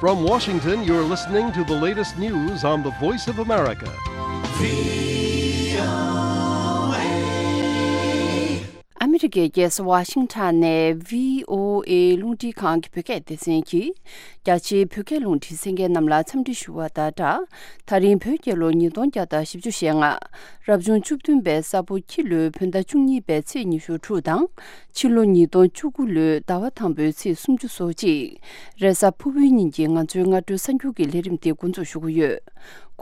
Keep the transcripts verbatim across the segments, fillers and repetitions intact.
From Washington, you're listening to the latest news on the Voice of America. ཨ་མི་རི་ཀའི་རྒྱལ་ས་ཝ་ཤིང་ཊོན་ནས་བྷི་ཨོ་ཨེ་རླུང་འཕྲིན་ཁང་གི་བོད་སྐད་སྡེ་ཚན་གྱིས། རྒྱ་ཆེའི་བོད་སྐད་རླུང་འཕྲིན་གསན་མཁན་རྣམས་ལ་འཚམས་འདྲི་ཞུ་བ་དང་སྦྲགས། ད་རིང་བོད་རྒྱལ་ལོ་ཉིས་སྟོང་བརྒྱ་དང་བཞི་བཅུ་ཞེ་ལྔ། རབ་བྱུང་བཅུ་བདུན་པའི་ས་ཕོ་ཁྱི་ལོའི་བོད་ཟླ་བཅུ་གཉིས་པའི་ཚེས་ཉི་ཤུ་དྲུག་དང་། ཕྱི་ལོ་ཉིས་སྟོང་བཅུ་དགུ་ལོའི་ཟླ་བ་དང་པོའི་ཚེས་སུམ་ཅུ་སོ་གཅིག་རེས་གཟའ་ཕུར་བུའི་ཉིན་གྱི་ང་ཚོའི་སྔ་དྲོའི་གསར་འགྱུར་གྱི་ལས་རིམ་འདི་འགོ་འཛུགས་ཞུ་གི་ཡོད།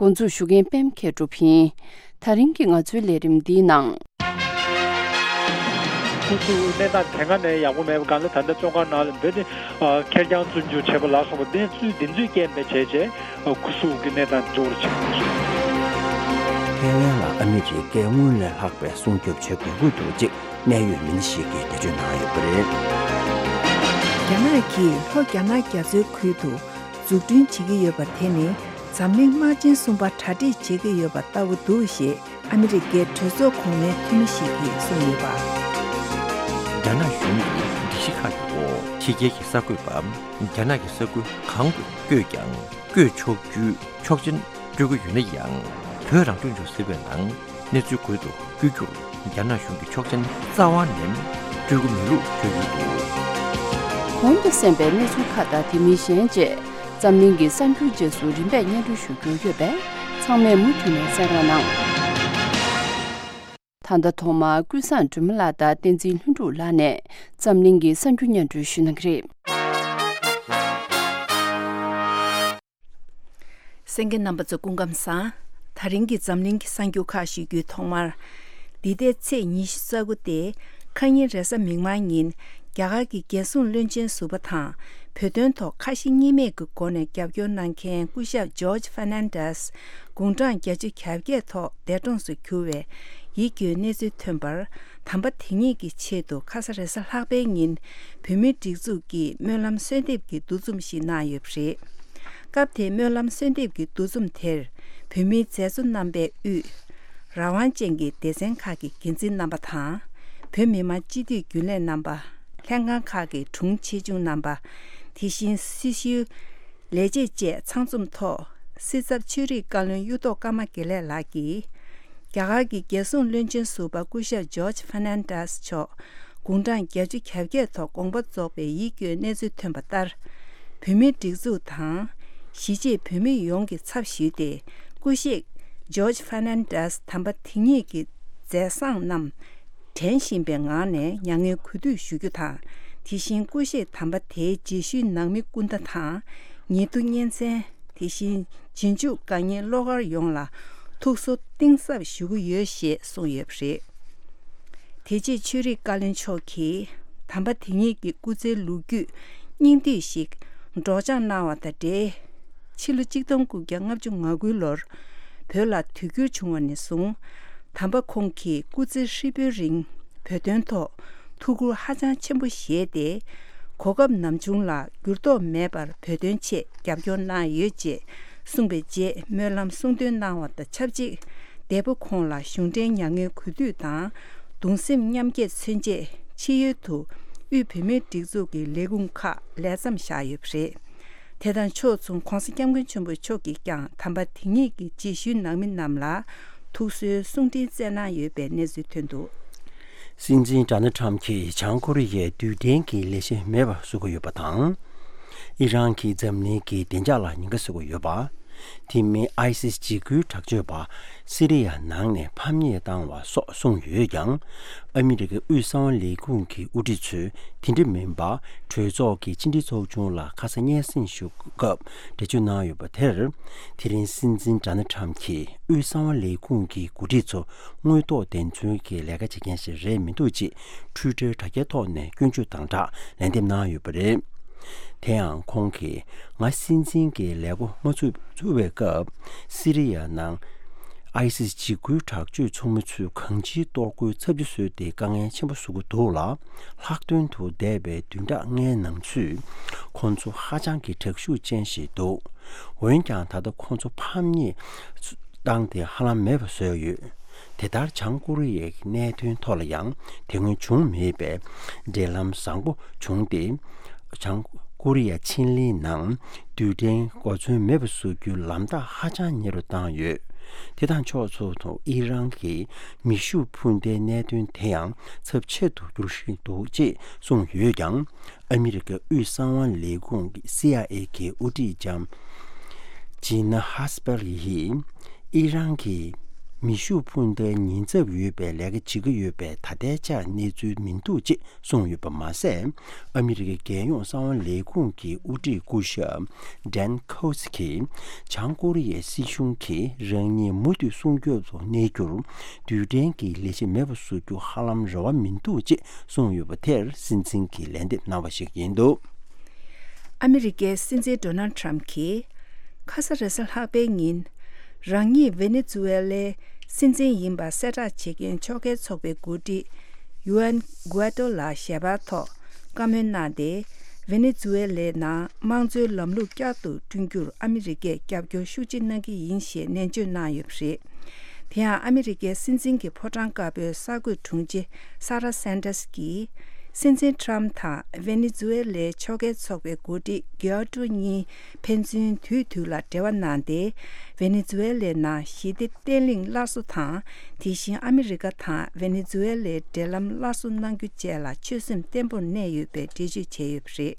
འགོ་འཛུགས་ཞུ་མཁན་པད་མ་མཁས་གྲུབ་ཡིན། ད་རིང་གི་ང་ཚོའི་ལས་རིམ་འདིའི་ནང་། ཁོ་ཚོའི་གནས་སྟངས་དེ་སྔ་ནས་ཡག་པོ་མེད་པ་གང་ལྟར་ད་ལྟ་བཙོན་ཁང་ནང་ལ་འདི་ནི་ཁེར་རྐྱང་བཙོན་འཇུག་བྱས་པ་ལ་སོགས་པ་གནས་ཚུལ་འདི་ཚོའི་རྐྱེན་པས་བྱས་རྗེས་ཁོ་ཚོ་གི་གནས་སྟངས་འགྱུར་བ་ཕྱིན་པ་རེད། ཐའེ་ཝན་ལ་ཨ་མི་རི་ཀས་སྔོན་ལས་ལྷག་པའི་སྲུང་སྐྱོབ་བྱེད་དགོས་ཀྱི་འདུག་ཅེས་གནད་ཡོད་མི་སྣ་ཞིག་གིས་འགྲེལ་བརྗོད་གནང་ཡོད་པ་རེད། རྒྱ་ནག་གིས་ལྷོ་རྒྱ་ནག་རྒྱ་མཚོའི་ཁུལ་དུ་འཛུགས་སྐྲུན་བྱེད་ཀྱི་ཡོད་པ་དེ་ནི་འཛམ་གླིང་དམག་ཆེན་གསུམ་པ་གྲ་སྒྲིག་བྱེད་ཀྱི་ཡོད་པ་ལྟ་བུ་འདུག་ཞེས་ཨ་མི་རི་ཀའི་གྲོས་ཚོགས་གོང་མའི་འཐུས་མི་ཞིག་གིས་གསུངས་ཡོད་པ། རྒྱ་ནག་གཞུང་གི་སྒྲིག་གཞི་ཁག་གི་འོག་ཕྱི་རྒྱལ་གྱི་གསར་འགོད་པ་རྒྱ་ནག་གི་ས་ཁུལ་གང་དུ་བསྐྱོད་ཀྱང་། བསྐྱོད་ཆོག་རྒྱུའི་ཆོག་མཆན་སྤྲོད་ཀྱི་ཡོད་ན་ཡང་། བོད་རང་སྐྱོང་ལྗོངས་ཟེར་བའི་ནང་གནས་ཚུལ་འགོད་དུ་བསྐྱོད་རྒྱུར་རྒྱ་ནག་གཞུང་གིས་ཆོག་མཆན་རྩ་བ་ནས་སྤྲོད་ཀྱི་མེད་ལུགས་བརྗོད་ཡོད་འདུག་གོང་དུ་གསན་པའི་གནས་ཚུལ་ཁག་དང་དེ་མིན་གཞན་བཅས་འཛམ་གླིང་གི་གསར་འགྱུར་རྗེས་སུ་རིམ་པས་སྙན་སྒྲོན་ཞུ་རྒྱུ་ཡོད་པས་ཚང་མས་མུ་མཐུད་ནས་གསན་རོགས་གནང་། ད་ལྟ་ཐོག་མར་ཀུན་བཟང་སྒྲོལ་མ་ལགས་དང་བསྟན་འཛིན་ལྷུན་གྲུབ་ལགས་ནས་འཛམ་གླིང་གི་གསར་འགྱུར་སྙན་སྒྲོན་ཞུ་གནང་གི་རེད། གསན་མཁན་རྣམ་པ་ཚོ་སྐུ་ཁམས་བཟང་། ད་རིང་གི་འཛམ་གླིང་གི་གསར་འགྱུར་ཁག་ཞུ་རྒྱུའི་ཐོག་མར། འདི་ཟླའི་ཚེས་ཉི་ཤུ་རྩ་དགུ་སྟེ། ཁ་ཉིན་རེས་གཟའ་མིག་དམར་ཉིན། རྒྱ་གར་གྱི་རྒྱལ་སྲུང་བློན་ཆེན་ཟུར་པ་དང་། བོད་དོན་ཐོག་ཁ་ཞེ་གཉིས་མེད་ཀྱི་སྒོ་ནས་རྒྱབ་སྐྱོར་གནང་མཁན་སྐུ་ཞབས་ཇོརྗ་ཧྥར་ནན་ཌེས། དགུང་གྲངས་བརྒྱད་ཅུ་གྱ་བརྒྱད་ཐོག་འདས་གྲོངས་སུ་གྱུར་བའི་ཡིད་སྐྱོའི་གནས་ཚུལ་ཐོན་པར། དམ་པ་དེ་ཉིད་ཀྱི་ཆེད་དུ་ཁ་ས་རེས་གཟའ་ལྷག་པའི་ཉིན། བོད་མིའི་སྒྲིག་འཛུགས་ཀྱིས་སྨོན་ལམ་གསོལ་འདེབས་ཀྱི་འདུ་འཛོམས་ཤིག་གནང་ཡོད་པ་རེད། སྐབས་དེའི་སྨོན་ལམ་གསོལ་འདེབས་ཀྱི་འདུ་འཛོམས་དེར། བོད་མིའི་མཛད་གཙོ་རྣམ་པས་དབུས། རང་དབང་ཅན་གྱི་སྡེ་ཚན་ཁག་གི་འགན་འཛིན་རྣམ་པ་དང་། བོད་མི་མང་སྤྱི་འཐུས་རྒྱུན་ལས་རྣམ་པ། ལྷན་ཁང་ཁག་གི་དྲུང་ཆེ་ཆུང་རྣམ་པ། དེ་བཞིན་སྲི་ཞུའི་ལས་བྱེད་བཅས་ཚང་འཛོམས་ཐོག་སྲིད་ཚབ་ཆོས་རིག་བཀའ་བློན་གཡུ་ཐོག་ཀརྨ་དགེ་ལེགས་ལགས་ཀྱིས། རྒྱ་གར་གྱི་རྒྱལ་སྲུང་བློན་ཆེན་ཟུར་པ་སྐུ་ཞབས་ཇོརྗ་ཧྥར་ནན་ཌེས་མཆོག་དགུང་གྲངས་བརྒྱད་ཅུ་གྱ་བརྒྱད་ཐོག་དགོངས་པ་རྫོགས་པའི་ཡིད་སྐྱོའི་གནས་ཚུལ་ཐོན་པ་ལྟར། བོད་མིའི་སྒྲིག་འཛུགས་དང་། གཞིས་བྱེས་བོད་མི་ཡོངས་ཀྱི་ཚབ་ཞུས་ཏེ། སྐུ་གཤེགས་ཇོརྗ་ཧྥར་ནན་ཌེས་དམ་པ་དེ་ཉིད་ཀྱི་མཛད་བཟང་རྣམས། དྲན་བཞིན་པའི་ངང་ནས་མྱ་ངན་གུས་འདུད་ཞུ་རྒྱུ་དང་། དེ་བཞིན་སྐུ་གཤེགས་དམ་པ་དེའི་རྗེས་ཤུལ་ནང་མི་སྐུ་ཟླ་དང་། ཉེ་དུ་གཉེན་ཚན། དེ་བཞིན་རྗེས་འཇུག་དགའ་ཉེ་བློ་དཀར་ཡོངས་ལ་ཐུགས་གསོ་གཏིང་ཟབ་ཞུ་གི་ཡོད་ཞེས་གསུངས་ཡོད་པ་རེད། དེ་རྗེས་ཆོས་རིག་བཀའ་བློན་མཆོག་གིས་དམ་པ་དེ་ཉིད་ཀྱི་སྐུ་ཚེའི་ལོ་རྒྱུས་སྙིང་བསྡུས་ཤིག་སྒྲོག་སྦྱང་གནང་བ་དང་འབྲེལ། ཕྱི་ལོ་གཅིག་སྟོང་དགུ་བརྒྱ་ལྔ་བཅུ་ང་དགུ་ལོར་བོད་ལ་དུས་འགྱུར་བྱུང་བ་ནས་བཟུང་། དམ་པ་ཁོང་གིས་སྐུ་ཚེ་ཧྲིལ་པོའི་རིང་བོད་དོན་ཐོག་ཐུགས་ཁུར་ཧ་ཅང་ཆེན་པོ་བཞེས་ཏེ། གོ་སྐབས་ནམ་བྱུང་ལ་འགྱུར་ལྡོག་མེད་པར་བོད་དོན་ཆེད་རྒྱབ་སྐྱོར་གནང་ཡོད་ཅེས་གསུངས་པའི་རྗེས། སྨོན་ལམ་གསུང་འདོན་གནང་བ་དང་ཆབས་ཅིག་འདས་པོ་ཁོང་ལ་གཞུང་འབྲེལ་མྱ་ངན་གུས་འདུད་དང་། གདུང་སེམས་མཉམ་སྐྱེད་མཚོན་ཆེད་ཕྱི་ཡུལ་དུ་དབུས་བོད་མིའི་སྒྲིག་འཛུགས་ཀྱི་ལས་ཁུངས་ཁག་ལས་མཚམས་བཞག་ཡོད་པ་རེད། དེ་དང་ཕྱོགས་མཚུངས་༧གོང་ས་༧སྐྱབས་མགོན་ཆེན་པོ་མཆོག་གིས་ཀྱང་དམ་པ་དེ་ཉིད་ཀྱི་རྗེས་ཤུལ་ནང་མི་རྣམས་ལ་ཐུགས་གསོའི་གསུང་འཕྲིན་བསྩལ་གནང་ཡོད་པའི་གནས་ཚུལ་ཐོན་འདུག། སྲིད་འཛིན་ཌོ་ནལ་ཊམ་གྱིས་བྱང་ཀོ་རི་ཡའི་རྡུལ་ཕྲན་གྱི་ལས་གཞི་མེད་པར་བཟོ་གི་ཡོད་པ་དང་། ཨི་རན་གྱིས་འཛམ་གླིང་གི་བདེ་འཇགས་ལ་ཉེན་ཁ་བཟོ་གི་ཡོད་པ། དེ་མིན་ཨའི་སིས་འཇིགས་སྐུལ་དྲག་སྤྱོད་པ་སི་རི་ཡ་ནང་ནས་ཕམ་ཉེས་བཏང་བ་སོགས་གསུངས་ཡོད་ཀྱང་། ཨ་མི་རི་ཀའི་དབུས་གསང་བ་ལས་ཁུངས་ཀྱི་དབུ་ཁྲིད་ཚོས་དེ་འདྲ་མིན་པ། གྲོས་ཚོགས་ཀྱི་ཕྱི་འབྲེལ་ཚོགས་ཆུང་ལ་ཁ་ས་སྙན་སེང་ཞུ་སྐབས་འགྲེལ་བརྗོད་གནང་ཡོད་པ་དེར། དེ་རིང་སྲིད་འཛིན་ཌོ་ནལ་ཊམ་གྱིས་དབུས་གསང་བ་ལས་ཁུངས་ཀྱི་འགོ་ཁྲིད་ཚོ་དངོས་ཐོག་བདེན་འཚོལ་གྱི་ལས་ཀ་བྱེད་མཁན་ཞིག་རེད་མི་འདུག་ཅེས་ཊུའི་ཊར་དྲ་རྒྱའི་ཐོག་ནས་སྐྱོན་བརྗོད་དང་སྦྲགས་ལན་འདེབས་གནང་ཡོད་པ་རེད། དེ་ཡང་ཁོང་གིས་ང་སྲིད་འཛིན་གྱི་ལས་འགོ་མ་ཚུགས་ཚུགས་པའི་སྐབས་སི་རི་ཡ་ནང་ཨའི་སིས་འཇིགས་སྐུལ་དྲག་སྤྱོད་ཚོགས་མི་ཚོས་གང་ཅིའི་གཏོར་རྒོལ་ཚབས་ཆེ་བཟོས་ཏེ་དཀའ་ངལ་ཆེན་པོ་བཟོ་གི་འདུག་ལ། ལྷག་དོན་དུ་འདས་པའི་བདུན་ཕྲག་ལྔའི་ནང་ཚུད་ཁོང་ཚོ་ཧ་ཅང་གི་དྲག་ཤུགས་ཅན་ཞིག་འདུག། འོན་ཀྱང་ད་ལྟ་ཁོང་ཚོ་ཕམ་ཉེས་བཏང་སྟེ་ཧ་ལམ་མེད་པ་བཟོས་ཡོད། དེ་ལྟར་བྱང་ཀོ་རི་ཡའི་གནད་དོན་ཐོག་ལ་ཡང་དེ་སྔོན་བྱུང་མེད་པའི་འབྲེལ་ལམ་བཟང་པོ་བྱུང་སྟེ། བྱང་ཀོ་རི་ཡ་ཆིན་ལིའི་ནང་རྡུལ་ཕྲན་གོ་མཚོན་མེད་པ་བཟོ་རྒྱུའི་ལམ་ཐག་ཧ་ཅང་ཉེ་རུ་བཏང་ཡོད། དེ་དང་ཕྱོགས་མཚུངས་སུ་ཨི་རན་གྱིས་མེ་ཤུགས་འཕུར་མདའི་གནད་དོན་དེ་ཡང་ཚབས་ཆེ་རུ་འགྱུར་བཞིན་འདུག་ཅེས་གསུངས་ཡོད་ཀྱང་། ཨ་མི་རི་ཀའི་དབུས་གསང་བ་ལས་ཁུངས་ཀྱི་སི་ཨའི་ཨེ་གྱི་དབུ་ཁྲིད་ལྕམ་ཇི་ན་ཧ་སི་པེལ་ཡིས་ཨི་རན་གྱིས་མེ་ཤུགས་འཕུར་མདའི་ཉེན་ཚབས་ཡོད་པའི་ལས་ཀ་བྱེད་ཀྱི་ཡོད་པའི་ད་ལྟའི་ཆར་གནས་ཚུལ་མི་འདུག་ཅེས་གསུངས་ཡོད་པ་མ་ཟད། ཨ་མི་རི་ཀའི་རྒྱལ་ཡོངས་གསང་བ་ལས་ཁུངས་ཀྱི་དབུ་ཁྲིད་སྐུ་ཞབས་ཌན་ཁོ་སི་ཀྱིས་བྱང་ཀོ་རི་ཡའི་སྲིད་གཞུང་གིས་རང་ཉིད་མུ་མཐུད་སྲུང་སྐྱོབ་ཏུ་གནས་རྒྱུར་རྡུལ་ཕྲན་གྱི་ལས་གཞི་མེད་པ་བཟོ་རྒྱུ་ཧ་ལམ་རེ་བ་མི་འདུག་ཅེས་གསུངས་ཡོད་པ་དེར་སྲིད་འཛིན་གྱིས་ལན་འདེབས་གནང་བ་ཞིག་ཡིན་འདུག། ཨ་མི་རི་ཀའི་སྲིད་འཛིན་ཌོ་ནལ་ཁྲམ་གྱིས་ཁ་ས་རེས་གཟའ་ལྷག་པའི་ཉིན་རང་ཉིད་ཝེ་ནེ་ཛུ་ཝེ་ལའི་སྲིད་འཛིན་ཡིན་པ་གསལ་བསྒྲགས་བྱེད་མཁན་ཕྱོགས་འགལ་ཚོགས་པའི་འགོ་ཁྲིད་ཡུ་ཨན་གུ་ཨེ་ཏོ་ལ་ཞལ་པར་ཐོག་བཀའ་མོལ་གནང་སྟེ། ཝེ་ནེ་ཛུ་ཝེ་ལའི་ནང་དམངས་གཙོའི་ལམ་ལུགས་བསྐྱར་དུ་བསྐྲུན་རྒྱུར་ཨ་མི་རི་ཀས་རྒྱབ་སྐྱོར་ཤུགས་ཆེ་གནང་གི་ཡིན་ཞེས་ནན་བརྗོད་གནང་ཡོད་པ་རེད། དེ་ཡང་ཨ་མི་རི་ཀའི་སྲིད་འཛིན་གྱི་ཕོ་བྲང་དཀར་པོའི་གསར་འགོད་དྲུང་ཆེ་ས་ར་སན་ཏཱས་ཀྱིས། སྲིད་འཛིན་ཁྲམ་དང་ཝེ་ནེ་ཛུ་ཝེ་ལའི་ཕྱོགས་འགལ་ཚོགས་པའི་འགོ་ཁྲིད་གུ་ཨེ་ཏོ་གཉིས་ཕན་ཚུན་དུས་དུས་ལ་འབྲེལ་བ་གནང་སྟེ། ཝེ་ནེ་ཛུ་ཝེ་ལའི་ནང་ཞི་བདེ་བརྟན་ལྷིང་སླར་གསོ་དང་། དེ་བཞིན་ཨ་མི་རི་ཀ་དང་ཝེ་ནེ་ཛུ་ཝེ་ལའི་འབྲེལ་ལམ་སླར་གསོ་གནང་རྒྱུ་བཅས་ལ་ཆོད་སེམས་བརྟན་པོར་གནས་ཡོད་པའི་འགྲེལ་བརྗོད་བྱས་ཡོད་པ་རེད།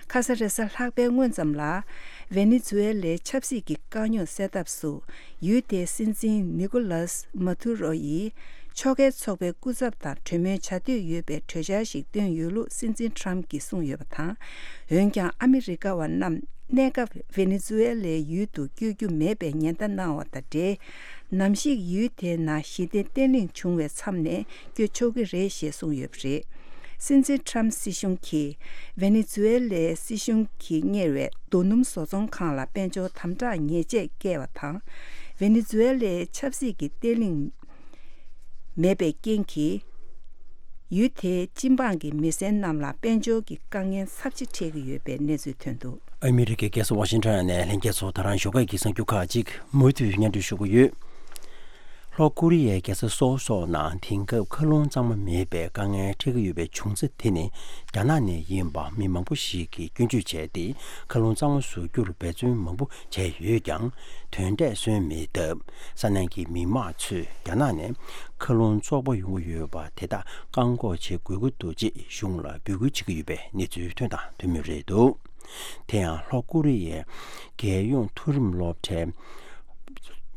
ཁ་ས་རེས་གཟའ་ལྷག་པའི་སྔོན་ཙམ་ལ། ཝེ་ནེ་ཛུ་ཝེ་ལའི་ཆབ་སྲིད་ཀྱི་དཀའ་རྙོག་སེལ་ཐབས་སུ། ཡུལ་དེའི་སྲིད་འཛིན་ནི་ཀོ་ལཱས་མ་ཐུ་རོ་ཡིས། ཕྱོགས་འགལ་ཚོགས་པའི་སྐུ་ཚབ་དང་གྲོས་མོལ་བྱ་འདོད་ཡོད་པའི་གྲོས་འཆར་ཞིག་བཏོན་ཡོད་ལུགས་སྲིད་འཛིན་ཁྲམ་གྱིས་གསུངས་ཡོད་པ་དང་། འོན་ཀྱང་ཨ་མི་རི་ཀ་བ་རྣམས་གནས་སྐབས་ཝེ་ནེ་ཛུ་ཝེ་ལའི་ཡུལ་དུ་བསྐྱོད་རྒྱུ་མེད་པའི་ཉེན་བརྡ་གནང་བ་དང་འབྲེལ། ནམ་ཞིག་ཡུལ་དེའི་ནང་ཞི་བདེ་བརྟན་ལྷིང་བྱུང་བའི་མཚམས་ནས། བསྐྱོད་ཆོག་གི་རེད་ཞེས་གསུངས་ཡོད་པ་རེད། སྲིད་འཛིན་ཁྲམ་སྲིད་གཞུང་གིས་ཝེ་ནེ་ཛུ་ཝེ་ལའི་སྲིད་གཞུང་གིས་གཉེར་བའི་རྡོ་སྣུམ་བཟོ་ཚོང་ཁང་ལ་དཔལ་འབྱོར་དམ་དྲག་ཉེས་ཆད་བཀལ་བ་དང་། ཝེ་ནེ་ཛུ་ཝེ་ལའི་ཆབ་སྲིད་ཀྱི་བརྟན་ལྷིང་མེད་པའི་རྐྱེན་གྱིས། ཡུལ་དེའི་སྤྱི་འབངས་ཀྱི་མི་སེར་རྣམས་ལ་དཔལ་འབྱོར་གྱི་དཀའ་ངལ་ཚབས་ཆེ་འཕྲད་ཀྱི་ཡོད་པའི་གནས་ཚུལ་ཐོན་འདུག། ཨ་མི་རི་ཀའི་རྒྱལ་ས་ཝ་ཤིང་ཊོན་ནས་ལྷན་རྒྱས་ཚོ་ད་རང་ཞོགས་ཀས་ཀྱི་གསར་འགྱུར་ཁག་ཅིག་མུ་མཐུད་སྙན་སྒྲོན་ཞུ་གི་ཡོད། ལྷོ་ཀོ་རི་ཡའི་རྒྱལ་ས་སོལ་སོགས་ནང་དེང་སྐབས་མཁའ་རླུང་གཙང་མ་མེད་པའི་དཀའ་ངལ་འཕྲད་ཀྱི་ཡོད་པའི་བྱུང་ཚེ་དེ་ནི་རྒྱ་ནག་ནས་ཡིན་པ་མི་མང་པོ་ཞིག་གིས་སྐྱོན་བརྗོད་བྱས་ཏེ། མཁའ་རླུང་གཙང་མ་བཟོ་རྒྱུར་འབད་བརྩོན་མང་པོ་བྱས་ཡོད་ཀྱང་། དོན་འབྲས་སོན་མེད་སྟབས། ས་གནས་ཀྱི་མི་མང་ཚོས་རྒྱ་ནག་ནས་མཁའ་རླུང་བཙོག་པ་ཡོང་གི་ཡོད་པ་དེ་དག་བཀག་འགོག་བྱེད་དགོས་ཀྱི་འདུག་ཅེས་གཞུང་ལ་འབོད་སྐུལ་བྱེད་ཀྱི་ཡོད་པའི་གནས་ཚུལ་ཐོན་དང་ཐོན་མུས་རེད་འདུག། དེ་ཡང་ལྷོ་ཀོ་རི་ཡའི་རྒྱལ་ཡོངས་མཐོ་རིམ་སློབ་གྲྭའི་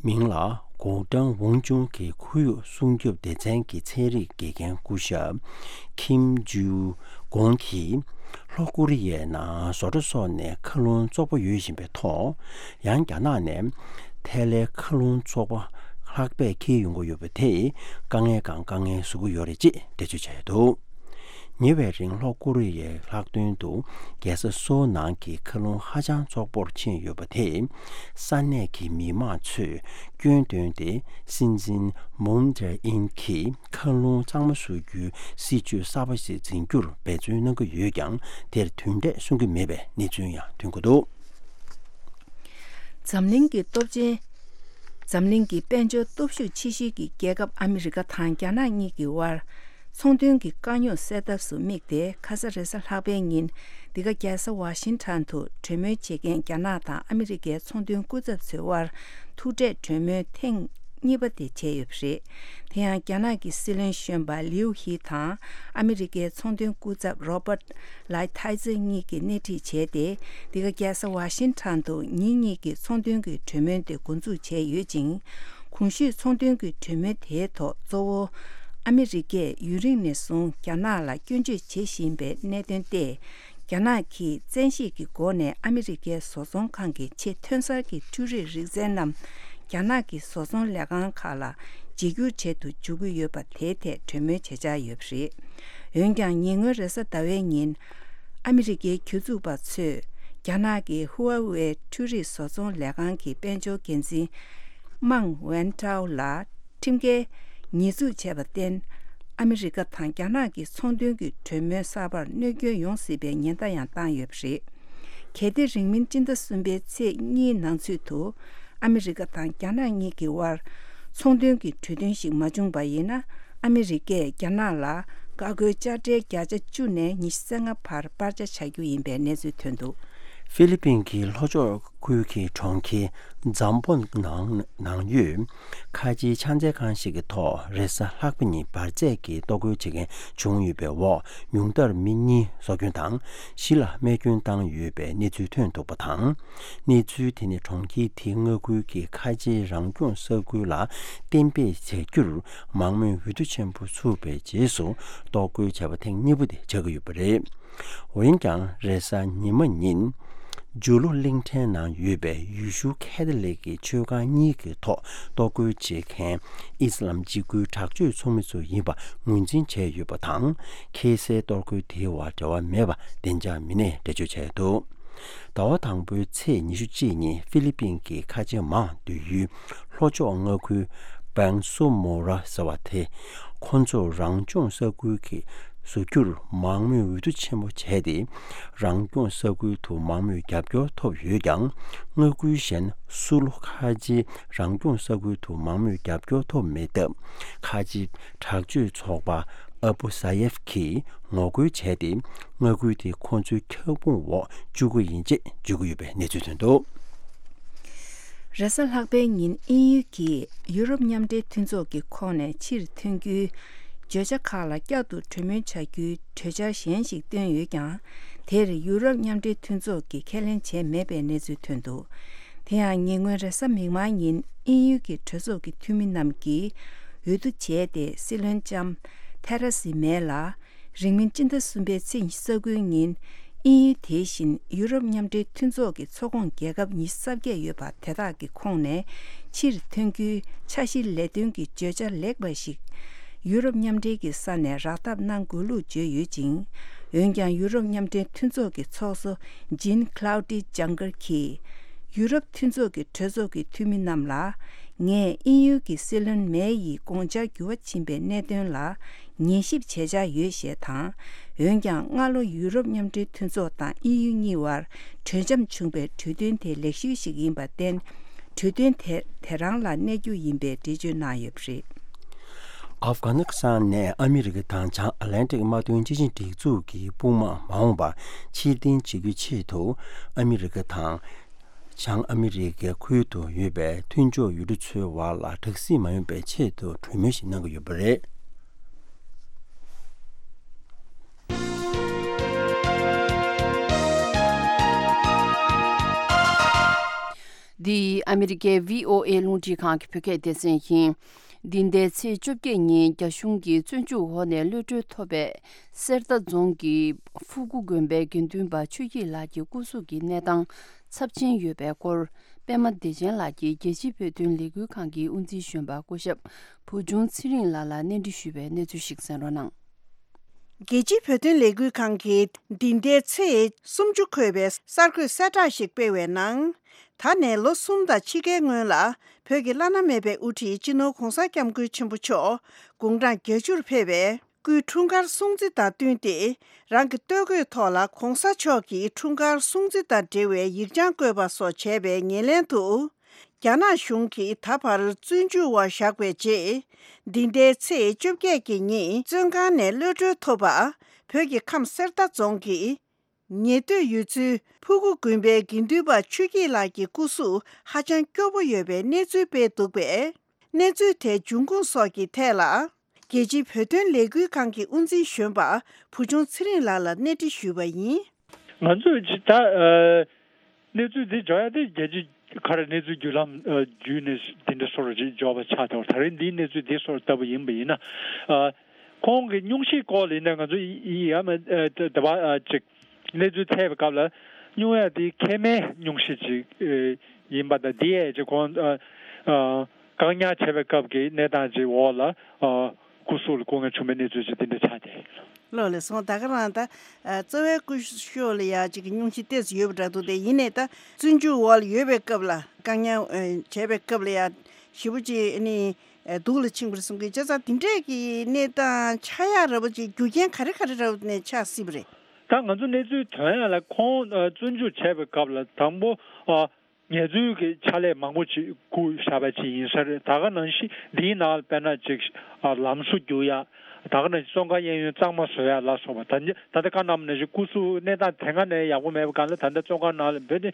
མིང་ལ་གོ་ཀྲང་ཝུང་ཅུང་གི་ཁོར་ཡུག་སྲུང་སྐྱོབ་སྡེ་ཚན་གྱི་ཚན་རིག་དགེ་རྒན་སྐུ་ཞབས་ཁིམ་ཇུ་གོང་གིས། ལྷོ་ཀོ་རི་ཡའི་ནང་བཟོ་གྲྭ་སོགས་ནས་མཁའ་རླུང་བཙོག་པ་ཡོད་བཞིན་པའི་ཐོག། ཡང་རྒྱ་ནག་ནས་ཐལ་ལའི་མཁའ་རླུང་བཙོག་པ་ལྷགས་པས་འཁྱེར་ཡོང་གི་ཡོད་པ་དེས་དཀའ་ངལ་གང་དཀའ་ངལ་བཟོ་གི་ཡོད་རེད་ཅེས་འགྲེལ་བརྗོད་བྱས་འདུག། ཉེ་བའི་རིང་ལྷོ་ཀོ་རི་ཡའི་ལྷག་དོན་དུ་རྒྱལ་ས་སོའུ་ནང་གི་མཁའ་རླུང་ཧ་ཅང་བཙོག་པོར་ཕྱིན་ཡོད་པ་དེས། ས་གནས་ཀྱི་མི་མང་ཚོས་སྐྱོན་བཏོན་ཏེ། སྲིད་འཛིན་མུན་ཇེ་ཨིན་གྱིས་མཁའ་རླུང་གཙང་མ་བཟོ་རྒྱུའི་སྲིད་ཇུས་གསར་པ་ཞིག་འཛིན་རྒྱུར་འབད་བརྩོན་གནང་གི་ཡོད་ཀྱང་། དེར་དོན་འབྲས་སོན་གྱི་མེད་པའི་གནས་ཚུལ་ཡང་ཐོན་གྱི་འདུག། འཛམ་གླིང་གི་སྟོབས་ཆེན། འཛམ་གླིང་གི་དཔལ་འབྱོར་སྟོབས་ཤུགས་ཆེ་ཤོས་ཀྱི་རྒྱལ་ཁབ་ཨ་མི་རི་ཀ་དང་རྒྱ་ནག་གཉིས་ཀྱི་དབར། ཚོང་དོན་གྱི་དཀའ་རྙོག་སེལ་ཐབས་སུ་དམིགས་ཏེ། ཁ་ས་རེས་གཟའ་ལྷག་པའི་ཉིན། འདི་ག་རྒྱལ་ས་ཝ་ཤིང་ཊོན་དུ་གྲོས་མོལ་བྱེད་མཁན་རྒྱ་ནག་དང་ཨ་མི་རི་ཀའི་ཚོང་དོན་སྐུ་ཚབ་ཚོའི་དབར། ཐུག་འཕྲད་གྲོས་མོལ་ཐེངས་གཉིས་པ་དེ་བྱས་ཡོད་པ་རེད། དེ་ཡང་རྒྱ་ནག་གི་སྲིད་བློན་གཞོན་པ་ལིའུ་ཧི་དང་ཨ་མི་རི་ཀའི་ཚོང་དོན་སྐུ་ཚབ་རོ་པར་ལའི་ཐའི་ཛེ་གཉིས་ཀྱིས་སྣེ་ཁྲིད་བྱས་ཏེ། འདི་ག་རྒྱལ་ས་ཝ་ཤིང་ཊོན་དུ་ཉིན་གཉིས་ཀྱི་ཚོང་དོན་གྱི་གྲོས་མོལ་དེ་འགོ་འཛུགས་བྱས་ཡོད་ཅིང་། གོང་ཞུས་ཚོང་དོན་གྱི་གྲོས་མོལ་དེའི་ཐོག་གཙོ་བོ་ཨ་མི་རི་ཀས་ཡུན་རིང་ནས་བཟུང་རྒྱ་ནག་ལ་སྐྱོན་བརྗོད་བྱེད་བཞིན་པའི་གནད་དོན་ཏེ། རྒྱ་ནག་གིས་བཙན་ཤེད་ཀྱི་སྒོ་ནས་ཨ་མི་རི་ཀའི་བཟོ་ཚོང་ཁང་གི་ཆེས་ཐོན་གསར་གྱི་འཕྲུལ་རིག་རིག་རྩལ་རྣམས་རྒྱ་ནག་གི་བཟོ་ཚོང་ལས་ཁང་ཁག་ལ་བརྗེ་སྒྱུར་བྱེད་དུ་འཇུག་གི་ཡོད་པ་དེའི་ཐད་གྲོས་མོལ་བྱེད་འཆར་ཡོད་པ་རེད། འོན་ཀྱང་ཉེ་སྔོན་རེས་གཟའ་ཟླ་བའི་ཉིན། ཨ་མི་རི་ཀའི་གྱོད་འཛུགས་པ་ཚོས་རྒྱ་ནག་གི་ཧུ་ཝ་ཝེ་འཕྲུལ་རིག་བཟོ་ཚོང་ལས་ཁང་གི་དཔལ་འབྱོར་འགན་འཛིན་མང་ཝན་ཀྲའོ་ལ་ཁྲིམས་འགལ་ཉེས་འཛུགས་བྱས་པར་བརྟེན། ཨ་མི་རི་ཀ་དང་རྒྱ་ནག་གི་ཚོང་དོན་གྱི་གྲོས་མོལ་གསར་པར་གནོད་སྐྱོན་ཡོང་སྲིད་པའི་ཉེན་བརྡ་ཡང་བཏང་ཡོད་པ་རེད། གལ་ཏེ་རིང་མིན་སྤྱི་ཟླ་གསུམ་པའི་ཚེས་གཉིས་ནང་ཚུད་དུ། ཨ་མི་རི་ཀ་དང་རྒྱ་ནག་གཉིས་ཀྱི་དབར་ཚོང་དོན་གྱི་གྲོས་མཐུན་ཞིག་མ་བྱུང་པ་ཡིན་ན། ཨ་མི་རི་ཀས་རྒྱ་ནག་ལ་ ཀ་ཁོལ་དཔྱ་ཁྲལ་བརྒྱ་ཆ་བཅུ་ནས་ཉི་ཤུ་རྩ་ལྔ་བར་སྤར་ཆ་བྱ་རྒྱུ་ཡིན་པའི་གནས་ཚུལ་ཐོན་འདུག་ཧྥི་ལི་པིན་གྱི་ལྷོ་ཕྱོགས་ཁུལ་གྱི་གྲོང་ཁྱེར་ཛམ་པོ་ནང་ནང་ཡོད་ཁ་ཆེའི་ཕྱག་འཚལ་ཁང་ཞིག་གི་ཐོག་རེས་གཟའ་ལྷག་པ་ཉིན་འབར་རྫས་ཀྱི་གཏོར་རྒོལ་བྱེད་མཁན་བྱུང་ཡོད་པའི་འོག་ཉུང་མཐར་མི་གཉིས་སྲོག་སྐྱོན་དང་བཞི་ལ་རྨས་སྐྱོན་བཏང་ཡོད་པའི་གནས་ཚུལ་ཐོན་འདུག་པ་དང་། གནས་ཚུལ་དེ་ནི་གྲོང་ཁྱེར་དེའི་མངའ་ཁུལ་གྱི་ཁ་ཆེའི་རང་སྐྱོང་ས་ཁུལ་ལ་གཏན་འབེབས་བྱ་རྒྱུར་མང་མོས་འོས་བསྡུ་ཆེན་པོ་ཚུགས་པའི་རྗེས་སུ་གཏོར་རྒོལ་བྱས་པ་ཐེངས་གཉིས་པ་དེ་ཆགས་ཀྱི་ཡོད་པ་རེད། འོན་ཀྱང་རེས་གཟའ་ཉི་མ་ཉིན། ཇུ་ལུ་གླིང་ཕྲན་ནང་ཡོད་པའི་ཡེ་ཤུ་ཁེ་ཐ་ལིག་གི་ཆོས་ཁང་གཉིས་ཀྱི་ཐོག་གཏོར་རྒོལ་བྱེད་མཁན་ཨི་སི་ལམ་འཇིགས་སྐུལ་དྲག་སྤྱོད་ཚོགས་མི་ཚོ་ཡིན་པ་ངོས་འཛིན་བྱས་ཡོད་པ་དང་། ཁེ་སའི་གཏོར་རྒོལ་དེའི་བར་འབྲེལ་བ་མེད་པ་བདེ་འཇགས་མི་སྣས་འགྲེལ་བརྗོད་བྱས་འདུག་ཟླ་བ་དང་པོའི་ཚེས་ཉི་ཤུ་གཅིག་ཉིན་ཧྥི་ལི་པིན་གྱི་ཁ་ཆེ་མང་སྡོད་ཡུལ་ལྷོ་ཕྱོགས་མངའ་ཁུལ་པང་སོ་མོ་ར་ཟེར་བ་དེ་ཁོ་ཚོ་རང་སྐྱོང་ས་ཁུལ་གྱི་བཟོ་རྒྱུར་མང་མོས་འོས་བསྡུ་ཆེན་པོ་བྱས་ཏེ། རང་སྐྱོང་ས་ཁུལ་དུ་མང་མོས་རྒྱབ་སྐྱོར་ཐོབ་ཡོད་ཀྱང་། མངའ་ཁུལ་གཞན་སུ་ལུ་ཁ་ཆེའི་རང་སྐྱོང་ས་ཁུལ་དུ་མང་མོས་རྒྱབ་སྐྱོར་ཐོབ་མེད་སྟབས། ཁ་ཆེའི་དྲག་སྤྱོད་ཚོགས་པ་ཨ་བུ་ས་ཡེབ་ཀྱིས་ངོ་རྒོལ་བྱས་ཏེ། མངའ་ཁུལ་དེ་ཁོ་ཚོའི་ཁྱབ་ཁོངས་འོག་བཅུག་གི་ཡིན་ཅེས་བརྗོད་ཀྱི་ཡོད་པའི་གནས་ཚུལ་ཐོན་འདུག་རེས་གཟའ་ལྷག་པའི་ཉིན་དབྱིན་ཡུལ་གྱིས་ཡུ་རོབ་མཉམ་འབྲེལ་མཐུན་ཚོགས་ཀྱི་ཁོངས་ནས་ཕྱིར་ཐོན་རྒྱུའི་བརྗོད་བྱ་ཁག་ལ་བསྐྱར་དུ་གྲོས་མོལ་བྱ་རྒྱུའི་གྲོས་འཆར་གཞན་ཞིག་བཏོན་ཡོད་ཀྱང་། དེར་ཡུ་རོབ་མཉམ་འབྲེལ་མཐུན་ཚོགས་ཀྱིས་ཁས་ལེན་བྱས་མེད་པའི་གནས་ཚུལ་ཐོན་འདུག་དེ་ཡང་ཉེ་སྔོན་རེས་གཟའ་མིག་དམར་ཉིན་དབྱིན་ཡུལ་གྱི་གྲོས་ཚོགས་ཀྱི་འཐུས་མི་རྣམས་ཀྱིས་འོས་བསྡུ་བྱས་ཏེ། སྲིད་བློན་ལྕམ་ཐེ་ར་སི་མེ་ལ། རིང་མིན་སྤྱི་ཟླ་གསུམ་པའི་ཚེས་ཉི་ཤུ་རྩ་དགུའི་ཉིན། དབྱིན་ཡུལ་དེ་བཞིན་ཡུ་རོབ་མཉམ་འབྲེལ་མཐུན་ཚོགས་ཀྱི་ཚོགས་ཁོངས་རྒྱལ་ཁབ་ཉི་ཤུ་རྩ་བརྒྱད་ཡོད་པ་དེ་དག་གི་ཁོངས་ནས་ཕྱིར་ཐོན་རྒྱུའི་འཆར་གཞིའི་ལས་དོན་གྱི་བརྗོད་བྱ་ལེགས་པ་ཞིག་ཡུ་རོབ་མཉམ་འབྲེལ་གྱི་ས་ནས་རག་ཐབས་གནང་དགོས་ལུགས་བརྗོད་ཡོད་ཅིང་། འོན་ཀྱང་ཡུ་རོབ་མཉམ་འབྲེལ་མཐུན་ཚོགས་ཀྱི་ཚོགས་གཙོ་ཇིན་ཁ་ལའུ་ཏི་ཇང་གར་གྱིས། ཡུ་རོབ་མཐུན་ཚོགས་ཀྱི་གྲོས་ཚོགས་ཀྱི་འཐུས་མི་རྣམས་ལ། ངས་དབྱིན་ཡུལ་གྱི་སྲིད་བློན་མེ་ཡི་དགོངས་འཆར་འགྱུར་བ་ཕྱིན་པའི་གནད་དོན་ལ་ཉན་ཞིབ་བྱེད་འཆར་ཡོད་ཞེས་དང་། འོན་ཀྱང་སྔ་ལོ་ཡུ་རོབ་མཉམ་འབྲེལ་མཐུན་ཚོགས་དང་དབྱིན་ཡུལ་གཉིས་བར་གྲོས་འཆམ་བྱུང་བའི་གྲོས་མཐུན་དེ་ལེགས་ཤོས་ཤིག་ཡིན་པར་བརྟེན། གྲོས་མཐུན་དེ་དེ་རང་ལ་གནས་རྒྱུ་ཡིན་པའི་འགྲེལ་བརྗོད་གནང་ཡོད་པ་རེད། ཨབ་གྷ་ནི་སི་ཐན་ནས་ཨ་མི་རི་ཀ་དང་བྱང་ཨ་ལན་ཏིག་དམག་དོན་སྤྱི་ཆིངས་སྒྲིག་འཛུགས་ཀྱི་དཔུང་དམག་མ་འོངས་པར་ཕྱིར་འཐེན་བྱེད་རྒྱུའི་ཆེད་དུ། ཨ་མི་རི་ཀ་དང་། བྱང་ཨ་མི་རི་ཀའི་ཁུལ་དུ་ཡོད་པའི་མཐུན་ཕྱོགས་ཡུལ་གྲུ་ཚོའི་བར་ལ་དྲག་ཟིང་མ་ཡོང་བའི་ཆེད་དུ་གྲོས་མོལ་ཞིག་གནང་གི་ཡོད་པ་རེད། འདི་ཨ་མི་རི་ཀའི་བྷི་ཨོ་ཨེ་རླུང་འཕྲིན་ཁང་གི་བོད་སྐད་སྡེ་ཚན་ཡིན། འདི་ཟླའི་ཚེས་བཅོ་བརྒྱད་ཉིན་རྒྱ་གཞུང་གིས་བཙོན་འཇུག་འོག་ནས་གློད་གྲོལ་ཐོབ་པའི་གསེར་རྟ་རྫོང་གི་ཕུ་གུ་དགོན་པའི་དགེ་འདུན་པ་ཆོས་སྐྱིད་ལགས་ཀྱི་སྐུ་གཟུགས་ཀྱི་གནས་སྟངས་ཚབས་ཆེན་ཡོད་པའི་སྐོར། པད་མ་བདེ་ཆེན་ལགས་ཀྱིས་རྒྱལ་སྤྱིའི་བོད་དོན་ལས་འགུལ་ཁང་གི་དབུ་འཛིན་གཞོན་པ་སྐུ་ཞབས་བུ་ཆུང་ཚེ་རིང་ལགས་ལ་གནས་འདྲི་ཞུས་པའི་གནས་ཚུལ་ཞིག་གསན་རོགས་གནང་། རྒྱལ་སྤྱིའི་བོད་དོན་ལས་འགུལ་ཁང་གིས་འདི་ཟླའི་ཚེས་སུམ་ཅུ་འཁོད་པའི་གསར་འགོད་གསལ་བསྒྲགས་ཤིག་སྤེལ་བའི་ནང་། ད་ནས་ལོ་གསུམ་དང་ཕྱེད་ཀའི་སྔོན་ལ་བོད་ཀྱི་བླ་ན་མེད་པའི་དབུ་ཁྲིད་སྤྱི་ནོར་༧གོང་ས་༧སྐྱབས་མགོན་ཆེན་པོ་མཆོག་དགུང་གྲངས་བརྒྱད་ཅུར་ཕེབས་པའི་སྐུའི་འཁྲུངས་སྐར་སྲུང་བརྩི་དང་བསྟུན་ཏེ། རང་གི་སྟོད་གོས་ཐོག་ལ་༧གོང་ས་མཆོག་གི་འཁྲུངས་སྐར་སྲུང་བརྩི་དང་འབྲེལ་བའི་ཡིག་བྱང་བཀོད་པ་སོགས་བྱས་པའི་ཉེར་ལེན་དུ། རྒྱ་ནག་གཞུང་གིས་ད་བར་བཙོན་འཇུག་འོག་བཞག་པའི་རྗེས། འདི་ཟླའི་ཚེས་བཅོ་བརྒྱད་ཀྱི་ཉིན་བཙོན་ཁང་ནས་གློད་གྲོལ་ཐོབ་པ། བོད་ཀྱི་ཁམས་གསེར་རྟ་རྫོང་གི་ཉེ་སྡོད་ཡུལ་ཚོའི་ཕུ་གུ་དགོན་པའི་དགེ་འདུན་པ་ཆོས་སྐྱིད་ལགས་ཀྱི་སྐུ་གཟུགས་ཧ་ཅང་སྐྱོ་པོ་ཡོད་པའི་གནས་ཚུལ་སྤེལ་འདུག་པས། གནས་ཚུལ་དེའི་འབྱུང་ཁུངས་སོགས་ཀྱི་ཐད་ལ། རྒྱལ་སྤྱིའི་བོད་དོན་ལས་འགུལ་ཁང་གི་དབུ་འཛིན་གཞོན་པ་བུ་ཆུང་ཚེ་རིང་ལགས་ལ་གནས་འདྲི་ཞུས་པ་ཡིན། ང་ཚོས་ད་ཨ་གནས་ཚུལ་འདི་འཇོག་ཡ་དེ་རྒྱལ་སྤྱི་ག་རེ་གནས་ཚུལ་བརྒྱུད་ལམ་ཨ་བརྒྱུད་ནས་འདི་འདྲ་སོར་ཅིག་འཇོག་པ་ཆགས་ཐལ། ད་རེས་འདིའི་གནས་ཚུལ་འདི་སོར་ལྟ་བུ་ཡིན་པ་ཡིན་ན། ཨ་ཁོང་གི་སྙུང་གཞི་སྐོར་ལ་ཡིན་ན་ང་ཚོ་ཡི་ཡ་མ་ཨ་ད་ད་བ་ཨ་ཅིག་གནས་ཚུལ་འཚོལ་བའི་སྐབས་ལ་སྙུང་ཡ་དེ་མཁལ་མའི་སྙུང་གཞི་ཅིག་ཨེ་ཡིན་པ་དང་། དེ་ཡས་ཅིག་ཁོང་ཨ་ཨ་བཀག་ཉར་བྱས་པའི་སྐབས་ཀྱི་གནས་སྟངས་ཅིག་འོག་ལ་ཨ་སྐུ་གཟུགས་ལ་སྐུ་ངལ་བྱུང་བའི་གནས་ཚུལ་ཅིག་འདི་འདྲ་ཆགས་ཏེ། ལགས་ལགས་སོ། ད་ག་རང་ད་ཨ་རྩ་བའི་སྐུ་ཞབས་ལ་ཡ་ཅིག་གི་སྙུང་གཞི་ཏོག་ཙམ་ཡོད་པ་འདྲ་འདུག་སྟེ། ཡིན་ནའི་ད་བཙོན་འཇུག་འོག་ལ་ཡོད་པའི་སྐབས་ལ་བཀག་ཉར་ཨ་བྱས་པའི་སྐབས་ལ་ཡ་ཞེ་པོ་ཅིག་ཨ་ནི་ཨ་སྡུག་ལ་ཕྱིན་པ་རེད་གསུང་གི། བྱས་ཙང་དེ་འདྲས་ཀྱི་གནས་སྟངས་ཆགས་ཡག་འདྲ་པོ་ཅིག་རྒྱུ་རྐྱེན་ག་རེ་ག་རེ་འདྲ་པོ་ནས་ཆགས་སྲིད་པ་རེད། ད་ང་ཚོ་གནས་ཚུལ་ཐོན་ཡག་ལ་ཁོང་ཨ་བཙོན་འཇུག་བྱས་པའི་སྐབས་ལ་དང་པོ་ཨ་ངལ་རྩོལ་གྱི་ཕྱག་ལས་མང་པོ་ཅིག་བསྐུར་བཞག་པ་ཅིག་ཡིན་ས་རེད། ད་ག་ནང་བཞིན་འདིའི་ནང་ལ་དཔེར་ན་ཅིག་ཨ་ལམ་བཟོ་རྒྱུག་ཡག་ད་ག་ནང་བཞིན་བཙོན་ཁང་གཡས་གཡོན་གཙང་མ་བཟོ་ཡ་ལ་སོགས་པ། ད་ད་ལྟ་བཀའ་གནང་ནང་བཞིན་སྐུ་གཟུགས་གནས་སྟངས་དེ་སྔ་ནས་ཡག་པོ་མེད་པའི་སྒང་ལ། ད་ལྟ་བཙོན་ཁང་ནང་ལ་འབོད་དེ་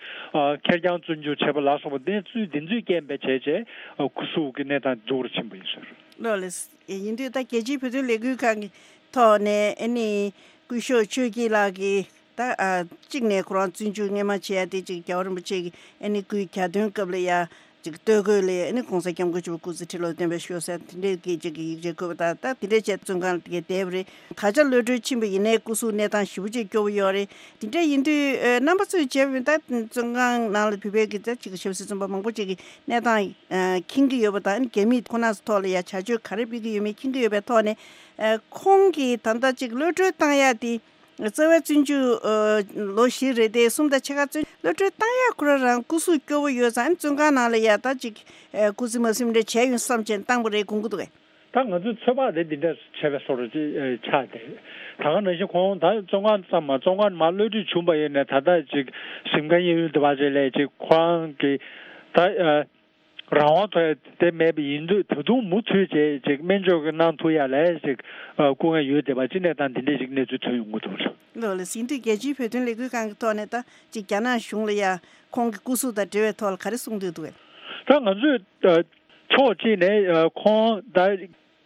ཁེར་རྐྱང་བཙོན་འཇུག་བྱས་པ་ལ་སོགས་པ། གནས་ཚུལ་འདི་ཚོའི་རྐྱེན་པས་བྱས་བྱས་སྐུ་གཟུགས་ཀྱི་གནས་སྟངས་སྡུག་རུ་ཕྱིན་པ་ཡིན་ཟེར། ལགས་ལགས། ཡིན་དུས་ད་རྒྱལ་སྤྱིའི་བོད་དོན་ལས་འགུལ་ཁང་གི་ཐོག་ནས་ཨ་ནི་སྐུ་ཞབས་ཆོས་སྐྱིད་ལགས་ཀྱིས་ད་ཨ་གཅིག་ནས་ཁོ་རང་བཙོན་འཇུག་སྔོན་མ་བྱས་ཏེ་ཅིག་རྒྱལ་བ་རིན་པོ་ཆེ་གི་ཨ་ནི་སྐུའི་གྱ་སྟོན་སྐབས་ལ་ཡ་ཅིག་སྟོད་གོས་ལ་ཨ་ནི་༸གོང་ས་༸སྐྱབས་མགོན་ཆེན་པོ་སྐུ་ཚེ་ཁྲི་ལོ་བརྟན་པར་ཤོག་ཟེར་དེ་འདྲའི་གི་ཅིག་གི་ཡིག་ཆ་བཀོད་པ་དང་། ད་དེ་འདྲའི་བྱས་བཙོན་ཁང་ལ་དེ་གའི་བསྡད་པ་རེད། ད་ཆ་གློད་གྲོལ་ཕྱིན་པ་ཡིན་ནའི་སྐུ་གཟུགས་གནས་སྟངས་ཞེ་པོ་ཅིག་སྐྱོ་བོ་ཡོད་རེད། དེ་འདྲ་ཡིན་དུས་ཨ་རྣམ་པ་ཚོས་བྱས་པ་ཡིན་ད་བཙོན་ཁང་ནང་ལ་བོད་པའི་གི་ད་ཅིག་ཞབས་ཕྱི་བཙོན་པ་མང་པོ་ཅིག་གི་གནས་སྟངས་ཨ་མཁྱེན་གྱི་ཡོད་པ་དང་། རྒྱ་མིས་ཁོ་རང་ཚོ་ཐོག་ལ་ཡ་བྱ་སྤྱོད་ག་རེ་སྤེལ་གྱི་ཡོད་མེད་མཁྱེན་གྱི་ཡོད་པའི་ཐོག་ནས། ཨ་ཁོང་གིས་ད་ལྟ་ཅིག་གློད་གྲོལ་བཏང་ཡ་དེ་རྩ་བའི་བཙོན་འཇུག་ཨ་ལོ་བཞི་རེ་དེ་གསུམ་དང་ཕྱེད་ཀ་བཙོན་གློད་གྲོལ་བཏང་ཡ་ཁོ་རང་རང་སྐུ་གཟུགས་སྐྱོ་བོ་ཡོད་ཙང་། བཙོན་ཁང་ནང་ལ་ཡ་ད་ཅིག་ཨ་སྐུ་ཚེ་མ་ཟིན་རེ་བྱས་ཡོང་བསམ་བྱས་བཏང་པ་རེད་དགོངས་ཀྱི་འདུག་གས། ད་ང་ཚོའི་ཚོད་དཔག་དེ་འདི་འདྲ་བྱས་པའི་བཟོ་འདྲ་ཅིག་ཨ་ཆགས་ཏེ། ད་ག་ནང་བཞིན་ཁོང་ད་བཙོན་ཁང་ཙམ་མ། བཙོན་ཁང་མར་གློད་གྲོལ་བྱུང་བ་ཡིན་ནའི་ད་ལྟ་ཅིག་གཟིམ་ཁང་གཡས་གཡོན་དེ་བ་ཅིག་ལ་ཅིག་ཁོ་རང་གི་ད་ཨ་རང་དབང་ཐོབ་ཡ་དེ་མེད་པ་ཡིན་དུས། ད་དུང་མུ་མཐུད་བྱས་ཅིག་སྨན་བཅོས་ཀྱི་གནང་ཐུབ་ཡ་ལ་ཅིག་ཨ་སྐུ་ངལ་ཡོད་བསྡད་པ་ཅིག་གནས་སྟངས་འདི་འདྲའི་ཅིག་གནས་ཚུལ་ཐོན་ཡོང་གི་འདུག་ལགས། ལགས་ལགས། ཡིན་དུས་རྒྱལ་སྤྱིའི་བོད་དོན་ལས་འགུལ་ཁང་གི་ཐོག་ནས་ད་ཅིག་རྒྱ་ནག་གཞུང་ལ་ཡ་ཁོང་གི་སྐུ་གཟུགས་དང་འབྲེལ་བའི་ཐོག་ལ་ག་རེ་གསུང་འདོད་འདུག་གས། ད་ང་ཚོས་ཨ་ཕྱོགས་གཅིག་ནས་ཨ་ཁོང་ད་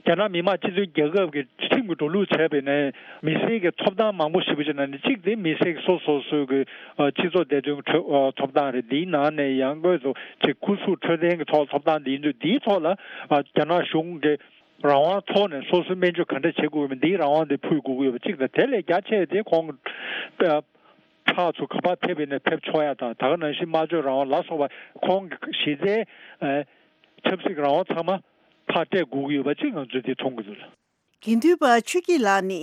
རྒྱ་ནག་མི་དམངས་སྤྱི་མཐུན་རྒྱལ་ཁབ་ཀྱི་ཁྲིམས་ཀྱི་འགྲོ་ལུགས་བྱས་པ་ཡིན་ནའི་མི་སེར་གྱི་ཐོབ་ཐང་མང་པོ་ཞེ་པོ་ཅིག་ནང་ནས་གཅིག་དེ་མི་སེར་གྱི་སོ་སོ་སོའི་གི་ཨ་སྤྱི་ཚོགས་བདེ་དོན་གྱི་ཁྲོད་ཨ་ཐོབ་ཐང་རེད། དེའི་ནང་ནས་ཡང་སྒོས་སུ་ཅིག་སྐུ་གཟུགས་འཕྲོད་བསྟེན་གྱི་ཐོག་ཐོབ་ཐང་དེ་ཡིན་དུས། དེའི་ཐོག་ལ་ཨ་རྒྱ་ནག་གཞུང་གི་རང་དབང་ཐོག་ནས་སོ་སོའི་སྨན་བཅོས་ག་འདྲ་བྱེད་དགོས་མིན་འདིའི་རང་དབང་དེ་ཕུལ་དགོས་ཀྱི་ཡོད་པ་གཅིག་དང་། དེ་ལས་རྒྱ་ཆེ་བ་དེ་ཁོང་གི་ཨ་ཕར་ཚུར་ག་པར་ཕེབས་པ་ཡིན་ནའི་ཕེབས་ཆོག་ཡ་དང་། ད་ག་ནང་བཞིན་སྨྲ་བརྗོད་རང་དབང་ལ་སོགས་པ་ཁོང་གི་གཞི་རྩའི་ཨ་ཆབ་སྲིད་ཀྱི་རང་དབང་ཚང་མ་ཕར་སྤྲད་དགོས་ཀྱི་ཡོད་པ་གཅིག་ང་ཚོས་དེ་མཐོང་གི་འདུག་ལགས། དགེ་འདུན་པ་ཆོས་སྐྱིད་ལགས་ནི་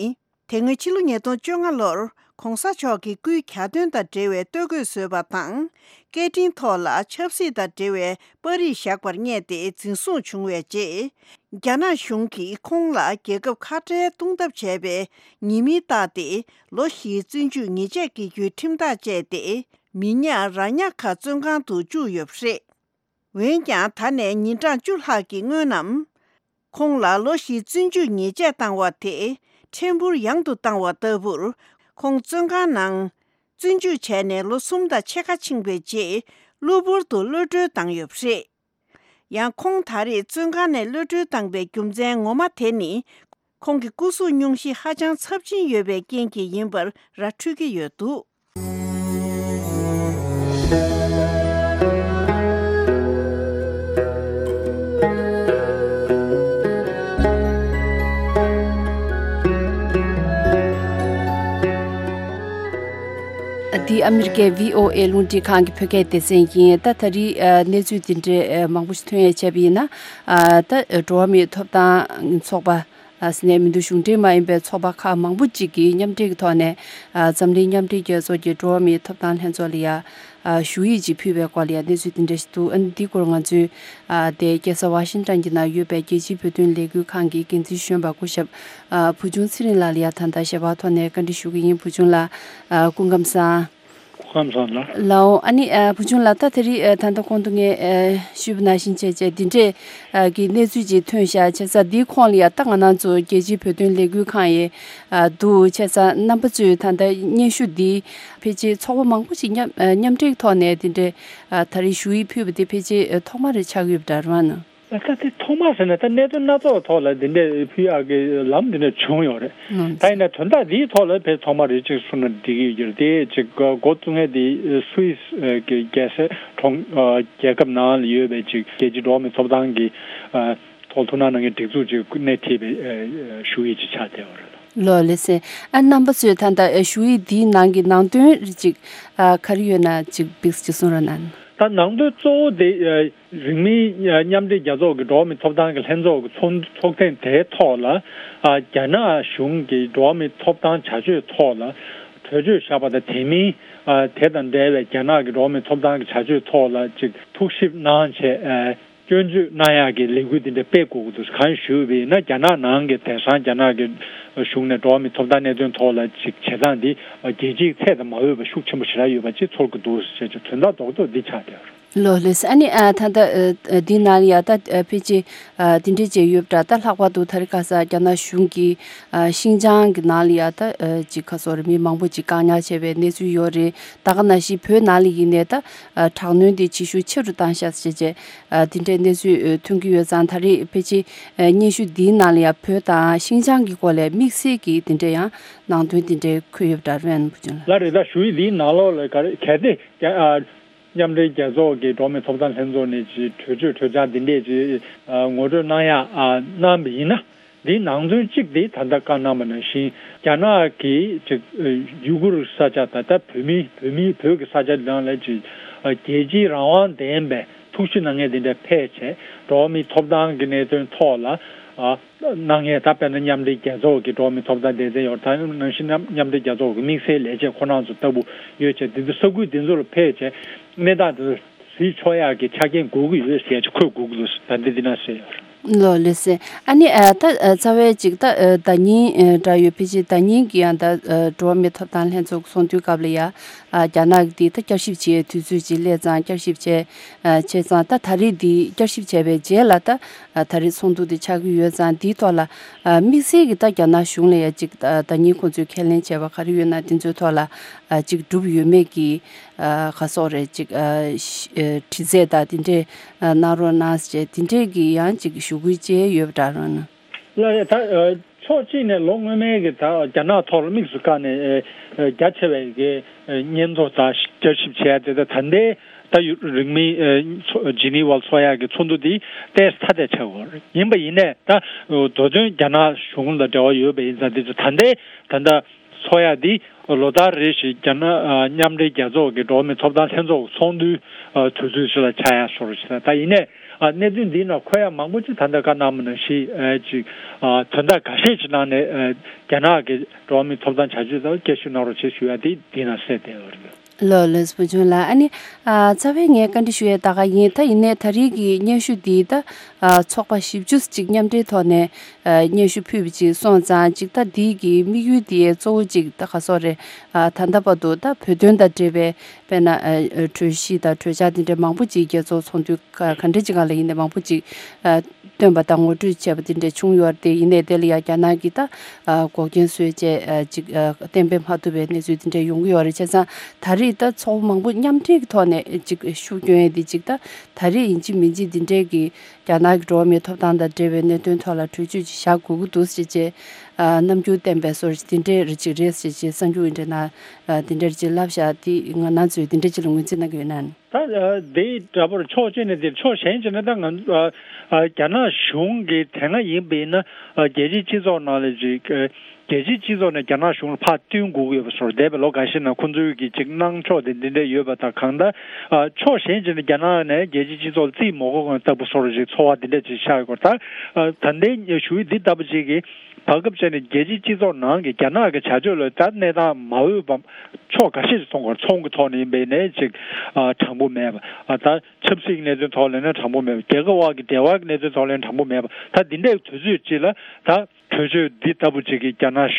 དེ་སྔོན་ཕྱི་ལོ་ཉིས་སྟོང་བཅོ་ལྔ་ལོར་༸གོང་ས་མཆོག་གི་སྐུའི་གྱ་སྟོན་དང་འབྲེལ་བའི་སྟོད་གོས་བཟོས་པ་དང་། སྐད་འཕྲིན་ཐོག་ལ་ཆབ་སྲིད་དང་འབྲེལ་བའི་པར་རིས་བཞག་པར་བསྙད་དེ་འཛིན་བཟུང་བྱུང་བའི་རྗེས། རྒྱ་ནག་གཞུང་གིས་ཁོང་ལ་རྒྱལ་ཁབ་ཁ་བྲལ་གཏོང་ཐབས་བྱས་པའི་ཉེས་མིང་བཏགས་ཏེ་ལོ་བཞིའི་བཙོན་འཇུག་ཉེས་ཆད་འགེལ་རྒྱུའི་ཁྲིམས་ཐག་བཅད་དེ། མི་ཉག་ར་ཉག་ཁ་བཙོན་ཁང་དུ་བཅུག་ཡོད་པ་རེད། འོན་ཀྱང་ད་ནས་ཉིན་གྲངས་བཅུ་ལྷག་གི་སྔོན་ནམ། ཁོང་ལ་ལོ་བཞིའི་བཙོན་འཇུག་ཉེས་ཆད་བཏང་བ་དེ་ཕྲན་བུར་ཡང་དུ་བཏང་བ་ལྟ་བུར། ཁོང་བཙོན་ཁང་ནང་བཙོན་འཇུག་བྱས་ནས་ལོ་གསུམ་དང་ཕྱེད་ཀ་ཕྱིན་པའི་རྗེས། གློ་བུར་དུ་གློད་གྲོལ་བཏང་ཡོད་པ་རེད། ཡང་ཁོང་ད་རེས་བཙོན་ཁང་ནས་གློད་གྲོལ་བཏང་པའི་རྒྱུ་མཚན་ངོ་མ་དེ་ནི། ཁོང་གི་སྐུ་གཟུགས་སྙུང་གཞི་ཧ་ཅང་ཚབས་ཆེན་ཡོད་པའི་རྐྱེན་གྱིས་ཡིན་པར་ར་འཕྲོད་ཀྱི་ཡོད་འདུག། འདི་ཨ་མི་རི་ཀའི་བྷི་ཨོ་ཨེ་རླུང་འཕྲིན་ཁང་གི་བོད་སྐད་སྡེ་ཚན་ཡིན། ད་ད་རེས་ཨ་གནས་ཚུལ་འདི་འདྲའི་ཨ་མང་པོ་ཞིག་ཐོན་ཡས་བྱས་པ་ཡིན་ན། ཨ་ད་འགྲོ་བ་མིའི་ཐོབ་ཐང་ཚོགས་པ། ཨ་ཟེར་ནས་མི་འདུག་གཞུང་འབྲེལ་མ་ཡིན་པའི་ཚོགས་པ་ཁག་མང་པོ་ཅིག་གིས་མཉམ་འབྲེལ་གྱི་ཐོག་ནས། ཨ་འཛམ་གླིང་མཉམ་འབྲེལ་རྒྱལ་ཚོགས་ཀྱི་འགྲོ་བ་མིའི་ཐོབ་ཐང་ལྷན་ཚོགས་ལ་ཡ། ཨ་ཞུ་ཡིག་ཅིག་ཕུལ་བའི་སྐོར་ལ་ཡ་གནས་ཚུལ་དེ་འདྲ་ཞིག་འདུག། ཨ་ནི་འདིའི་སྐོར་ང་ཚོས་ཨ་དེ་རྒྱལ་ས་ཝ་ཤིང་ཊོན་གྱི་ནང་ཡོད་པའི་རྒྱལ་སྤྱིའི་བོད་དོན་ལས་འགུལ་ཁང་གི་འགན་འཛིན་གཞོན་པ་སྐུ་ཞབས་ཨ་བུ་ཆུང་ཚེ་རིང་ལགས་ལ་ཡ་ད་ལྟ་ཞལ་པར་ཐོག་ནས་བཀའ་འདྲི་ཞུ་གི་ཡིན། བུ་ཆུང་ལགས། ཨ་སྐུ་ཁམས་བཟང་། ཁམས་བཟང་ལགས། ལའོ། ཨ་ནི་ཨ་བུ་ཆུང་ལགས། ད་དེ་རིང་ཨ་ད་ལྟ་གོང་དུ་ངས་ཨ་ཞུས་པ་ནང་བཞིན་བྱས་བྱས་འདི་འདྲས་ཨ་གི་གནས་ཚུལ་ཅིག་ཐོན་ཤག་བྱས་ཙང་འདིའི་ཁོངས་ལ་ཡ་ད་ང་རང་ཚོ་རྒྱལ་སྤྱིའི་བོད་དོན་ལས་འགུལ་ཁང་ཡི་ཨ་འདུག། བྱས་ཙང་རྣམ་པ་ཚོས་ད་ལྟ་སྙན་ཞུ་འདི་ཕལ་ཆེར་ཚོགས་པ་མང་པོ་ཞིག་མཉམ་ཨ་མཉམ་འབྲེལ་ཐོག་ནས་འདི་འདྲས་ཨ་ད་རེས་ཞུ་ཡིག་ཕུལ་བ་འདི་ཕལ་ཆེར་ཨ་ཐོག་མ་རེ་ཆགས་ཡོད་པ་འདྲ་རེད་བ་ན། ད་དེ་ཐོག་མ་ཟེར་ན་ད་གནད་དོན་སྣ་ཚོགས་ཐོག་ལ་འདི་འདྲའི་ཕུལ་ཡག་གི་ལམ་འདི་འདྲ་བྱུང་ཡོད་རེད། ད་ཡིན་ན་དོན་དག་འདིའི་ཐོག་ལ་ཕལ་ཐོག་མ་རེད་ཅིག་གསུངས་ན་འགྲིག་གི་ཡོད་རེད། དེ་ཅིག་འགོ་བཙུགས་མཁན་དེ་སུད་སི་གི་རྒྱལ་ས་གྲོང་རྒྱལ་ཁབ་ནང་ལ་ཡོད་པའི་ཅིག་རྒྱལ་སྤྱིའི་འགྲོ་བ་མིའི་ཐོབ་ཐང་གི་ཐོག་ཐུགས་སྣང་གནང་མཁན་སྒྲིག་འཛུགས་ཅིག་སྣེ་ཁྲིད་པའི་ཞུ་ཡིག་ཅིག་ཆགས་བསྡད་ཡོད་རེད། ལགས་ལགས་སེ། ཨ་རྣམ་པ་ཚོས་ད་ལྟ་ཞུ་ཡིག་འདིའི་ནང་གི་ནང་དོན་རེ་ཅིག་ག་རེ་ཡོད་ན་ཅིག་བིགས་ཅིག་གསུང་རོགས་གནང་། ད་ནང་དོན་གཙོ་བོ་དེ། རིང་མིན་མཉམ་འབྲེལ་རྒྱལ་ཚོགས་ཀྱི་འགྲོ་བ་མིའི་ཐོབ་ཐང་གི་ལྷན་ཚོགས་ཀྱི་ཚོགས་ཚོགས་ཐེངས་དེའི་ཐོག་ལ། ཨ་རྒྱ་ནག་གཞུང་གི་འགྲོ་བ་མིའི་ཐོབ་ཐང་བྱ་སྤྱོད་ཐོག་ལ་གྲོས་ཆོད་བཞག་པ་དང་། དེ་མིན་ཨ་དེ་དང་འབྲེལ་བའི་རྒྱ་ནག་གི་འགྲོ་བ་མིའི་ཐོབ་ཐང་གི་བྱ་སྤྱོད་ཐོག་ལ་ཅིག་ཐུགས་ཞིབ་གནང་བྱས། ཨ་སྐྱོན་བརྗོད་གནང་ཡག་གི་ལས་འགུལ་འདི་འདྲ་སྤེལ་དགོས་ཀྱི་འདུག། གང་ཞུས་པ་ཡིན་ན། རྒྱ་ནག་ནང་གི་དེང་སང་རྒྱ་ནག་གི་གཞུང་ནས་འགྲོ་བ་མིའི་ཐོབ་ཐང་གནད་དོན་ཐོག་ལ་ཅིག་བྱེད་སྟངས་འདི་རྒྱལ་སྤྱིའི་ཚད་དང་མ་འོས་པ་ཤུགས་ཆེན་པོ་ཞེ་དྲག་ཡོད་པ་ཅིག་ཚོར་གྱི་འདུག་ཟེར་བྱས་དོན་དག་རྡོག་རྡོག་འདི་ཆགས་བསྡད་ཡོད་རེད། ལོ་ལེས། ཨ་ནི་ཨ་ད་ལྟ་ཨ་ཨ་འདི་ནང་ལ་ཡ་ད་ཨ་ཕལ་ཆེར་ཨ་འདི་འདྲས་བྱས་ཡོད་པ་འདྲ། ད་ལྷག་པར་དུ་ད་རེས་ཁ་སང་རྒྱ་ནག་གཞུང་གིས་ཨ་ཤིང་ཅང་གི་ནང་ལ་ཡ་ད་ཨ་ཅིག་ག་སོགས་རེད། མི་མང་པོ་ཅིག་བཀག་ཉར་བྱས་པའི་གནས་ཚུལ་ཡོད་རེད། ད་ག་ནང་བཞིན་བོད་ནང་ལ་ཡིན་ནའི་ད་ཨ་དྲག་གནོན་དེ་བྱེད་ཤུགས་ཆེ་རུ་བཏང་ཤག་ཟེར་བྱས་ཨ་འདི་འདྲས་གནས་ཚུལ་ཨ་ཐོན་གྱི་ཡོད་ཙང་། ད་རེས་ཕལ་ཆེར་ཨ་སྙན་ཞུ་འདིའི་ནང་ལ་ཡ་བོད་དང་ཤིང་ཅང་གི་སྐོར་ལ་དམིགས་བསལ་གྱི་འདི་འདྲས་ཡང་ནང་དོན་འདི་འདྲས་འཁོད་ཡོད་པ་འདྲ། རེད་བུ་ཆུང་ལགས། ལགས་རེད། ད་ཞུ་ཡིག་འདིའི་ནང་ལོགས་ལ་ག་རེ་གལ་ཏེ་རྒྱ་ཨ། མཉམ་འབྲེལ་རྒྱལ་ཚོགས་ཀྱི་འགྲོ་བ་མིའི་ཐོབ་ཐང་ལྷན་ཚོགས་ནས་ཀྱི་གྲོས་ཆོད་གྲོས་འཆར་འདི་འདྲས་ཀྱི་ཨ་ངོ་སྤྲོད་གནང་ཡ་ཨ་གནང་བ་ཡིན་ན། འདིའི་ནང་དོན་གཅིག་དེ་ད་ལྟ་བཀའ་གནང་བ་ནང་བཞིན་རྒྱ་ནག་གིས་ཀྱི་ཨ་ཡུ་གུར་ས་ཆ་ད་ལྟ་བོད་མི་བོད་མི་བོད་ཀྱི་ས་ཆ་ནང་ལ་ཀྱི་ཨ་རྒྱལ་སྤྱིའི་རང་དབང་ལྡན་པའི་ཐུགས་ཞིབ་གནང་མཁན་དེ་འདྲ་ཕེབས་བྱས། འགྲོ་བ་མིའི་ཐོབ་ཐང་གི་གནད་དོན་ཐོག་ལ་ཨ། གནང་མཁན་ད་དཔེར་ན་མཉམ་འབྲེལ་རྒྱལ་ཚོགས་ཀྱི་འགྲོ་བ་མིའི་ཐོབ་ཐང་སྡེ་ཚན་ཡོད། ད་ནང་བཞིན་མཉམ་མཉམ་འབྲེལ་རྒྱལ་ཚོགས་ཀྱི་དམིགས་བསལ་ལས་བྱེད་ཁོ་རང་ཚོ་ལྟ་བུ་ཡོད་ཅེས། དེ་ཚོ་ས་ཁུལ་དེ་ཚོ་ལ་ཕེབས་བྱས་གནས་སྟངས་དེ་ཚོ་གཟིགས་ཆོག་ཡག་གི་ཆ་རྐྱེན་དགོས་ཀྱི་ཡོད་ཅེས་འཁོད་དགོས་ཀྱི་འདུག་ད་འདི་འདི་ན་གསལ་ཡོད་རེད། ལོ་ལེ་སེ། ཨ་ནི་ཨ་ད་ཨ་རྩ་བའི་ཅིག་ད་ཨ་ཟླ་ཉིན་ཨ་འདྲ་ཡོད། ཕལ་ཆེར་ཟླ་ཉིན་གྱི་ཡང་ད་ཨ་འགྲོ་བ་མིའི་ཐོབ་ཐང་ལྷན་ཚོགས་ཚོགས་འདུའི་སྐབས་ལ་ཡ་ཨ་རྒྱ་ནག་གི་འདི་ད་བསྐྱར་ཞིབ་བྱེད་དུས་ཚོད་ཅིག་སླེབས་ཙང་། བསྐྱར་ཞིབ་བྱས་ཨ་བྱས་ཙང་། ད་ད་རེས་འདི་བསྐྱར་ཞིབ་བྱས་པའི་རྗེས་ལ་ད། ཨ་ད་རེས་ཚོགས་འདུ་དེ་ཆགས་ཀྱི་ཡོད་ཙང་། དེའི་ཐོག་ལ་ཨ་དམིགས་བསལ་གྱི་ད་རྒྱ་ནག་གཞུང་ལ་ཡ་ཅིག་ཨ་ཟླ་ཉིན་ཁོང་ཚོས་ཁས་ལེན་བྱས་པ་ག་རེ་ཡོད་ན་དེ་ཚོའི་ཐོག་ལ་ཨ་ཅིག་གྲུབ་ཡོད་མེད་ཀྱི་ཨ་ག་སོགས་རེད། ཅིག་ཨ་ཤ་ཨ་དྲི་རྩད་དང་དེ་འདྲས་ཨ་གནང་རོགས་གནང་ཟེར་དེ་འདྲས་ཀྱི་ཡང་ཅིག་ཞུ་སྐུལ་བྱས་ཡོད་པ་འདྲ་རོགས་གནང་། ལགས་རེད། ད་ཨ་ཕྱོགས་གཅིག་ནས་ལོ་སྔོན་མའི་གི་ད་རྒྱ་ནག་ཐོག་ལ་དམིགས་སུ་བཀར་ནས་ཨ་རྒྱ་ཆེ་བའི་གི་ཨ་སྙན་ཐོ་དང་བསྐྱར་ཞིབ་བྱས་ཏེ། ད་ད་ལྟའི་ད་ཡུ་རིང་མིན་ཨ་ཚོ་ཇི་ནི་ཝ་ཚོགས་ཡག་གི་ཚོགས་འདུ་འདི་ཏོག་ཙམ་ཐ་དད་ཆགས་ཡོད་རེད། ཡིན་པ་ཡིན་ནའི་ད་མདོ་དོན་རྒྱ་ནག་གཞུང་ལ་འབྲེལ་བ་ཡོད་པ་ཡིན་ཙང་། འདི་ཚོ་ད་ལྟའི་ད་ལྟ་ཚོགས་ཡག་འདི་ལོ་ལྟར་རེ་བཞིན་རྒྱ་ནག་ཨ་མཉམ་འབྲེལ་རྒྱལ་ཚོགས་ཀྱི་འགྲོ་བ་མིའི་ཐོབ་ཐང་ལྷན་ཚོགས་ཚོགས་འདུའི་ཨ་དུས་ཚོད་ཅིག་ལ་ཆགས་ཡག་བཟོ་འདྲ་ཅིག་དང་། ད་ཡིན་ནའི་ཨ་གནད་དོན་འདིའི་ནང་འཁོད་ཡག་མང་པོ་ཅིག་ད་ལྟ་བཀའ་གནང་བ་ནང་བཞིན་ཨ་ཅིག་ཨ་དོན་དག་འགའ་ཤས་ཅིག་ནང་ནས་ཨ་རྒྱ་ནག་གི་འགྲོ་བ་མིའི་ཐོབ་ཐང་བྱ་སྤྱོད་དང་བསྐྱར་ཞིབ་གནང་རོགས་བྱེད་ཞུ་ཡག་དེ་འདི་ན་གསལ་བསྡད་ཡོད་རེད། ལོ་ལེས་བུ་ཆུང་ལགས། ཨ་ནི་ཨ་རྩ་བའི་ངས་བཀའ་འདྲི་ཞུ་ཡས་ད་ག་ཡིན། ད་ཡིན་ནའི་ད་རེས་ཀྱི་སྙན་ཞུ་འདི་ད་ཨ་ཚོགས་པ་བཞི་བཅུ་ཅིག་མཉམ་འབྲེལ་ཐོག་ནས་ཨ་སྙན་ཞུ་ཕུལ་བ་ཅིག་སོང་ཙང་། ཅིག་ད་འདི་གི་དམིགས་ཡུལ་འདི་གཙོ་བོ་ཅིག་ད་ག་སོགས་རེད། ཨ་ད་ལྟ་བར་དུ་ད་བོད་དོན་དང་འབྲེལ་བའི་དཔེར་ན་ཨ་གྲོས་གཞི་དང་གྲོས་འཆར་འདི་འདྲ་མང་པོ་ཅིག་རྒྱལ་ཚོགས་ཚོགས་འདུ་ག་ག་འདྲ་ཅིག་སྒང་ལ་ཡིན་ནའི་མང་པོ་ཅིག་ཨ་བཏོན་པ་དང་ངོ་སྤྲོད་བྱས་པ་དེ་འདྲ་བྱུང་ཡོད་རེད། དེ་ཡིན་ནའི་དེ་ལ་ཡང་རྒྱ་ནག་གིས་ད་ཨ་འགོག་རྐྱེན་བཟོས་བྱས་ཨ་ཅིག་ཨ་གཏན་འབེབས་མ་ཐུབ་པའི་གནས་ཚུལ་དེ་འདྲ་ཡོང་གི་ཡོད་རེད། བྱས་ཙང་ད་རེས་ད་ཚོགས་པ་མང་པོ་མཉམ་འབྲེལ་གྱི་ཐོག་ནས་ཅིག་ཤུགས་སྐྱོན་ཡས་དེ་ཅིག་ད་ད་རེས་ཡིན་གཅིག་མིན་གཅིག་འདི་འདྲའི་གི་རྒྱ་ནག་གི་འགྲོ་བ་མིའི་ཐོབ་ཐང་དང་འབྲེལ་བའི་གནད་དོན་ཐོག་ལ་གྲོས་ཆོད་ཅིག་བཞག་དགོས་ཀྱི་འདུག་ཟེར་བྱས་ཨ་རྣམ་འགྱུར་བསྟན་པའི་བཟོ་འདྲ་དེ་འདྲའི་རིགས་ཅིག་རེད་ཟེར་བྱས་གསར་འགྱུར་འདི་འདྲའི་ནང་ཨ་དེ་འདྲ་ཅིག་ལབ་བཞག་དེ་ང་རང་ཚོས་དེ་འདྲ་ཅིག་ལ་ངོས་འཛིན་གནང་གི་ཡོད་ན། ད་ཨ་དེ་འདྲ་པོར་ཕྱོགས་གཅིག་ནས་དེ། ཕྱོགས་གཞན་གཅིག་ནས་ད་ང་ཨ་ཨ་རྒྱ་ནག་གཞུང་གི་དེ་སྔ་ཡིན་པ་ཡིན་ན་ཨ་རྒྱལ་སྤྱིའི་སྤྱི་ཚོགས་ནང་ལ་ཅིག་ཨ་རྒྱལ་སྤྱིའི་སྤྱི་ཚོགས་ནས་རྒྱ་ནག་གཞུང་ལ་ཕར་བསྟུན་དགོས་ཀྱི་ཡོད་པ་བཟོ་འདྲ། འདས་པའི་ལོ་འགའ་ཤས་ནང་ཁོང་ཚོའི་གི་ཅིག་གནང་ཕྱོགས་དེ་འདི་འདྲ་ཡོད་པ་དང་། གང་ལྟར་ཨ་ཕྱོགས་གཞན་གཅིག་ནས་རྒྱ་ནག་ནས་རྒྱལ་སྤྱིའི་སྤྱི་ཚོགས་ལ་རྩིས་མ་དགོས་གོང་ལྟ་བུ་བཟོ་འདྲ་ཅིག་ཚོར་བ་འདི་འདྲ་ཅིག་ཤར་ཡོད་སྐོར། ད་ཨ་ད་ལྟའི་ཞུ་ཡིག་འདི་ལྟ་བུ་ཅིག་གིས་བར་སྐབས་ཅིག་ནས་རྒྱལ་སྤྱིའི་སྤྱི་ཚོགས་ནང་གི་རྒྱ་ནག་གི་བྱ་སྤྱོད་ལ་ད་གནས་སྟངས་མ་འོས་པ་ཕྱོགས་འགའ་ཤས་ཤིག་མཐོང་གི་ཡོད་རེད། ཚོང་གི་ཐོག་ནས་ཡིན་པ་ཡིན་ནའི་ཅིག་ཨ་དྲང་པོ་མེད་པ། ཨ་ད་ཆབ་སྲིད་ཀྱི་གནད་དོན་ཐོག་ལ་ཡིན་ན་དྲང་པོ་མེད་པ། རྒྱལ་ཁབ་དབར་གྱི་འབྲེལ་བ་གི་གནད་དོན་ཐོག་ལ་ཡིན་ན་དྲང་པོ་མེད་པ། ད་འདི་འདྲའི་དུས་ཚོད་ཅིག་ལ་ད་གྲོས་ཆོད་འདི་ལྟ་བུ་ཅིག་གིས་རྒྱ་ནག་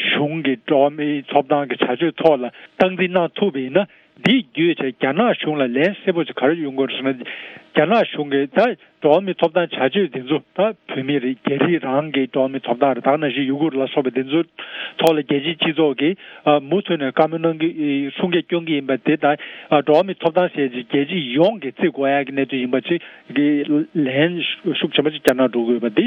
གཞུང་གི་འགྲོ་བ་མིའི་ཐོབ་ཐང་གི་བྱ་སྤྱོད་ཐོག་ལ་སྟངས་འཛིན་གནང་ཐུབ་པ་ཡིན་ན། འདི་བརྒྱུད་བྱས་རྒྱ་ནག་གཞུང་ལ་ལན་གསལ་པོ་ཅིག་ག་རེ་ཡོང་དགོས་རེད་ཟེར་ན། རྒྱ་ནག་གཞུང་གིས་ད་འགྲོ་བ་མིའི་ཐོབ་ཐང་བྱ་སྤྱོད་འདི་ཚོ་ད་བོད་མི་རིགས་རྒྱ་རིགས་རང་གི་འགྲོ་བ་མིའི་ཐོབ་ཐང་རེད། ད་ག་ནང་བཞིན་ཡུ་གུར་ལ་སོགས་པ་འདི་ཚོའི་ཐོག་ལ་རྒྱལ་སྤྱིའི་སྤྱི་ཚོགས་ཀྱིས་ཨ་མུ་མཐུད་ནས་བཀའ་མོལ་གནང་གི་ཨེ་གསུང་སྐད་སྐྱོན་གྱི་ཡིན་པ་དེ། ད་ཨ་འགྲོ་བ་མིའི་ཐོབ་ཐང་ཟེར་ཅིག་རྒྱལ་སྤྱི་ཡོངས་ཀྱིས་བརྩི་དགོས་ཡག་གི་གནད་དོན་ཡིན་པ་ཅིག་གི་ལན་ཤུགས་ཆེན་པོ་ཅིག་རྒྱ་ནག་འགྲོ་དགོས་པ་འདི་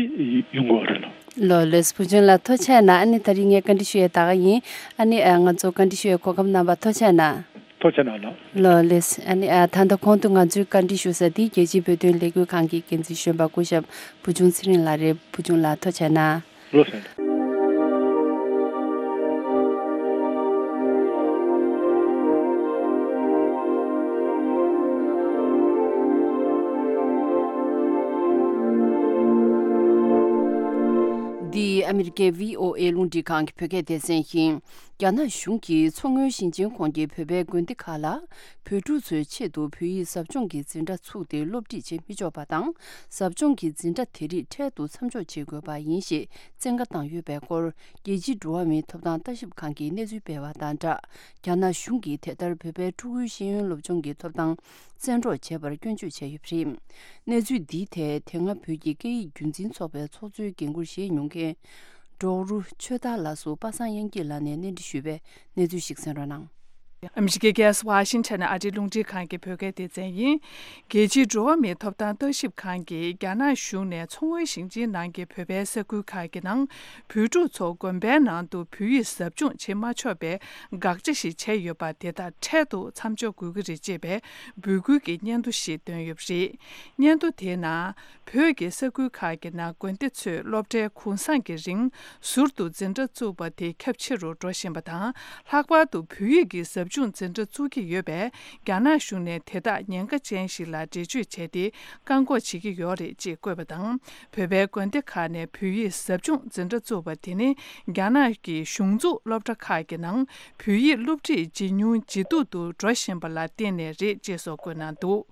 ཡོང་དགོས་རེད་ལོ། ལོ་ལེགས། བུ་ཆུང་ལགས་ཐུགས་རྗེ་གནང་། ཨ་ནི་ད་རིང་ངས་བཀའ་འདྲི་ཞུ་ཡས་ད་ག་ཡིན། ཨ་ནི་ཨ་ང་ཚོ་བཀའ་འདྲི་ཞུ་ཡས་གོ་སྐབས་གནང་བར་ཐུགས་རྗེ་གནང་། ཐུགས་རྗེ་གནང་ལགས། ལོ་ལེགས། ཨ་ནི་ཨ་ད་ལྟ་གོང་དུ་ང་ཚོའི་བཀའ་འདྲི་ཞུ་ས་འདི་རྒྱལ་སྤྱིའི་བོད་དོན་ལས་འགུལ་ཁང་གི་འགན་འཛིན་གཞོན་པ་སྐུ་ཞབས་བུ་ཆུང་ཚེ་རིང་ལགས་རེད། བུ་ཆུང་ལགས་ཐུགས་རྗེ་གནང་། ལོ་ལེགས། འདི་ཨ་ ཨ་མི་རི་ཀའི་བྷི་ཨོ་ཨེ་རླུང་འཕྲིན་ཁང་གི་བོད་སྐད་སྡེ་ཚན་ཡིན། རྒྱ་ནག་གཞུང་གིས་མཚོ་སྔོན་ཞིང་ཆེན་ཁོངས་ཀྱི་བོད་པའི་དགོན་སྡེ་ཁག་ལ། བོད་ཕྲུག་ཚོའི་ཆེད་དུ་བོད་ཡིག་ཟབ་སྦྱོང་གི་འཛིན་གྲྭ་ཚུགས་ཏེ། སློབ་ཁྲིད་བྱེད་མི་ཆོག་པ་དང་། ཟབ་སྦྱོང་གི་འཛིན་གྲྭ་དེ་རིགས་འཕྲལ་དུ་མཚམས་འཇོག་བྱེད་དགོས་པ་ཡིན་ཞེས་བཙན་བཀའ་བཏང་ཡོད་པའི་སྐོར། རྒྱལ་སྤྱིའི་འགྲོ་བ་མིའི་ཐོབ་ཐང་ལྟ་ཞིབ་ཁང་གིས་གནས་ཚུལ་སྤེལ་བ་དང་སྦྲགས། རྒྱ་ནག་གཞུང་གིས་དེ་ལྟར་བོད་པའི་ཕྲུ་གུའི་ཤེས་ཡོན་སློབ་སྦྱོང་གི་ཐོབ་ཐང་བཙན་འཕྲོག་བྱས་པར་སྐྱོན་བརྗོད་བྱས་ཡོད་པ་རེད། གནས་ཚུལ་འདིའི་ཐད་དེ་སྔ་བོད་ཀྱི་སྐད་ཡིག་རྒྱུན་འཛིན་ཚོགས་པའི་ཚོགས་གཙོའི་འགན་འཁུར་བཞེས་མྱོང་མཁན་ཌོག་རུ་ཆོས་དར་ལགས་སུ་པ་སངས་དབྱངས་སྐྱིད་ལགས་ནས་གནས་འདྲི་ཞུས་པའི་གནས་ཚུལ་ཞིག་གསན་རོགས་གནང་། ཨ་མི་རི་ཀའི་རྒྱལ་ས་ཝ་ཤིང་ཊོན་ནས་ཨ་རིའི་རླུང་འཕྲིན་ཁང་གི་བོད་སྐད་སྡེ་ཚན་ཡིན། རྒྱལ་སྤྱིའི་འགྲོ་བ་མིའི་ཐོབ་ཐང་ལྟ་ཞིབ་ཁང་གིས་རྒྱ་ནག་གཞུང་ནས་མཚོ་སྔོན་ཞིང་ཆེན་ནང་གི་བོད་པའི་ས་ཁུལ་ཁག་གི་ནང་བོད་ཕྲུག་ཚོ་དགོན་པའི་ནང་དུ་བོད་ཡིག་ཟབ་སྦྱོང་བྱེད་མ་ཆོག་པའི་དགག་བྱ་ཞིག་བྱས་ཡོད་པ་དེ་དག་འཕྲལ་དུ་མཚམས་འཇོག་དགོས་ཀྱི་རེད་ཅེས་པའི་འབོད་སྐུལ་གྱི་སྙན་ཐོ་ཞིག་བཏོན་ཡོད་པ་རེད། སྙན་ཐོ་དེའི་ནང་། བོད་ཀྱི་ས་ཁུལ་ཁག་གི་ནང་དགོན་སྡེ་ཚོས་སློབ་གྲྭའི་གུང་སེང་གི་རིང་ཟུར་དུ་འཛིན་གྲྭ་བཙུགས་པ་དེ་ཁྱབ་ཆེ་རུ་འགྲོ་བཞིན་པ་དང་། ལྷག་པར་དུ་བོད་ཡིག་གི་ཟབ་སྦྱོང་འཛིན་གྲྭ་བཙུགས་ཀྱི་ཡོད་པས། རྒྱ་ནག་གཞུང་ནས་དེ་དག་ཉེན་ཁ་ཅན་ཞིག་ལ་འགྲེལ་བརྗོད་བྱས་ཏེ་བཀག་འགོག་བྱེད་ཀྱི་ཡོད་རེད་ཅེས་བཀོད་པ་དང་། བོད་པའི་དགོན་སྡེ་ཁག་ནས་བོད་ཡིག་ཟབ་སྦྱོང་འཛིན་གྲྭ་བཙུགས་པ་དེ་ནི། རྒྱ་ནག་གི་གཞུང་འཛུགས་སློབ་གྲྭ་ཁག་གི་ནང་བོད་ཡིག་སློབ་ཁྲིད་ཇེ་ཉུང་ཇེ་སྡུག་ཏུ་འགྲོ་བཞིན་པ་ལ་བརྟེན་ནས་རེད་ཅེས་སོགས་བཀོད་གནང་འདུག་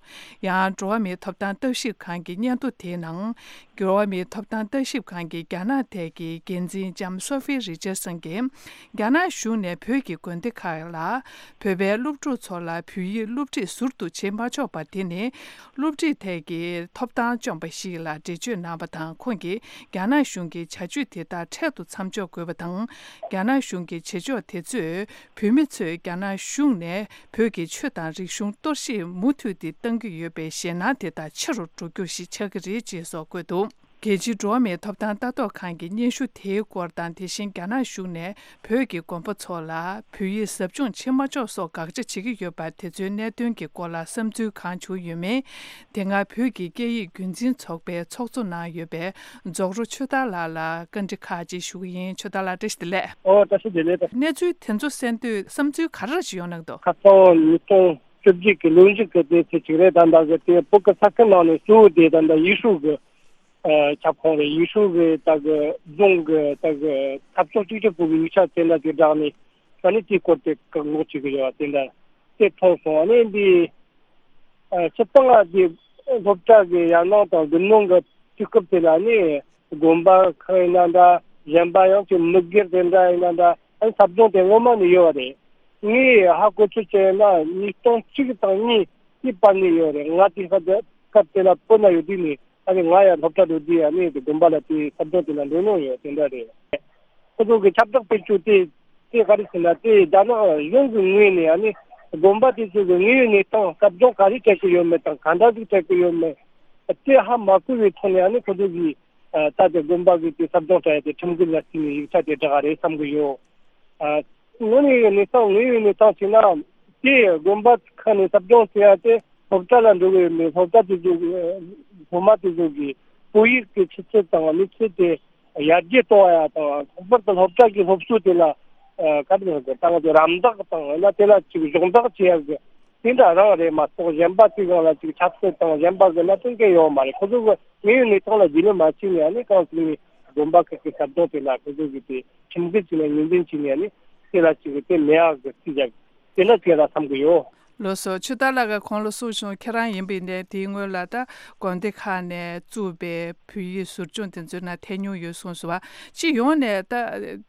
ཡང་འགྲོ་བ་མིའི་ཐོབ་ཐང་ལྟ་ཞིབ་ཁང་གི་སྙན་ཐོ་དེའི་ནང་། འགྲོ་བ་མིའི་ཐོབ་ཐང་ལྟ་ཞིབ་ཁང་གི་རྒྱ་ནག་ཐད་ཀྱི་འགན་འཛིན་ལྕམ་སོ་ཧྥི་རི་ཅར་སན་གྱིས། རྒྱ་ནག་གཞུང་ནས་བོད་ཀྱི་དགོན་སྡེ་ཁག་ལ། བོད་པའི་སློབ་ཕྲུག་ཚོ་ལ་བོད་ཡིག་སློབ་ཁྲིད་ཟུར་དུ་བྱེད་མ་ཆོག་པ་དེ་ནི། སློབ་ཁྲིད་ཐད་ཀྱི་ཐོབ་ཐང་བཅོམ་པ་ཞིག་ལ་འགྲེལ་བརྗོད་གནང་བ་དང་། ཁོང་གིས་རྒྱ་ནག་གཞུང་གི་བྱ་སྤྱོད་དེ་དག་འཕྲལ་དུ་མཚམས་འཇོག་དགོས་པ་དང་། རྒྱ་ནག་གཞུང་གི་བྱེད་ཕྱོགས་དེ་ཚོས། བོད་མི་ཚོས་རྒྱ་ནག་གཞུང་ནས་བོད་ཀྱི་ཆོས་དང་རིག་གཞུང་གཏོར་བཤིག་མུ་མཐུད་དེ་གཏང་གི་ཡོད་པའི་ཞེད་སྣང་དེ་དག་ཆེ་རུ་འགྲོ་རྒྱུ་ཞིག་ཆགས་ཀྱི་རེད་ཅེས་སོགས་བཀོད་འདུག་རྒྱལ་སྤྱིའི་འགྲོ་བ་མིའི་ཐོབ་ཐང་ལྟ་རྟོག་ཁང་གི་སྙན་ཞུ་དེའི་སྐོར་དང་། དེ་བཞིན་རྒྱ་ནག་གཞུང་ནས་བོད་ཀྱི་དགོན་པ་ཚོ་ལ་བོད་ཡིག་ཟབ་སྦྱོང་བྱེད་མ་ཆོག་སོགས་དགག་བྱ་བྱེད་ཀྱི་ཡོད་པ་དེ་ཚོའི་གནད་དོན་གྱི་སྐོར་ལ་བསམ་ཚུལ་གང་བྱུང་ཡོད་མེད། དེ་སྔ་བོད་ཀྱི་སྐད་ཡིག་རྒྱུན་འཛིན་ཚོགས་པའི་ཚོགས་གཙོ་གནང་ཡོད་པའི་རྫོགས་རོ་ཆོས་དར་ལགས་ལ་བཀའ་འདྲི་ཁག་ཅིག་ཞུ་གི་ཡིན། ཆོས་དར་ལགས་བཀྲ་ཤིས་བདེ་ལེགས། ཨོ་བཀྲ་ཤིས་བདེ་ལེགས། གནས་ཚུལ་དེ་ཚོ་གསན་དུས་བསམ་ཚུལ་ག་རེ་ཞིག་ཡོང་གནང་འདུག་ཁ་སང་ཉིས་སྟོང་བཅུ་གཅིག་གི་ལོ་མཇུག་གི་དེ་ཚེ་གཅིག་རེད། ད་ལྟ་གི་དེ་བོད་ཀྱི་ས་ཁུལ་ནང་ནས་གཙོ་བོ་དེ་ད་ལྟ་ཡུས་ཧྲུའུ་གི་ཨ་ཁྱབ་ཁོངས་རེད། ཡུས་ཧྲུའུ་གི་ད་གི་རྫོང་གི་ད་གི་འཐབ་ཕྱོགས་གཅིག་གྱུར་པུའུ་གི་ཡིག་ཆ་དེ་འདྲ་དེ་བསྒྲགས་ནས་ཨ་ནི་དེའི་སྐོར་དེ་བཀག་འགོག་བྱེད་གི་ཡོད་པ་དེ་འདྲ་དེ་མཐོང་སོང་། ཨ་ནི་འདི་ཨ་སྤྱིར་བཏང་ཨ་དེ་སློབ་གྲྭ་གི་ཡར་ནང་དང་དགུན་གནང་གི་དུས་སྐབས་དེ་ལ་ནི་དགོན་པ་ཁག་ཡིན་ན་འདྲ། གཞན་པ་ཡང་ཅིག་མི་སྒེར་དེ་འདྲ་ཡིན་ན་འདྲ། ཨ་ནི་ཟབ་སྦྱོང་དེ་སྔོན་མ་ནས་ཡོད་པ་རེད། ངས་ཧ་གོ་ཚོད་བྱས་ན་ཉིས་སྟོང་གཅིག་དང་གཉིས་ཀྱི་བར་ནས་ཡོད་རེད། ང་དེ་སྐབས་དེ་སྐབས་དེ་ལ་བོད་ན་ཡོད་དུས་ནས་ཨ་ནི་ང་ཡང་སློབ་གྲྭ་འགྲོ་དུས་ཨ་ནི་དགོན་པ་ལ་དེ་ཟབ་སྦྱོང་དེ་ལ་འགྲོ་མྱོང་ཡོད་དེ་འདྲ་རེད། ཁོ་ཚོ་གི་ཁྱབ་བསྒྲགས་སྤེལ་རྒྱུ་དེ་དེ་ག་རེ་ཟེར་ན་དེ་རྒྱ་ནག་གཞུང་གི་ངོས་ནས་ཨ་ནི་དགོན་པ་དེ་ཚོ་གི་དངོས་ཡོད་གནས་སྟངས་ཟབ་སྦྱོང་ག་རེ་སྤྲད་ཀྱི་ཡོད་མེད་དང་ག་འདྲ་ཞིག་སྤྲད་ཀྱི་ཡོད་མེད་དེ་ཧ་མ་གོ་བའི་ཐོག་ནས་ཨ་ནི་ཁོ་ཚོ་གི་ད་དེ་དགོན་པ་གི་དེ་ཟབ་སྦྱོང་སྤྲད་ཡ་དེ་ཁྲིམས་འགལ་ལ་བརྩིས་ནས་ཡིག་ཆ་དེ་བསྒྲགས་རེད་བསམ་གི་ཡོད། ཨ་དངོས་གནས་ཡིན་ནའི་ད་དངོས་ཡོད་གནས་སྟངས་བྱས་ན་དེ་དགོན་པ་ཁག་ནས་ཟབ་སྦྱོང་བྱེད་ཡ་དེ་སློབ་གྲྭ་ལ་འགྲོ་གི་ཡོད་མེད། སློབ་གྲྭ་དེ་ཚོ་གི་སློབ་མ་དེ་ཚོ་གི་བོད་ཡིག་གི་ཆུ་ཚད་དང་གནས་ཚད་དེ་ཡར་རྒྱས་གཏོང་བ་ཡ་དང་ལྷག་པར་དུ་སློབ་གྲྭ་གི་སློབ་གསོ་དེ་ལ་ཨ་ག་རེ་ཟེར་དགོས། ད་ང་ཚོ་རམ་འདེགས་དང་ཡང་ན་དེ་ལ་ཅིག་གཞོགས་འདེགས་བྱེད་ཡ་གི་དེ་འདྲ་རང་རེད་མ་གཏོགས་གཞན་པ་དེ་སྒང་ལ་ཅིག་ཆབ་སྲིད་དང་གཞན་པ་གི་གནད་དོན་གང་ཡོད་མ་རེད། ཁོ་ཚོ་གི་དངོས་ཡོད་གནས་སྟངས་ལ་རྒྱུས་ལོན་མ་བྱས་ནས་ཨ་ནི་གང་ཟེར་ནས་དགོན་པ་ཁག་གི་ཟབ་སྦྱོང་དེ་ལ་ཁོ་ཚོ་གི་དེ་ཁྲིམས་འགལ་བྱས་ནས་ངོས་འཛིན་བྱས་ནས་ཨ་ནི་དེ་ལ་ཅིག་དེ་མེད་ཡ་གི་རྩིས་རྒྱག་དེ་འདྲ་བྱས་ལ་བསམ་གི་ཡོད། ལགས་སོ། ཆོས་དར་ལགས་ཀྱིས་གོང་ལ་གསུངས་བྱུང་། ཁྱེད་རང་ཡིན་པ་ཡིན་ནའི་དེའི་སྔོན་ལ་ད་དགོན་སྡེ་ཁག་ནས་བཙུགས་པའི་བོད་ཡིག་ཟབ་སྦྱོང་དེ་ཚོའི་ནང་ཐད་མྱོང་ཡོད་གསུངས་སོང་བ། སྤྱི་ཡོངས་ནས་ད་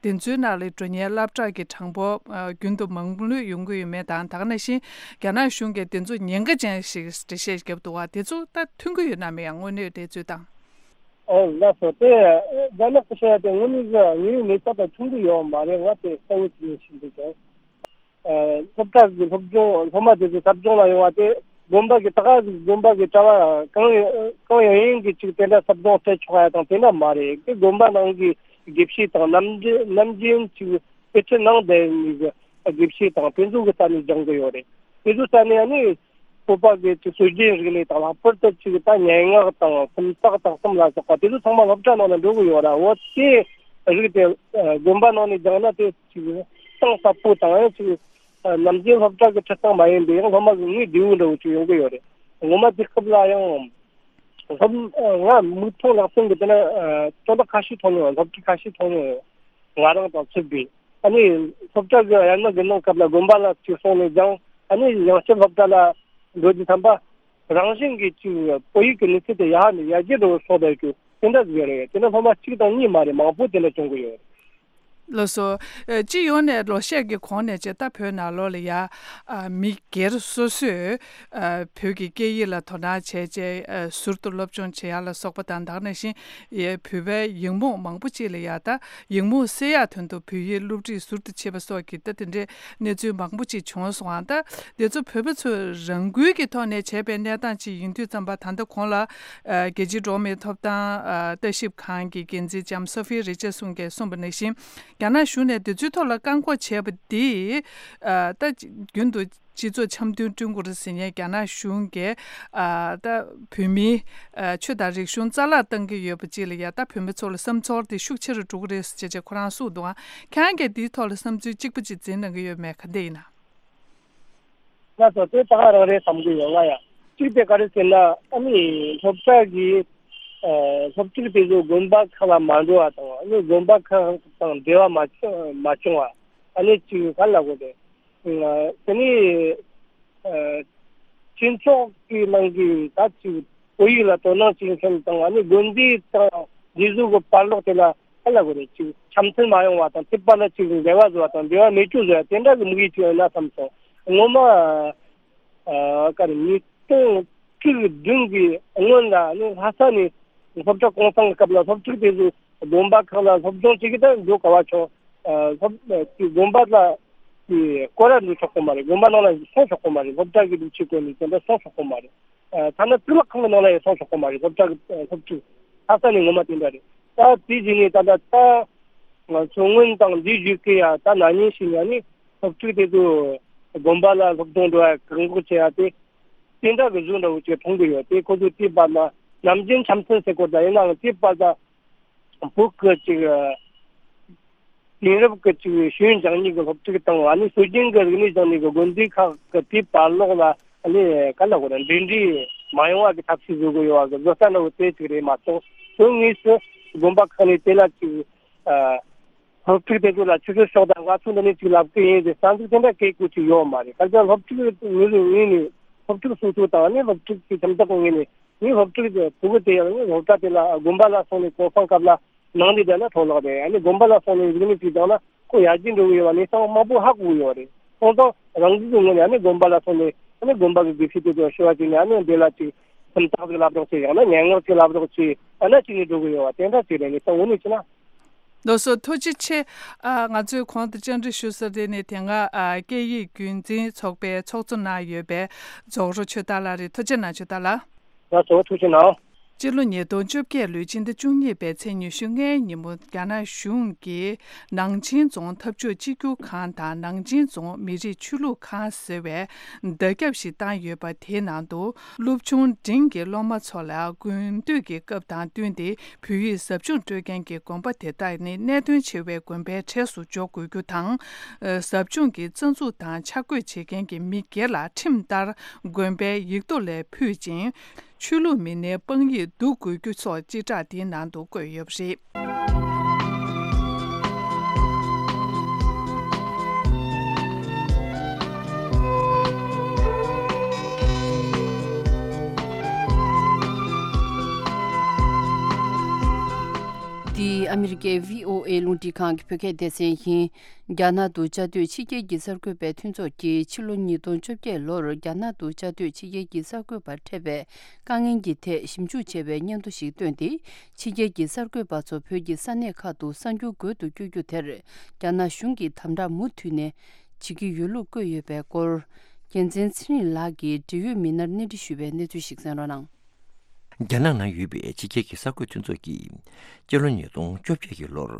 དེ་ཚོའི་ནང་ལ་འགྲོ་མཁན་སློབ་གྲྭ་གི་གྲངས་འབོར་ཨ་རྒྱུན་དུ་མང་ལོས་ཡོང་གི་ཡོད་མེད་དང་། ད་ག་ནང་བཞིན་རྒྱ་ནག་གཞུང་གིས་དེ་ཚོ་ཉེན་ཁ་ཅན་ཞིག་འགྲེལ་བཤད་བརྒྱབ་འདུག་བ། དེ་ཚོ་ད་མཐུན་གྱི་ཡོད་ན་མེད་ཡང་དངོས་གནས་དེ་ཚོའི་དང་། ཨོ་ལགས་སོ། དེ་རྒྱ་ནག་གི་བཤད་ཡ་དེ་དངོས་གནས་ཀྱི་དངོས་ཡོད་གནས་སྟངས་དང་མཐུན་གྱི་ཡོད་མ་རེད། ང་དེ་གསལ་བོ་ཅིག་ཡིན་ཞིག་འདུག་ཀྱང་། ཨ་སློབ་གྲྭ་གི་སློབ་སྦྱོང་སློབ་མ་དེ་ཚོ་ཟབ་སྦྱོང་ལ་ཡོང་བ་དེ་དགོན་པ་གི་ད་ག་གི་དགོན་པ་གི་གྲྭ་བ་གང་ཡང་གང་ཡང་ཡིན་གི་ཅིག་དེ་འདྲ་ཟབ་སྦྱོང་སྤྲད་ཆོག་ཡ་དང་དེ་འདྲ་མ་རེད། དེ་དགོན་པ་ནང་གི་དགེ་བཤེས་དང་ནམ་རྒྱུན་ནམ་རྒྱུན་ཅིག་དཔེ་ཁྲིད་གནང་བསྡད་ནི་གི་དགེ་བཤེས་དང་དེ་ཚོ་གི་ས་ནས་སྦྱང་གི་ཡོད་རེད། དེ་ཚོ་ས་ནས་ཨ་ནི་བོད་པ་གི་ཅིག་སྲོལ་རྒྱུན་རིག་གནས་དང་ལྷག་པར་དུ་ཅིག་ད་སྙན་ངག་དང་སུམ་རྟགས་དང་གསུམ་ལ་སོགས་པ་དེ་ཚོ་ཚང་མ་སློབ་གྲྭ་ནང་ལ་འགྲོ་གི་ཡོད་ར། འོ་དེ་རིགས་དེ་དགོན་པ་ནང་ནས་སྦྱངས་ན་དེ་ཅིག་གཏིང་ཟབ་པོ་དང་ཡང་ཅིག་ནམ་རྒྱུན་སློབ་གྲྭ་གི་ཁྲིད་སྟངས་མ་ཡིན་པའི་ཡང་སློབ་མ་གི་ངོས་བདེ་བོ་འདྲ་བོ་ཅིག་ཡོང་གི་ཡོད་རེད། ངོ་མ་དེ་སྐབས་ལ་ཡང་ སློབ་ང་མིག་མཐོང་ལག་ཟིན་གྱི་དེ་ན་དོན་དག་ཁ་ཤས་མཐོང་ཡོད། སློབ་ཕྲུག་ཁ་ཤས་མཐོང་ཡོད། ང་རང་དང་ཚུད་པའི་ཨ་ནི་སློབ་གྲྭ་གི་ཡར་མར་གྱི་གནང་སྐབས་ལ་དགོན་པ་ལ་ཅིག་སོང་ནས་ཀྱང་ཨ་ནི་ཡང་བསྐྱར་སློབ་གྲྭ་ལ་འགྲོ་རྒྱུ་ཐམ་པ་རང་བཞིན་གྱིས་ཅིག་བོད་ཡིག་གི་གནས་ཚུལ་དེ་ཡར་ནས་ཡར་རྒྱས་འགྲོ་བའི་སོགས་པའི་གི་དེ་འདྲ་ཟིག་ཡོད་རེད། དེ་ནི་སློབ་མ་གཅིག་དང་གཉིས་མ་རེད། མང་པོ་དེ་འདྲ་བྱུང་གི་ཡོད་རེད། ལགས་སོ། ཨ། སྤྱི་ཡོངས་ནས་ལོ་ཤས་ཀྱི་གོང་ནས་བྱས་ད་བོད་ནང་ལོགས་ལ་ཡ། ཨ། མི་སྒེར་སོ་སོས། ཨ། བོད་ཀྱི་སྐད་ཡིག་ལ་དོ་སྣང་བྱས་བྱས། ཨ། ཟུར་དུ་སློབ་སྦྱོང་བྱེད་ཡག་ལ་སོགས་པ་དང་། ད་ག་ནང་བཞིན་ཡ་བོད་པའི་ཡིག་རྨོངས་མང་པོ་ཅིག་ལ་ཡ་ད་ཡིག་རྨོངས་སེལ་ཡག་དོན་དུ་བོད་ཡིག་སློབ་ཁྲིད་ཟུར་དུ་བྱེད་པ་སོགས་ཀྱི་ད་དེ་འདྲའི་གནས་ཚུལ་མང་པོ་ཅིག་བྱུང་སོང་ཨང་། ད་དེ་ཚོ་བོད་པ་ཚོས་རང་འགུལ་གྱི་ཐོག་ནས་བྱས་པའི་གནས་སྟངས་ཅིག་ཡིན་དུས་ཙམ་པ། ད་ལྟ་གོང་ལ། ཨ། རྒྱལ་སྤྱིའི་འགྲོ་བ་མིའི་ཐོབ་ཐང་། ཨ། ལྟ་ཞིབ་ཁང་གི་འགན་འཛིན་ལྕམ་སོ་ཧྥི་རི་ཅར་སོན་གྱིས་གསུངས་པ་ནང་བཞིན། རྒྱ་ནག་གཞུང་ནས་དེ་ཚོའི་ཐོག་ལ་བཀག་འགོག་བྱས་པ་འདིས། ཨ། ད་རྒྱུན་དུ་སྤྱི་ཚོགས་འཆམ་མཐུན་བསྐྲུན་དགོས་རེད་ཟེར་མཁན་རྒྱ་ནག་གཞུང་གིས། ཨ། ད་བོད་མིའི། ཨ། ཆོས་དང་རིག་གཞུང་རྩ་བརླག་བཏང་གི་ཡོད་པ་ཅིག་ལ་ཡ། ད་བོད་མི་ཚོ་ལ་བསམ་ཚོར་དེ་ཤུགས་ཆེ་རུ་འགྲོ་གི་རེད་ཟེར་བྱས་བྱས་ཁོ་རང་གསུངས་འདུག་ཨང་། ཁྱེད་རང་གིས་འདིའི་ཐོག་ལ་བསམ་ཚུལ་གཅིག་པ་ཅིག་འཛིན་གནང་གི་ཡོད་མེད། ག་འདྲ་ཡིན་ན། ལགས་སོ། དེ་ད་ག་རང་རེད་བསམ་གྱི་ཡོད། ང་ཡང་གཅིག་དེ་ག་རེ་ཟེར་ན། ཨ་ནི་སློབ་གྲྭ་གི། ཨ། སློབ་ཕྲུག་དེ་ཚོ་དགོན་པ་ཁག་ལ་མ་འགྲོ་བ་དང་། ཨ་ནི་དགོན་པ་ཁག་དང་འབྲེལ་བ་མ་བྱུང་མ་བྱུང་བ། ཨ་ནི་ཅིག་ག་ལབ་དགོས་རེད། ཨ། དེ་ནི། ཨ། སྤྱི་ཚོགས་ཀྱི་ནང་གི་ད་ཅིག་བོད་ཡིག་ལ་དོ་སྣང་བྱེད་མཁན་དང་། ཨ་ནི་དགོན་སྡེ་དང་འདི་ཚོ་གི་བར་ལོགས་དེ་ལ་ག་ལབ་དགོས་རེད། ཅིག་འཆམ་མཐུན་མ་ཡོང་བ་དང་། དེ་བར་ལ་ཅིག་འགལ་བ་བཟོ་བ་དང་། འབྲེལ་བ་མེད་རྒྱུ་བཟོ་ཡ་དེ་འདྲ་གི་དམིགས་ཡུལ་ཅིག་ཡོད་ན་བསམ་སོང་། ངོ་མ། ཨ། ག་རེ། ཉིས་སྟོང་བཅུ་བདུན་གྱི་སྔོན་ལ་ནི་ལྷ་ས་ནས་སློབ་གྲྭ་གུང་སེང་གི་སྐབས་ལ་སློབ་ཕྲུག་དེ་ཚོ་དགོན་པ་ཁག་ལ་སློབ་སྦྱོང་བྱེད་ཀྱི་ད་འགྲོ་ག་བ་ཆོག་ཨ། སློབ། དགོན་པ་ལ་དེ་སྐོར་ར་འགྲོ་ཆོག་གི་མ་རེད། དགོན་པ་ནང་ལ་སོང་ཆོག་གི་མ་རེད། སློབ་གྲྭ་གི་སྒྲིག་ཆས་བཀོལ་ནས་དེ་འདྲ་སོང་ཆོག་གི་མ་རེད། ཨ། ཐ་ན་གཙུག་ལག་ཁང་གི་ནང་ལ་ཡང་སོང་ཆོག་གི་མ་རེད། སློབ་གྲྭ་གི་སློབ་ཕྲུག་ལྷ་ས་ནས་ངོ་མ་དེ་འདྲ་རེད། ད་དེ་བཞིན་ནས་ད་ལྟ་ད་མཚོ་སྔོན་དང་འདི་བཞུགས་ཀྱི་ཡ་ད་ན་ནིང་ཞིག་ཡ་ནི་སློབ་ཕྲུག་དེ་ཚོ་དགོན་པ་ལ་སློབ་སྦྱོང་འགྲོ་ཡ་བཀག་འགོག་བྱེད་ཡ་དེ་དེ་འདྲ་གི་བཟོ་འདྲ་བོ་ཅིག་མཐོང་གི་ཡོད། དེ་ཁོ་ཚོས་དེ་བར་ལ་ནམ་རྒྱུན་འཆམ་མཐུན་ཟེར་གོ་ད་ཡིན་ནའང་དེ་བར་ད་བོད་ཀྱི་ཅིག་དེང་རབས་ཀྱི་ཅིག་ཤེས་ཡོན་སྦྱང་ནི་གི་སློབ་ཕྲུག་དང་། ཨ་ནི་སྲོལ་རྒྱུན་གྱི་རིག་གནས་སྦྱང་ནི་གི་དགོན་སྡེ་ཁག་གི་དེའི་བར་ལོགས་ལ་ཨ་ནི་ག་ལ་གོ་ར་འབྲེལ་འདྲིས་མ་ཡོང་བ་གི་ཐབས་ཤེས་བཟོ་གི་ཡོད་པ་གི་བཟོ་ལྟ་འདྲ་བོ་དེ་ཅིག་རེད་མ་གཏོགས། དོན་དངོས་སུ་དགོན་པ་ཁག་ནས་དེ་ལ་ཅིག་ཨ། སློབ་ཕྲུག་དེ་ཚོ་ལ་ཆུ་ཚོད་ཤོག་དང་ང་ཚོ་འདི་ནས་ཅིག་ལབ་ཀྱི་ཡིན་ཟེར་རྩ་འཛུགས་དེ་འདྲ་བཀས་བཀོད་ཅིག་ཡོད་མ་རེད། གལ་ཏེ་སློབ་ཕྲུག་ངོས་ནས་ངོས་ནས་སློབ་ཕྲུག་སོ་སོ་དང་ནི་སློབ་ཕྲུག་གི་ཁྱིམ་བདག་གི་ངོས་ནས་ངའི་སློབ་ཕྲུག་དེ་ཕྲུ་གུ་དེ་ཡང་ནི་སློབ་གྲྭ་དེ་ལ་དགོན་པ་ལ་སོང་ནས་གུང་སེང་སྐབས་ལ་ནང་ལས་བསྡད་ན་འཕྲོ་བརླག་རེད། ཨ་ནི་དགོན་པ་ལ་སོང་ནས་རིག་གནས་ཅིག་སྦྱངས་ན་ཁོ་ཡར་རྒྱས་འགྲོ་གི་ཡོད་པ་གནས་སྟངས་མང་པོ་ཧ་གོ་གི་ཡོད་རེད། སོང་ཙང་རང་འགུལ་གྱི་ངོས་ནས་ཨ་ནི་དགོན་པ་ལ་སོང་ནས་ཨ་ནི་དགོན་པ་གི་དགེ་བཤེས་དེ་ཚོ་ཞུ་བ་བྱས་ནས་ཨ་ནི་འདི་ལ་ཅིག་སུམ་རྟགས་ཅིག་ལབ་རོགས་བྱེད། ཡང་ན་སྙན་ངག་ཅིག་ལབ་རོགས་བྱེད། ཨ་ན་ཅིག་ནས་འགྲོ་གི་ཡོད་པ་དེ་འདྲ་ཅིག་རེད། གནས་སྟངས་འོ་ནས་བྱས་ན། ལགས་སོ། ཐུགས་རྗེ་ཆེ། ཨ། ང་ཚོས་གོང་དུ་བཅར་འདྲི་ཞུ་ས་དེ་ནི་དེ་སྔ། ཨ། སྐད་ཡིག་རྒྱུན་འཛིན་ཚོགས་པའི་ཚོགས་གཙོ་གནང་ཡོད་པའི་རྫོགས་རོགས་ཆོས་དར་ལགས་རེད། ཐུགས་རྗེ་གནང་། ཆོས་དར་ལགས། ལགས་སོ། ཐུགས་རྗེ་གནང་། སྤྱི་ལོ་ཉིས་སྟོང་བཅོ་བརྒྱད་ལོའི་ཕྱི་ཟླ་བཅུ་གཉིས་པའི་ཚེས་ཉི་ཤུ་ལྔའི་ཉིན་མོ། རྒྱ་ནག་གཞུང་གིས་ནང་ཆེན་རྫོང་འཐབ་ཕྱོགས་གཅིག་གྱུར་ཁང་དང་ནང་ཆེན་རྫོང་མི་རིགས་ཆོས་ལུགས་ཁང་ཟེར་བའི་བརྡ་ཁྱབ་ཞིག་བཏང་ཡོད་པ། དེའི་ནང་དུ་སློབ་ཆུང་འབྲིང་གི་སློབ་མ་ཚོ་ལ་དགུན་དུས་ཀྱི་སྐབས་དང་བསྟུན་ཏེ་བོད་ཡིག་ཟབ་སྦྱོང་སྤྲོད་མཁན་གྱི་དགོན་པ་དེ་དག་ནི་གནད་དོན་ཆེ་བའི་དགོན་པའི་གྲས་སུ་འཇོག་དགོས་རྒྱུ་དང་། ཟབ་སྦྱོང་གི་རྩ་འཛུགས་དང་ཆ་བགོས་བྱེད་མཁན་གྱི་མི་སྒེར་ལ་ཁྲིམས་ལྟར་དགོན་པའི་ཡིག་ཐོག་ལས་ཕུད་ཅིང་། ཆོས་ལུགས་མི་སྣའི་དཔང་ཡིག་བསྡུ་དགོས་རྒྱུ་སོགས་སྤྱི་བསྒྲགས་འདིའི་ནང་དུ་བཀོད་ཡོད་པ་རེད། འདི་ཨ་མི་རི་ཀའི་བྷི་ཨོ་ཨེ་རླུང་འཕྲིན་ཁང་གི་བོད་སྐད་སྡེ་ཚན་ཡིན། རྒྱ་ནག་ཏུ་བཅའ་སྡོད་ཕྱི་རྒྱལ་གྱི་གསར་འགོད་པའི་མཐུན་ཚོགས་ཀྱིས་ཕྱི་ལོ་ཉིས་སྟོང་བཅོ་བརྒྱད་ལོར་རྒྱ་ནག་ཏུ་བཅའ་སྡོད་ཕྱི་རྒྱལ་གྱི་གསར་འགོད་པར་འཕྲད་པའི་དཀའ་ངལ་གྱི་ཐད་ཞིབ་འཇུག་བྱས་པའི་སྙན་ཐོ་ཞིག་བཏོན་ཏེ། ཕྱི་རྒྱལ་གྱི་གསར་འགོད་པ་ཚོ་བོད་ཀྱི་ས་གནས་ཁག་ཏུ་གསར་འགྱུར་འགོད་དུ་བསྐྱོད་རྒྱུ་དེར་རྒྱ་ནག་གཞུང་གིས་དམ་དྲག་མུ་མཐུད་ནས་བྱེད་ཀྱི་ཡོད་ལུགས་བཀོད་ཡོད་པའི་སྐོར། རྒྱལ་མཚན་ཚེ་རིང་ལགས་ཀྱིས་འབྲེལ་ཡོད་མི་སྣར་གནས་འདྲི་ཞུས་པའི་གནས་ཚུལ་ཞིག་གསན་རོགས་གནང་། རྒྱ་ནག་ནང་ཡོད་པའི་ཕྱི་རྒྱལ་གྱི་གསར་འགོད་མཐུན་ཚོགས་ཀྱིས་སྤྱི་ལོ་ཉིས་སྟོང་བཅོ་བརྒྱད་ཀྱི་ལོར་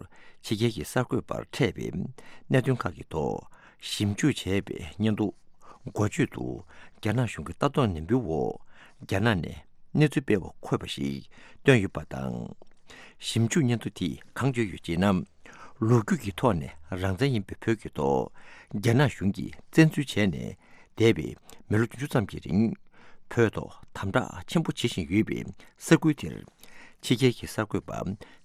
ཕྱི་རྒྱལ་གྱི་གསར་འགོད་པར་འཕྲད་པའི་གནད་དོན་ཁག་གི་ཐོག་ཞིབ་འཇུག་བྱས་པའི་སྙན་ཐོ་འགོ་བརྗོད་དུ། རྒྱ་ནག་གཞུང་གི་ལྟ་རྟོག་ནན་པོའི་འོག་རྒྱ་ནག་ནས་གནས་ཚུལ་སྤེལ་བ་འཁོད་པ་ཞིག་བཏོན་ཡོད་པ་དང་། ཞིབ་འཇུག་སྙན་ཐོ་དེས་གང་བརྗོད་ཡོད་ཅེ་ན། ལོ་རྒྱུས་ཀྱི་ཐོག་ནས་རང་བཙན་ཡིན་པའི་བོད་ཀྱི་ཐོག་རྒྱ་ནག་གཞུང་གིས་བཙན་འཛུལ་བྱས་ནས་འདས་པའི་མི་ལོ་བདུན་ཅུ་ཙམ་གྱི་རིང་ བོད་ཐོག་དམ་དྲག་ཆེན་པོ་བྱེད་བཞིན་ཡོད་པའི་ས་ཁུལ་དེར། ཕྱི་རྒྱལ་གྱི་གསར་འགོད་པ་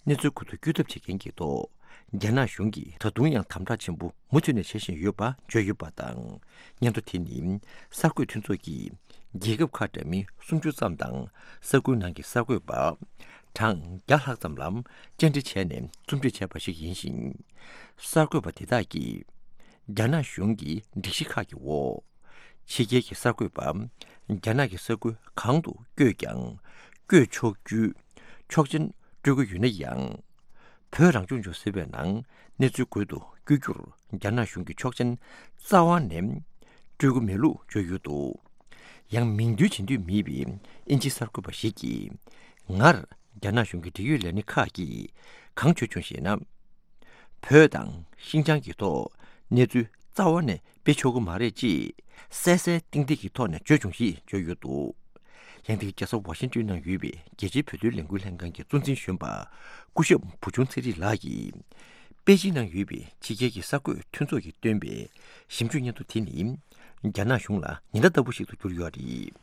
གནས་ཚུལ་ཁུ་ཐུག་བསྐྱུར་ཐབས་བྱེད་མཁན་གྱི་ཐོག་རྒྱ་ནག་གཞུང་གིས་ད་དུང་ཡང་དམ་དྲག་ཆེན་པོ་མུ་མཐུད་ནས་བྱེད་བཞིན་ཡོད་པ་བརྗོད་ཡོད་པ་དང་། སྙན་ཐོ་དེ་ནི་གསར་འགོད་མཐུན་ཚོགས་ཀྱིས་རྒྱལ་ཁབ་ཁག་འདྲ་མིན་སུམ་ཅུ་ཙམ་དང་ས་ཁུལ་ནང་གི་གསར་འགོད་པ་གྲངས་བརྒྱ་ལྷག་ཙམ་ལ་བཅར་འདྲི་བྱས་ནས་རྩོམ་སྒྲིག་བྱས་པ་ཞིག་ཡིན་ཞིང་། གསར་འགོད་པ་དེ་དག་གིས་རྒྱ་ནག་གཞུང་གི་སྒྲིག་གཞི་ཁག་གི་འོག་ཕྱི་རྒྱལ་གྱི་གསར་འགོད་པ་རྒྱ་ནག་གི་ས་ཁུལ་གང་དུ་བསྐྱོད་ཀྱང་བསྐྱོད་ཆོག་རྒྱུའི་ཆོག་མཆན་སྤྲོད་ཀྱི་ཡོད་ན་ཡང་། བོད་རང་སྐྱོང་ལྗོངས་ཟེར་བའི་ནང་གནས་ཚུལ་འགོད་དུ་བསྐྱོད་རྒྱུར་རྒྱ་ནག་གཞུང་གིས་ཆོག་མཆན་རྩ་བ་ནས་སྤྲོད་ཀྱི་མེད་ལུགས་བརྗོད་ཡོད་འདུག་ཡང་མིང་འདོན་བྱེད་འདོད་མེད་པའི་དབྱིན་ཇིའི་གསར་འགོད་པ་ཞིག་གིས། སྔར་རྒྱ་ནག་གཞུང་གི་འབྲེལ་ཡོད་ལས་སྣེ་ཁག་གིས་གང་བརྗོད་བྱུང་ཞེ་ན། བོད་དང་ཤིན་ཅང་གི་ཐོག་གནས་ཚུལ་རྩ་བ་ནས་སྤེལ་ཆོག་གི་མ་རེད་ཅེས་གསལ་གསལ་ཏིག་ཏིག་གི་ཐོག་ནས་བརྗོད་བྱུང་ཞེས་བརྗོད་ཡོད་འདུག་ཡང་དེ་རྒྱལ་ས་ཝ་ཤིང་ཏོན་ནང་ཡོད་པའི་རྒྱལ་སྤྱིའི་བོད་དོན་ལས་འགུལ་ལྷན་ཁང་གི་གཙོ་འཛིན་གཞོན་པ་སྐུ་ཞབས་བུ་ཆུང་ཚེ་རིང་ལགས་ཀྱིས། པེ་ཅིན་ནང་ཡོད་པའི་ཕྱི་རྒྱལ་གྱི་གསར་འགོད་མཐུན་ཚོགས་ཀྱིས་བཏོན་པའི་ཞིབ་འཇུག་སྙན་ཐོ་དེ་ནི་རྒྱ་ནག་གཞུང་ལ་ཉེན་བརྡ་ལྟ་བུ་ཞིག་ཏུ་གྱུར་ཡོད་རེད།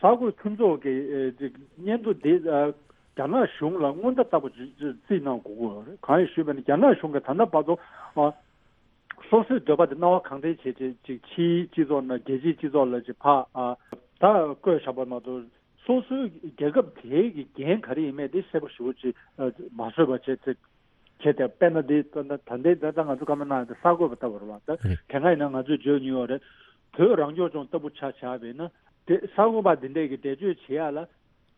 གསར་འགོད་མཐུན་ཚོགས་ཀྱི་ཨེ་ཅིག་སྙན་ཐོ་འདི་ཨ་རྒྱ་ནག་གཞུང་ལ་སྔོན་བརྡ་ལྟ་བུ་ཅིག་ཅིག་རྩིས་གནང་དགོས་ཀྱི་ཡོད་རེད། གང་ཡིན་ཞུས་པ་ཡིན་ན་རྒྱ་ནག་གཞུང་གིས་ད་ལྟ་བར་དུ་ཨ་སོ་སོའི་འདོད་པ་དེ་སྣང་བ་གང་དྲན་བྱས་བྱས་ཅིག་ཕྱིའི་སྤྱི་ཚོགས་ནང་རྒྱལ་སྤྱིའི་སྤྱི་ཚོགས་ལ་ཅིག་ཕར་ཨ་ད་བཀོད་བཞག་པ་མ་གཏོགས་སོ་སོའི་རྒྱལ་ཁབ་དེའི་གི་འགན་ག་རེ་ཡིན་མིན་དེ་གསལ་པོ་ཞེ་པོ་ཅིག་ཨ་མ་བཟོས་པ་བྱས་ཚེ། བྱས་ཏེ་དཔེར་ན་འདི་ད་ད་ལྟའི་ད་ལྟ་ང་ཚོ་བཀའ་མོལ་གནང་ཡ་དེ་གསར་འགོད་པ་ལྟ་བུ་རེད་བ། ད་རེད། དེ་སྔ་ཡིན་ན་ང་ཚོས་བརྗོད་མྱོང་ཡོད་རེད། བོད་རང་སྐྱོང་ལྗོངས་ལྟ་བུ་ཆ་བཞག་པ་ཡིན་ན། དེ་གསར་འགོད་པ་འདི་འདྲས་ཀྱི་འགྲེལ་བརྗོད་བྱེད་ཡ་ལ།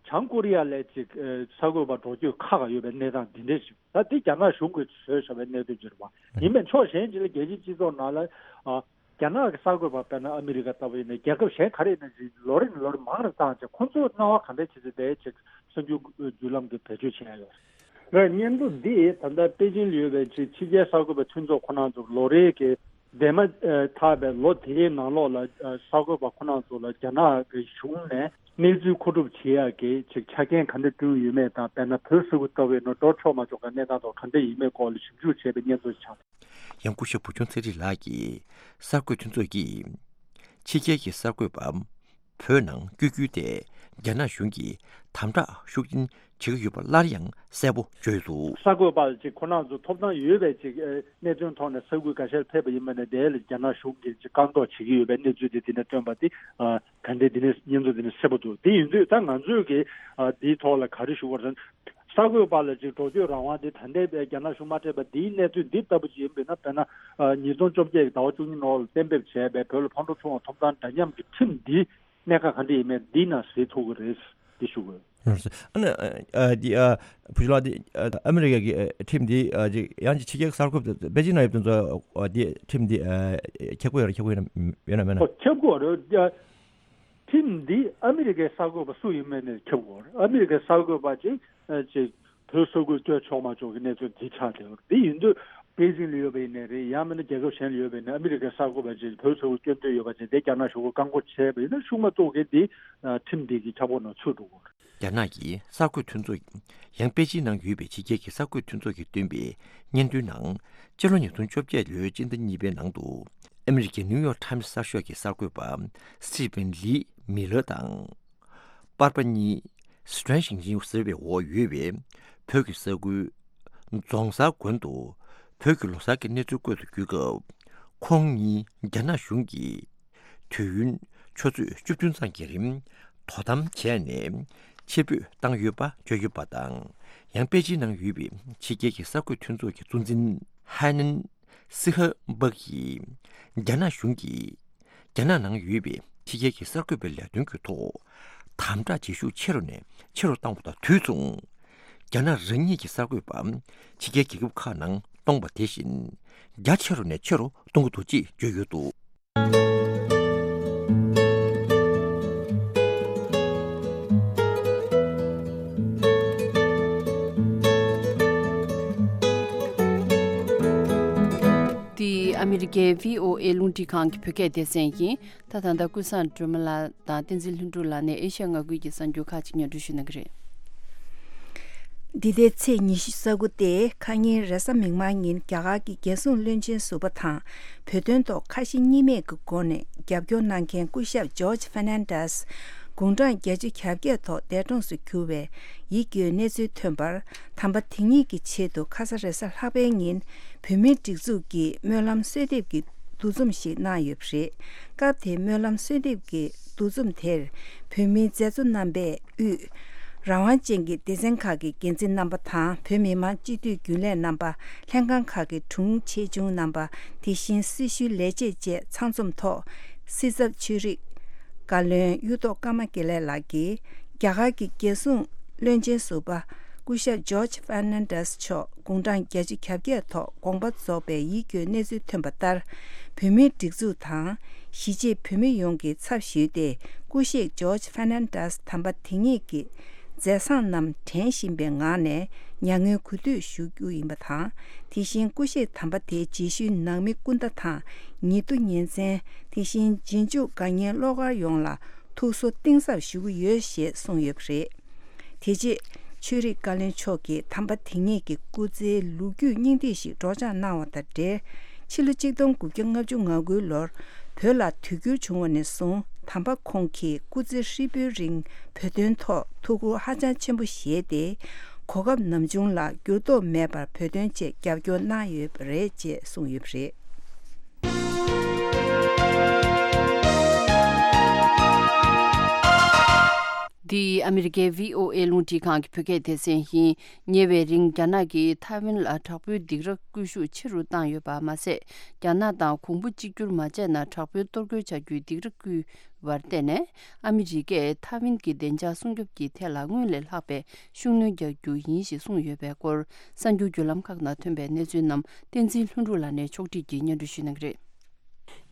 བྱང་ཀོ་རི་ཡ་ལ་ཅིག་ཨ་གསར་འགོད་པ་འགྲོ་སྐྱོད་ཁག་ཡོད་པའི་གནས་སྟངས་འདི་འདྲས་ཤིག་ད་འདི་རྒྱ་ནག་གཞུང་གིས་བཟོས་བཞག་པའི་གནད་དོན་ཅིག་རེད་བ། ཡིན་པས་ཕྱོགས་གཞན་ཅིག་ལ་རྒྱལ་སྤྱིའི་སྤྱི་ཚོགས་ནང་ལ་ཨ། རྒྱ་ནག་གི་གསར་འགོད་པ་དཔེར་ན་ཨ་མི་རི་ཀ་ལྟ་བུ་ཡིན་ན་རྒྱལ་ཁབ་གཞན་ག་རེ་ཡིན་ན་ཅིག་ལོ་རེ་ནས་ལོ་རེ་མང་རུ་བཏང་བྱས་ཁོང་ཚོས་སྣང་བ་ག་འདྲ་བྱེད་ཚེ་དེའི་ཅིག་གསར་འགྱུར་བརྒྱུད་ལམ་གྱི་བེད་སྤྱོད་བྱས་ཡོད་རེད། སྙན་ཐོ་འདི་ད་ལྟ་པེ་ཅིན་ལ་ཡོད་པའི་ཕྱི་ཕྱི་རྒྱལ་གསར་འགོད་པའི་མཐུན་ཚོགས་ཁོ་རང་ཚོ་ལོ་རེའི་གི་འདས་མ་ཐག་པའི་ལོ་དེའི་ནང་ལོགས་ལ་གསར་འགོད་པ་ཁོ་རང་ཚོ་ལ་རྒྱ་ནག་གི་གཞུང་ནས་གནས་ཚུལ་མཁོ་སྒྲུབ་བྱེད་ཡག་གི་ཅིག་ཆ་རྐྱེན་ག་འདྲ་བསྐྲུན་ཡོད་མེད་དང་། དཔེར་ན་བོད་ས་ཁུལ་ལྟ་བུ་ཡིན་ན་འགྲོ་ཆོག་མ་ཆོག་གི་གནས་སྟངས་ཐོག་ག་འདྲ་ཡིན་མིན་སྐོར་ལ་ཞིབ་འཇུག་བྱས་པའི་སྙན་ཐོ་ཞིག་ཆགས། ཡང་སྐུ་ཞབས་བུ་ཆུང་ཚེ་རིང་ལགས་ཀྱིས་གསར་འགོད་མཐུན་ཚོགས་ཀྱིས་ཕྱི་རྒྱལ་གྱི་གསར་འགོད་པ་བོད་ནང་བསྐྱོད་རྒྱུ་དེ་རྒྱ་ནག་གཞུང་གིས་དམ་དྲག་ཤུགས་ཆེན་བྱེད་ཀྱི་ཡོད་པ་སླར་ཡང་གསལ་པོ་བརྗོད་འདུག་གསར་འགོད་པ་ཅིག་ཁོ་རང་ཚོ་ཐོབ་ཐང་ཡོད་པའི་ཅིག་ཨ་གནད་དོན་ཐོག་ནས་ས་ཁུལ་འགའ་ཤས་ཕེབས་པ་ཡིན་པ་ནས་དེ་ལ་རྒྱ་ནག་གཞུང་གིས་ཅིག་བཀག་འགོག་བྱེད་ཀྱི་ཡོད་པའི་གནས་ཚུལ་དེ་དེ་ནས་བཏོན་པ་དེ་ཨ་ག་འདྲས་དེ་ནས་སྙན་ཐོ་དེ་ནས་གསལ་པོ་འདུག་དེ་ཡིན་དུས་ད་ང་ཚོས་ཀྱིས་ཨ་དེའི་ཐོག་ལ་ག་རེ་ཞུ་དགོས་རེད་ཟེར་ན། གསར་འགོད་པ་ལ་ཅིག་འགྲོ་སྐྱོད་རང་དབང་དེ་ད་ལྟའི་རྒྱ་ནག་གཞུང་མ་སྤྲད་པ་འདིའི་གནས་ཚུལ་འདི་ལྟ་བུ་ཅིག་ཡིན་པས་ན། དཔེར་ན་ཉིས་སྟོང་བཅོ་བརྒྱད་ཀྱི་ཟླ་བ་བཅུ་གཉིས་ནང་ལ་གཏན་འབེབས་བྱས་པའི་བོད་ལ་ཕར་འགྲོ་ཚུར་འོང་ཐོབ་ཐང་འདྲ་མཉམ་གྱི་ཁྲིམས་འདི་གནད་འགག་ག་འདྲ་ཡིན་མིན་འདི་ནང་གཟིགས་ཐུབ་ཀྱི་རེད། འདི་ཞུ་དགོས། ཨ་ནི་ཨ་འདི་ཨ་བུ་ཆུང་ལགས་འདི་ཨ་ཨ་མི་རི་ཀ་གི་ཨ་ཁྲིམས་འདི་ཨ་ཅིག་ཡང་ཅིག་ཕྱི་རྒྱལ་གསར་འགོད་པ་པེ་ཅིན་ནང་ཡོད་མཁན་ཚོ་ཨ་འདི་ཁྲིམས་འདི་ཨ་ཁྱབ་ཀྱི་ཡོད་རེད། ཁྱབ་ཀྱི་ཡོད་ན་ཡོད་ན་མེད་ན། ཨོ་ཁྱབ་ཀྱི་ཡོད་རེད། ཁྲིམས་འདི་ཨ་མི་རི་ཀའི་གསར་འགོད་པ་སུ་ཡིན་མིན་ནས་ཁྱབ་དགོས་རེད། ཨ་མི་རི་ཀའི་གསར་འགོད་པ་ཅིག་ཨ་ཅིག་བོད་ས་ཁུལ་བསྐྱོད་ཆོག་མ་ཆོག་གི་གནས་ཚུལ་འདི་ཆགས་བསྡད་ཡོད་རེད། འདི་ཡིན་དུས་པེ་ཅིང་ལ་ཡོད་པ་ཡིན་ནའི་རེད། ཡང་མིན་ན་རྒྱལ་ཁབ་གཞན་ལ་ཡོད་པ་ཡིན་ནའི་ཨ་མི་རི་ཀའི་གསར་འགོད་པ་ཅིག་བོད་ས་ཁུལ་བསྐྱོད་འདོད་ཡོད་པ་ཅིག་དེ་རྒྱ་ནག་གཞུང་གིས་བཀག་འགོག་བྱས་པ་ཡིན་ན་ཤུགས་མ་གཏོགས་གི་འདི་ཨ་ཁྲིམས་འདི་གི་ཁྱབ་ཁོངས་ནང་ཚུད་འགྲོ་གི་རེད། རྒྱ་ནག་གི་གསར་འགོད་མཐུན་ཚོགས། ཡང་པེ་ཅིན་ནང་ཡོད་པའི་ཕྱི་རྒྱལ་གྱི་གསར་འགོད་མཐུན་ཚོགས་ཀྱིས་བཏོན་པའི་སྙན་ཐོའི་ནང་། སྤྱི་ལོ་ཉིས་སྟོང་བཅོ་བརྒྱད་ལོའི་སྤྱི་ཟླ་གཉིས་པའི་ནང་དུ། ཨ་མི་རི་ཀའི་ནིའུ་ཡོག་ཊའིམ་སི་གསར་ཤོག་གི་གསར་འགོད་པ་སི་ཊི་ཕན་ལི་མི་ལར་དང་། པར་པ་གཉིས་སི་ཊྲན་ཞིང་ཆེན་ཟེར་བའི་འོག་ཡོད་པའི་བོད་ཀྱི་ས་ཁུལ་རྫོང་གསར་དགོན་དུ་བོད་ཀྱི་ལོ་གསར་གྱི་གནས་ཚུལ་བཀོད་དུ་བསྐྱོད་སྐབས། ཁོང་གཉིས་རྒྱ་ནག་གཞུང་གིས། དུས་ཡུན་ཆུ་ཚོད་བཅུ་བདུན་ཙམ་གྱི་རིང་དོ་དམ་བྱས་ནས་ཕྱིར་འབུད་བཏང་ཡོད་པ་བརྗོད་ཡོད་པ་དང་། ཡང་པེ་ཅིན་ནང་ཡོད་པའི་ཕྱི་རྒྱལ་གྱི་གསར་འགོད་མཐུན་ཚོགས་ཀྱི་གཙོ་འཛིན་ཧའེ་ནན་སི་ཧ་བྷག་གིས། རྒྱ་ནག་གཞུང་གིས་རྒྱ་ནག་ནང་ཡོད་པའི་ཕྱི་རྒྱལ་གྱི་གསར་འགོད་པའི་ལས་དོན་གྱི་ཐོག་དམ་དྲག་བྱེད་ཤུགས་ཆེ་རུ་ནས་ཆེ་རུ་བཏང་བ་དང་དུས་མཚུངས། རྒྱ་ནག་རང་ཉིད་ཀྱི་གསར་འགོད་པ་ཕྱི་རྒྱལ་རྒྱལ་ཁབ་ཁག་ནང་གཏོང་བ་དེ་བཞིན་རྒྱ་ཆེ་རུ་ནས་ཆེ་རུ་གཏོང་གི་འདུག་ཅེས་བརྗོད་ཡོད་འདུག་འདི་ཨ་མི་རི་ཀའི་བྷི་ཨོ་ཨེ་རླུང་འཕྲིན་ཁང་གི་བོད་སྐད་སྡེ་ཚན་ཡིན། ད་ད་ལྟ་ཀུན་བཟང་སྒྲོལ་མ་ལགས་དང་བསྟན་འཛིན་ལྷུན་གྲུབ་ལགས་ནས་ཨེ་ཤ་ཡ་མངའ་ཁུལ་གྱི་གསར་འགྱུར་ཁག་ཅིག་སྙན་སྒྲོན་ཞུ་གནང་གི་རེད། འདི་ཟླའི་ཚེས་ཉི་ཤུ་རྩ་དགུ་སྟེ་ཁ་ཉིན་རེས་གཟའ་མིག་དམར་ཉིན་རྒྱ་གར་གྱི་རྒྱལ་སྲུང་བློན་ཆེན་ཟུར་པ་དང་བོད་དོན་ཐོག་ཁ་ཞེ་གཉིས་མེད་ཀྱི་སྒོ་ནས་རྒྱབ་སྐྱོར་གནང་མཁན་སྐུ་ཞབས་ཇོརྗ་ཧྥེར་ནན་ཌེས་ དགུང་གྲངས་བརྒྱད་ཅུ་གྱ་བརྒྱད་ཐོག་འདས་གྲོངས་སུ་གྱུར་བའི་ཡིད་སྐྱོའི་གནས་ཚུལ་ཐོན་པར། དམ་པ་དེ་ཉིད་ཀྱི་ཆེད་དུ་ཁ་ས་རེས་གཟའ་ལྷག་པའི་ཉིན་བོད་མིའི་སྒྲིག་འཛུགས་ཀྱི་སྨོན་ལམ་གསོལ་འདེབས་ཀྱི་འདུ་འཛོམས་ཤིག་གནང་ཡོད་པ་རེད། སྐབས་དེའི་སྨོན་ལམ་གསོལ་འདེབས་ཀྱི་འདུ་འཛོམས་དེར་བོད་མིའི་མཛད་གཙོ་རྣམ་པས་དབུས་རང་དབང་ཅན་གྱི་སྡེ་ཚན་ཁག་གི་འགན་འཛིན་རྣམ་པ་དང་། བོད་མི་མང་སྤྱི་འཐུས་རྒྱུན་ལས་རྣམ་པ། ལྷན་ཁང་ཁག་གི་དྲུང་ཆེ་ཆུང་རྣམ་པ། དེ་བཞིན་སྲི་ཞུའི་ལས་བྱེད་བཅས་ཚང་འཛོམས་ཐོག་སྲིད་ཚབ་ཆོས་རིག་བཀའ་བློན་གཡུ་ཐོག་ཀརྨ་དགེ་ལེགས་ལགས་ཀྱིས། རྒྱ་གར་གྱི་རྒྱལ་སྲུང་བློན་ཆེན་ཟུར་པ་སྐུ་ཞབས་ཇོརྗ་ཧྥར་ནན་ཌེས་མཆོག་དགུང་གྲངས་བརྒྱད་ཅུ་གྱ་བརྒྱད་ཐོག་དགོངས་པ་རྫོགས་པའི་ཡིད་སྐྱོའི་གནས་ཚུལ་ཐོན་པ་ལྟར། བོད་མིའི་སྒྲིག་འཛུགས་དང་། གཞིས་བྱེས་བོད་མི་ཡོངས་ཀྱི་ཚབ་ཞུས་ཏེ། སྐུ་གཤེགས་ཇོརྗ་ཧྥར་ནན་ཌེས་དམ་པ་དེ་ཉིད་ཀྱི་མཛད་བཟང་རྣམས་དྲན་བཞིན་པའི་ངང་ནས་མྱ་ངན་གུས་འདུད་ཞུ་རྒྱུ་ཡིན་པ་དང་། དེ་བཞིན་སྐུ་གཤེགས་དམ་པ་དེའི་རྗེས་ཤུལ་ནང་མི་སྐུ་ཟླ་དང་། ཉེ་དུ་ཉེ་ཚན། དེ་བཞིན་རྗེས་འཇུག་དགའ་ཉེ་བློ་དཀར་ཡོངས་ལ་ཐུགས་གསོ་གཏིང་ཟབ་ཞུ་གི་ཡོད་ཞེས་གསུངས་ཡོད་པ་རེད། དེ་རྗེས་ཆོས་རིག་བཀའ་བློན་མཆོག་གིས་དམ་པ་དེ་ཉིད་ཀྱི་སྐུ་ཚེའི་ལོ་རྒྱུས་སྙིང་བསྡུས་ཤིག་སྒྲོག་སྦྱང་གནང་བ་དང་འབྲེལ། ཕྱི་ལོ་གཅིག་སྟོང་དགུ་བརྒྱ་ལྔ་བཅུ་ང་དགུའི་ལོར་བོད་ལ་དུས་འགྱུར་བྱུང་བ་ནས་བཟུང་། དམ་པ་ཁོང་གིས་སྐུ་ཚེ་ཧྲིལ་པོའི་རིང་བོད་དོན་ཐོག་ཐུགས་ཁུར་ཧ་ཅང་ཆེན་པོ་བཞེས་ཏེ། གོ་སྐབས་ནམ་བྱུང་ལ་འགྱུར་ལྡོག་མེད་པར་བོད་དོན་ཆེད་རྒྱབ་སྐྱོར་གནང་ཡོད་པ་རེད་ཅེས་གསུངས་ཡོད་པ་རེད། འདི་ཨ་མི་རི་ཀའི་བྷི་ཨོ་ཨེ་རླུང་འཕྲིན་ཁང་གི་བོད་སྐད་སྡེ་ཚན་ཡིན། ཉེ་བའི་རིང་རྒྱ་ནག་གིས་ཐའེ་ཝན་ལ་དྲག་པོའི་སྡིགས་ར་སྐུལ་ཤུགས་ཆེ་རུ་བཏང་ཡོད་པ་མ་ཟད། རྒྱ་ནག་དང་གོང་བུ་གཅིག་གྱུར་མ་བྱས་ན་དྲག་པོའི་གཏོར་རྒོལ་བྱ་རྒྱུའི་སྡིགས་ར་བསྐུལ་བར་བརྟེན་ནས། ཨ་མི་རི་ཀས་ཐའེ་ཝན་གྱི་བདེ་འཇགས་སྲུང་སྐྱོབ་ཀྱི་ཐད་ལ་སྔོན་ལས་ལྷག་པའི་ཤུགས་སྣོན་རྒྱག་རྒྱུ་ཡིན་ཞེས་གསུངས་ཡོད་པའི་སྐོར། གསར་འགྱུར་བརྒྱུད་ལམ་ཁག་ནང་ཐོན་པའི་གནས་ཚུལ་རྣམས་བསྟན་འཛིན་ལྷུན་གྲུབ་ལགས་ནས་ཕྱོགས་སྒྲིག་གིས་སྙན་སྒྲོན་ཞུ་གནང་གི་རེད།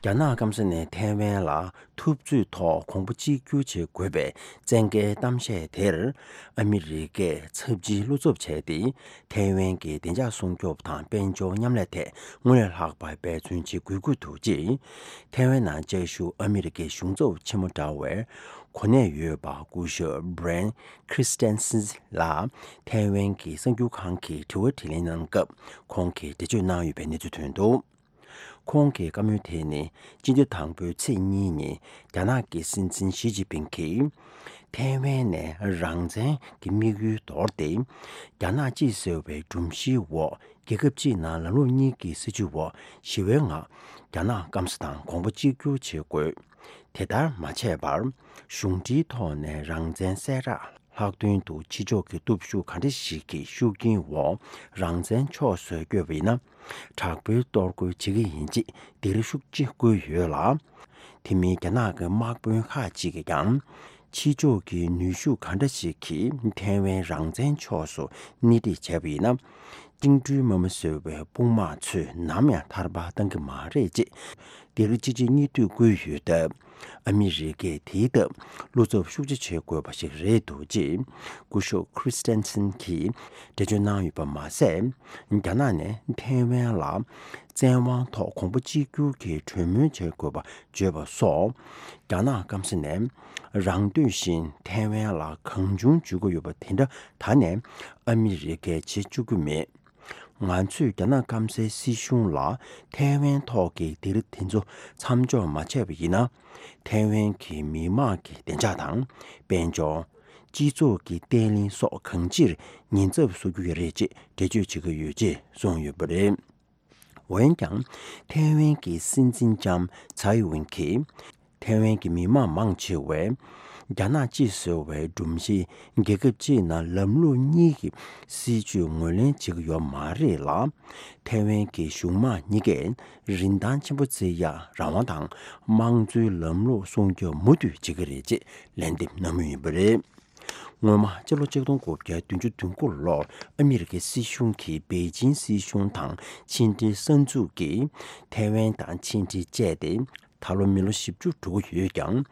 རྒྱ་ནག་སྐམ་ས་ནས་ཐའེ་ཝན་ལ་འཐབ་རྩོད་ཐོག་གོང་བུ་གཅིག་གྱུར་བྱེད་དགོས་པའི་བཙན་རྒྱལ་གཏམ་བཤད་དེར། ཨ་མི་རི་ཀས་ཚབས་ཆེའི་བློ་འཚབ་བྱས་ཏེ། ཐའེ་ཝན་གྱི་བདེ་འཇགས་སྲུང་སྐྱོབ་དང་དཔལ་འབྱོར་མཉམ་ལས་ཐད་སྔོན་ལས་ལྷག་པར་འབད་བརྩོན་བྱེད་དགོས་ཀྱི་འདུག་ཅེས། ཐའེ་ཝན་ནང་བཅའ་བཞུགས་ཨ་མི་རི་ཀའི་གཞུང་ཚབ་ཆེན་མོ་འདྲ་བའི་གོ་གནས་ཡོད་པ་སྐུ་ཞབས་Brian Christensen་ལ་ཐའེ་ཝན་གྱི་གསར་འགྱུར་ཁང་གི་དྲི་བ་དྲིས་ལན་གནང་སྐབས། ཁོང་གིས་འགྲེལ་བརྗོད་གནང་ཡོད་པའི་གནས་ཚུལ་ཐོན་འདུག་ཁོང་གི་བཀའ་མོལ་དེ་ནི་སྤྱི་ཟླ་དང་པོའི་ཚེས་གཉིས་ཉིན་རྒྱ་ནག་གི་སྲིད་འཛིན་ཞི་ཅིན་ཕིང་གིས། ཐའེ་ཝན་ནས་རང་བཙན་གྱི་དམིགས་ཡུལ་དོར་ཏེ། རྒྱ་ནག་གཅིག་ཟེར་བའི་སྒྲོམ་གཞིའི་འོག་རྒྱལ་ཁབ་གཅིག་ནང་ལམ་ལུགས་གཉིས་ཀྱི་སྲིད་བྱུས་འོག་ཞི་བའི་ངང་རྒྱ་ནག་སྐམ་ས་དང་གོང་བུ་གཅིག་གྱུར་བྱེད་དགོས། དེ་ལྟར་མ་བྱས་པར། གཞུང་འབྲེལ་ཐོག་ནས་རང་བཙན་གསལ་བསྒྲགས། ལྷག་དོན་དུ་ཕྱི་ཕྱོགས་ཀྱི་སྟོབས་ཤུགས་ག་འདྲ་ཞིག་གི་ཤུགས་རྐྱེན་འོག་རང་བཙན་ཕྱོགས་སུ་བསྐྱོད་པ་ཡིན་ན། དྲག་པོའི་གཏོར་རྒོལ་བྱེད་ཀྱི་ཡིན་ཅེས་སྡིགས་ར་ཤུགས་ཆེ་བསྐུལ་ཡོད་ལ། དེ་མིན་རྒྱ་ནག་གི་དམག་དཔོན་ཁག་ཅིག་གིས་ཀྱང་། ཕྱི་ཕྱོགས་ཀྱི་ནུས་ཤུགས་ག་འདྲ་ཞིག་གིས་ཐའེ་ཝན་རང་བཙན་ཕྱོགས་སུ་སྣེ་ཁྲིད་བྱས་པ་ཡིན་ན། བཅིངས་འགྲོལ་དམག་མི་ཟེར་བའི་དཔུང་དམག་ཚོས་ནམ་ཡང་ཐར་པ་གཏང་གི་མ་རེད་ཅེས་སྡིགས་ར་གཅིག་རྗེས་གཉིས་མཐུད་བསྐུལ་ཡོད་སྟབས། ཨ་མི་རི་ཀས་དེའི་སྟབས་བློ་འཚབ་ཤུགས་ཆེ་བྱེད་དགོས་པ་ཞིག་རེད་འདུག་ཅེས་སྐུ་ཞབས་Christensen་གྱིས་འགྲེལ་བརྗོད་གནང་ཡོད་པ་མ་ཟད། རྒྱ་ནག་ནས་ཐའེ་ཝན་ལ་བཙན་དབང་ཐོག་གོང་བུ་གཅིག་གྱུར་གྱི་གྲོས་མོལ་བྱེད་དགོས་པ་བརྗོད་པ་སོགས། རྒྱ་ནག་སྐམ་ས་ནས་རང་འདོད་བཞིན་ཐའེ་ཝན་ལ་གང་བྱུང་འཇུ་གི་ཡོད་པ་དེ་འདྲ་ད་ནས་ཨ་མི་རི་ཀས་བྱེད་བཅུག་གི་མེད། ང་ཚོས་རྒྱ་ནག་སྐམ་སའི་སྲིད་གཞུང་ལ་ཐའེ་ཝན་ཐོག་གི་སྡིགས་ར་དེ་ཚོ་མཚམས་འཇོག་མ་བྱས་པ་ཡིན་ན། ཐའེ་ཝན་གྱི་མི་དམངས་ཀྱི་བདེ་འཇགས་དང་། དཔལ་འབྱོར། སྤྱི་ཚོགས་ཀྱི་བརྟན་ལྷིང་སོགས་གང་ཅིར་ཉེན་ཚབས་བཟོ་རྒྱུ་རེད་ཅེས་འགྲེལ་བརྗོད་བྱེད་ཀྱི་ཡོད་ཅེས་གསུངས་ཡོད་པ་རེད། འོན་ཀྱང་། ཐའེ་ཝན་གྱི་སྲིད་འཛིན་ལྕམ་ཚའེ་ཝེན་གྱིས། ཐའེ་ཝན་གྱི་མི་དམངས་མང་ཆེ་བས། རྒྱ་ནག་གཅིག་ཟེར་བའི་སྒྲོམ་གཞི་རྒྱལ་ཁབ་གཅིག་ནང་ལམ་ལུགས་གཉིས་ཀྱི་སྲིད་བྱུས་ངོས་ལེན་བྱེད་ཀྱི་ཡོད་མ་རེད་ལ། ཐའེ་ཝན་གྱི་གཞུང་མང་གཉིས་ཀས་རིན་ཐང་ཆེན་པོ་བརྩི་ཡག་རང་དབང་དང་དམངས་གཙོའི་ལམ་ལུགས་སྲུང་སྐྱོབ་མུ་མཐུད་བྱེད་ཀྱི་རེད་ཅེས་ལན་འདེབས་གནང་མུས་ཡིན་པ་རེད། སྔོན་མ་སྤྱི་ལོ་ཆིག་སྟོང་དགུ་བརྒྱ་བདུན་ཅུ་དོན་དགུ་ལོར་ཨ་མི་རི་ཀའི་སྲིད་གཞུང་གིས་པེ་ཅིང་སྲིད་གཞུང་དང་ཕྱི་འབྲེལ་གསར་འཛུགས་ཀྱིས་ཐའེ་ཝན་དང་ཕྱི་འབྲེལ་བཅད་དེ། ད་ལོ་མི་ལོ་བཞི་བཅུ་འགྲོ་གི་ཡོད་ཀྱང་།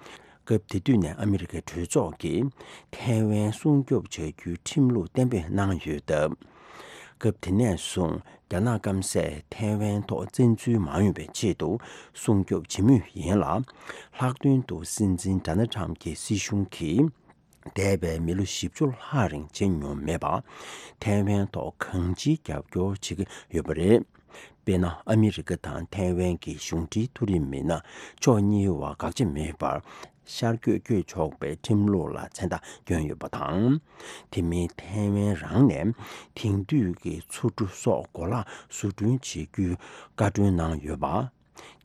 སྐབས་དེ་དུས་ནས་ཨ་མི་རི་ཀའི་གྲོས་ཚོགས་ཀྱིས་ཐའེ་ཝན་སྲུང་སྐྱོབ་བྱ་རྒྱུའི་ཁྲིམས་ལུགས་གཏན་འབེབས་གནང་ཡོད་སྟབས། སྐབས་དེ་ནས་བཟུང་རྒྱ་ནག་སྐམ་སས་ཐའེ་ཝན་ཐོག་བཙན་འཛུལ་མ་ཡོང་བའི་ཆེད་དུ་སྲུང་སྐྱོབ་བྱེད་མུས་ཡིན་ལ། ལྷག་དོན་དུ་སྲིད་འཛིན་ཌོ་ནལ་ཊམ་གྱི་སྲིད་གཞུང་གིས། འདས་པའི་མི་ལོ་བཞི་བཅུ་ལྷག་རིང་བྱས་མྱོང་མེད་པ། ཐའེ་ཝན་ཐོག་གང་ཅིའི་རྒྱབ་སྐྱོར་བྱེད་ཀྱི་ཡོད་པ་རེད། དཔེར་ན། ཨ་མི་རི་ཀ་དང་ཐའེ་ཝན་གྱི་གཞུང་འབྲེལ་མཐོ་རིམ་མི་སྣ་ཕྱོགས་གཉིས་བར་དགག་བྱ་མེད་པར། ཤར་བསྐྱོད་བསྐྱོད་ཆོག་པའི་ཁྲིམས་ལུགས་ལ་མཚན་རྟགས་བསྐྱོན་ཡོད་པ་དང་། དེ་མིན་ཐའེ་ཝན་རང་ནས་དེང་དུས་ཀྱི་མཚོ་གྲུ་སོགས་གོ་ལག་བཟོ་སྐྲུན་བྱེད་རྒྱུའི་བཀའ་འཁྲོལ་གནང་ཡོད་པ།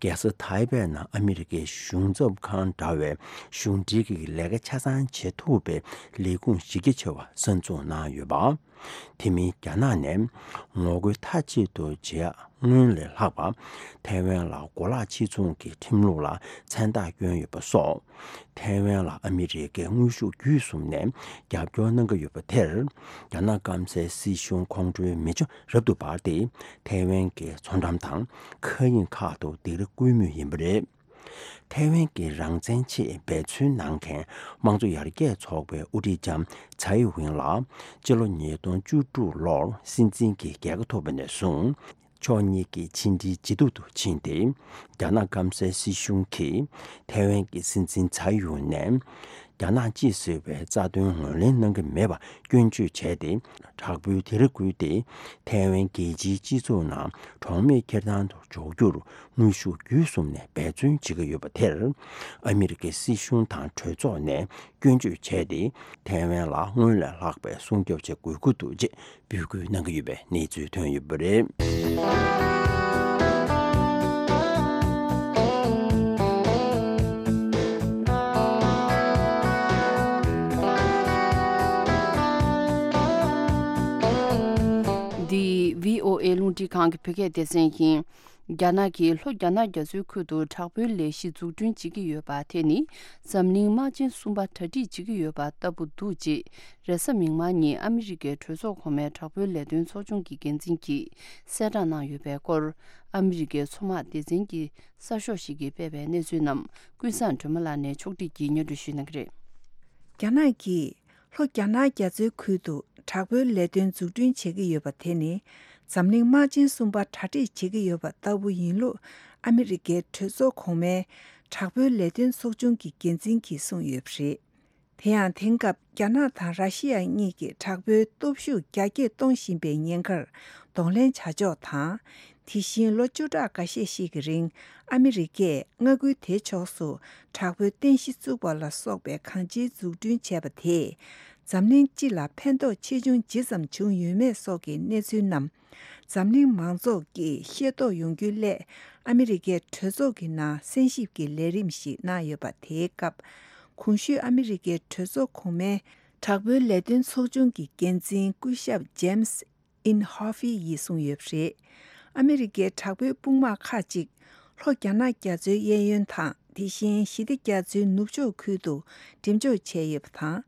རྒྱལ་ས་ཐའེ་པེ་ནང་ཨ་མི་རི་ཀའི་གཞུང་ཚབ་ཁང་འདྲ་བའི་གཞུང་འབྲེལ་གྱི་ལས་ཀ་ཆ་ཚང་བྱེད་ཐུབ་པའི་ལས་ཁུངས་གཞི་རྒྱ་ཆེ་བ་གསར་འཛུགས་གནང་ཡོད་པ། དེ་མིན་རྒྱ་ནག་ནས་ངོ་རྒོལ་མཐའ་གཅིག་ཏུ་བྱེད་ཡ་སྔོན་ལས་ལྷག་པ། ཐའེ་ཝན་ལ་གོ་ལག་ཕྱིར་ཚོང་གི་ཁྲིམས་ལུགས་ལ་མཚན་རྟགས་བསྐྱོན་ཡོད་པ་སོགས། ཐའེ་ཝན་ལ་ཨ་མི་རི་ཀས་དངོས་ཤུགས་བརྒྱུད་གསུམ་ནས་རྒྱབ་སྐྱོར་གནང་གི་ཡོད་པ་དེར། རྒྱ་ནག་སྐམ་སའི་སྲིད་གཞུང་ཁོང་ཁྲོའི་མེ་ལྕེ་རབ་ཏུ་འབར་ཏེ། ཐའེ་ཝན་གྱི་མཚོ་འགྲམ་དང་མཁའ་དབྱིངས་ཁག་ཏུ་སྡིགས་ར་བསྐུལ་མུས་ཡིན་པ་རེད། ཐའེ་ཝན་གྱི་རང་བཙན་ཆེད་འབད་བརྩོན་གནང་མཁན་དམངས་གཙོ་ཡར་རྒྱས་ཚོགས་པའི་དབུ་ཁྲིད་ལྕམ་ཚའེ་ཝིན་ལ། སྤྱི་ལོ་ཉིས་སྟོང་བཅུ་དྲུག་ལོར་སྲིད་འཛིན་གྱི་རྒྱལ་ཁ་ཐོབ་པ་ནས་བཟུང་། ཕྱོགས་གཉིས་ཀྱི་ཕྱི་འབྲེལ་ཇེ་སྡུག་ཏུ་ཕྱིན་ཏེ། རྒྱ་ནག་སྐམ་སའི་སྲིད་གཞུང་གིས་ཐའེ་ཝན་གྱི་སྲིད་འཛིན་ཚའེ་ཝིན་ནས། རྒྱ་ནག་གཅིག་ཟེར་བའི་རྩ་དོན་ངོས་ལེན་གནང་གི་མེད་པ་སྐྱོན་བརྗོད་བྱས་ཏེ། དྲག་པོའི་དེ་རེ་བསྐུལ་ཏེ། ཐའེ་ཝན་རྒྱལ་སྤྱིའི་སྤྱི་ཚོགས་ནང་གྲོགས་མེད་འཁྱེར་སྟངས་དུ་འཇོག་རྒྱུར་དངོས་ཤུགས་བརྒྱུད་གསུམ་ནས་འབད་བརྩོན་བྱེད་ཀྱི་ཡོད་པ་དེར། ཨ་མི་རི་ཀའི་སྲིད་གཞུང་དང་གྲོས་ཚོགས་ནས་སྐྱོན་བརྗོད་བྱས་ཏེ། ཐའེ་ཝན་ལ་སྔོན་ལས་ལྷག་པའི་སྲུང་སྐྱོབ་བྱེད་དགོས་ཀྱི་འདུག་ཅེས་འབོད་སྐུལ་གནང་གི་ཡོད་པའི་གནས་ཚུལ་ཐོན་ཡོད་པ་རེད། འདི་བྷི་ཨོ་ཨེ་རླུང་འཕྲིན་ཁང་གི་བོད་སྐད་སྡེ་ཚན་ཡིན། རྒྱ་ནག་གིས་ལྷོ་རྒྱ་ནག་རྒྱ་མཚོའི་ཁུལ་དུ་དྲག་པོའི་ལས་གཞི་འཛུགས་སྐྲུན་བྱེད་ཀྱི་ཡོད་པ་དེ་ནི་འཛམ་གླིང་དམག་ཆེན་གསུམ་པ་གྲ་སྒྲིག་བྱེད་ཀྱི་ཡོད་པ་ལྟ་བུ་འདུག་ཅེས་རེས་གཟའ་མིག་དམར་ཉིན་ཨ་མི་རི་ཀའི་གྲོས་ཚོགས་གོང་མའི་དྲག་པོའི་ལས་དོན་ཚོགས་ཆུང་གི་འགན་འཛིན་གྱིས་གསལ་བསྒྲགས་གནང་ཡོད་པའི་སྐོར། ཨ་མི་རི་ཀའི་མཚོ་དམག་སྡེ་ཚན་གྱི་གསར་ཤོག་ཞིག་གིས་སྤེལ་བའི་གནས་ཚུལ་རྣམས་ཀུན་བཟང་སྒྲོལ་མ་ལགས་ནས་ཕྱོགས་སྒྲིག་གིས་སྙན་སྒྲོན་ཞུས་གནང་གི་རེད། རྒྱ་ནག་གིས་ལྷོ་རྒྱ་ནག་རྒྱ་མཚོའི་ཁུལ་དུ་དྲག་པོའི་ལས་དོན་འཛུགས་སྐྲུན་བྱེད་ཀྱི་ཡོད་པ་དེ་ནི། འཛམ་གླིང་དམག་ཆེན་གསུམ་པ་གྲ་སྒྲིག་བྱེད་ཀྱི་ཡོད་པ་ལྟ་བུ་ཡིན་ལུགས། ཨ་མི་རི་ཀའི་གྲོས་ཚོགས་གོང་མའི་དྲག་པོའི་ལས་དོན་ཚོགས་ཆུང་གི་འགན་འཛིན་གྱིས་གསུངས་ཡོད་པ་རེད། དེ་ཡང་དེང་སྐབས་རྒྱ་ནག་དང་ར་ཤི་ཡ་གཉིས་ཀྱིས་དྲག་པོའི་སྟོབས་ཤུགས་རྒྱ་སྐྱེད་གཏོང་བཞིན་པའི་ཉེན་ཁར་གདོང་ལེན་བྱ་ཕྱོགས་དང་། དེ་བཞིན་ལོ་བཅུ་ཕྲག་འགའ་ཤས་ཤིག་གི་རིང་ཨ་མི་རི་ཀས་མངའ་ཁུལ་དེ་ཕྱོགས་སུ་དྲག་པོའི་རྟེན་གཞི་བཙུགས་པ་ལ་སོགས་པའི་གང་ཅིའི་འཛུགས་སྐྲུན་བྱས་པ་དེས། འཛམ་གླིང་སྤྱི་ལ་ཕན་ཐོགས་ཆེ་ཆུང་ཇི་ཙམ་བྱུང་ཡོད་མེད་སོགས་ཀྱི་གནས་ཚུལ་རྣམས། འཛམ་གླིང་མང་ཚོགས་ཀྱིས་ཤེས་རྟོགས་ཡོང་རྒྱུའི་སླད། ཨ་མི་རི་ཀའི་གྲོས་ཚོགས་ཀྱི་ནང་གསན་ཞིབ་ཀྱི་ལས་རིམ་ཞིག་གནང་ཡོད་པ་དེའི་སྐབས། གོང་ཞུས་ཨ་མི་རི་ཀའི་གྲོས་ཚོགས་གོང་མའི་དྲག་པོའི་ལས་དོན་ཚོགས་ཆུང་གི་འགན་འཛིན་སྐུ་ཞབས་ཇེམ་སི་ཨིན་ཧོ་ཧྥི་ཡིས་གསུངས་ཡོད་པ་རེད། ཨ་མི་རི་ཀའི་དྲག་པོའི་དཔུང་དམག་ཁག་ཅིག་ལྷོ་རྒྱ་ནག་རྒྱ་མཚོའི་གཡས་གཡོན་དང་། དེ་བཞིན་ཞི་བདེ་རྒྱ་མཚོའི་ནུབ་ཕྱོགས་ཁུལ་དུ་འགྲེམས་འཇོག་བྱས་ཡོད་པ་དང་།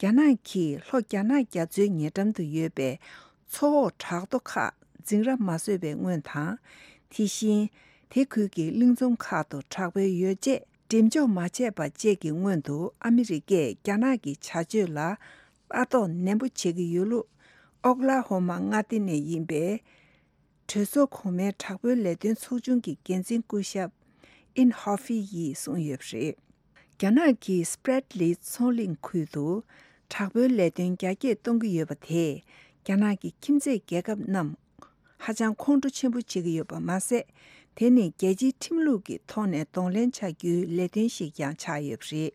རྒྱ་ནག་གིས་ལྷོ་རྒྱ་ནག་རྒྱ་མཚོའི་ཉེ་འགྲམ་དུ་ཡོད་པའི་མཚོ་འོག་བྲག་རྡོ་ཁག་འཛིང་ར་མ་བཟོས་པའི་སྔོན་དང་། དེ་བཞིན་དེ་ཁུལ་གྱི་གླིང་ཚོམ་ཁག་ཏུ་དྲག་པོའི་ཡོ་བྱད་འགྲེམས་འཇོག་མ་བྱས་པ་བཅས་ཀྱི་སྔོན་དུ་ཨ་མི་རི་ཀས་རྒྱ་ནག་གི་བྱ་སྤྱོད་ལ་ལྟ་རྟོག་ནན་པོ་བྱེད་ཀྱི་ཡོད་ལུགས། ཨོ་ཀ་ལ་ཧོ་མ་མངའ་སྡེ་ནས་ཡིན་པའི་གྲོས་ཚོགས་གོང་མའི་དྲག་པོའི་ལས་དོན་ཚོགས་ཆུང་གི་འགན་འཛིན་སྐུ་ཞབས་ཨིན་ཧོ་ཧྥི་ཡིས་གསུངས་ཡོད་པ་རེད། རྒྱ་ནག་གིས་སྤྲེད་ལི་མཚོ་གླིང་ཁུལ་དུ་དྲག་པོའི་ལས་དོན་རྒྱ་སྐྱེད་གཏོང་གི་ཡོད་པ་དེས་རྒྱ་ནག་གི་ཁྱིམ་མཚེས་རྒྱལ་ཁབ་རྣམས་ཧ་ཅང་ཁོང་ཁྲོ་ཆེན་པོ་བྱེད་ཀྱི་ཡོད་པ་མ་ཟད། དེ་ནི་རྒྱལ་སྤྱིའི་ཁྲིམས་ལུགས་ཀྱི་ཐོག་ནས་གདོང་ལེན་བྱ་རྒྱུའི་ལས་དོན་ཞིག་ཀྱང་ཆགས་ཡོད་པ་རེད།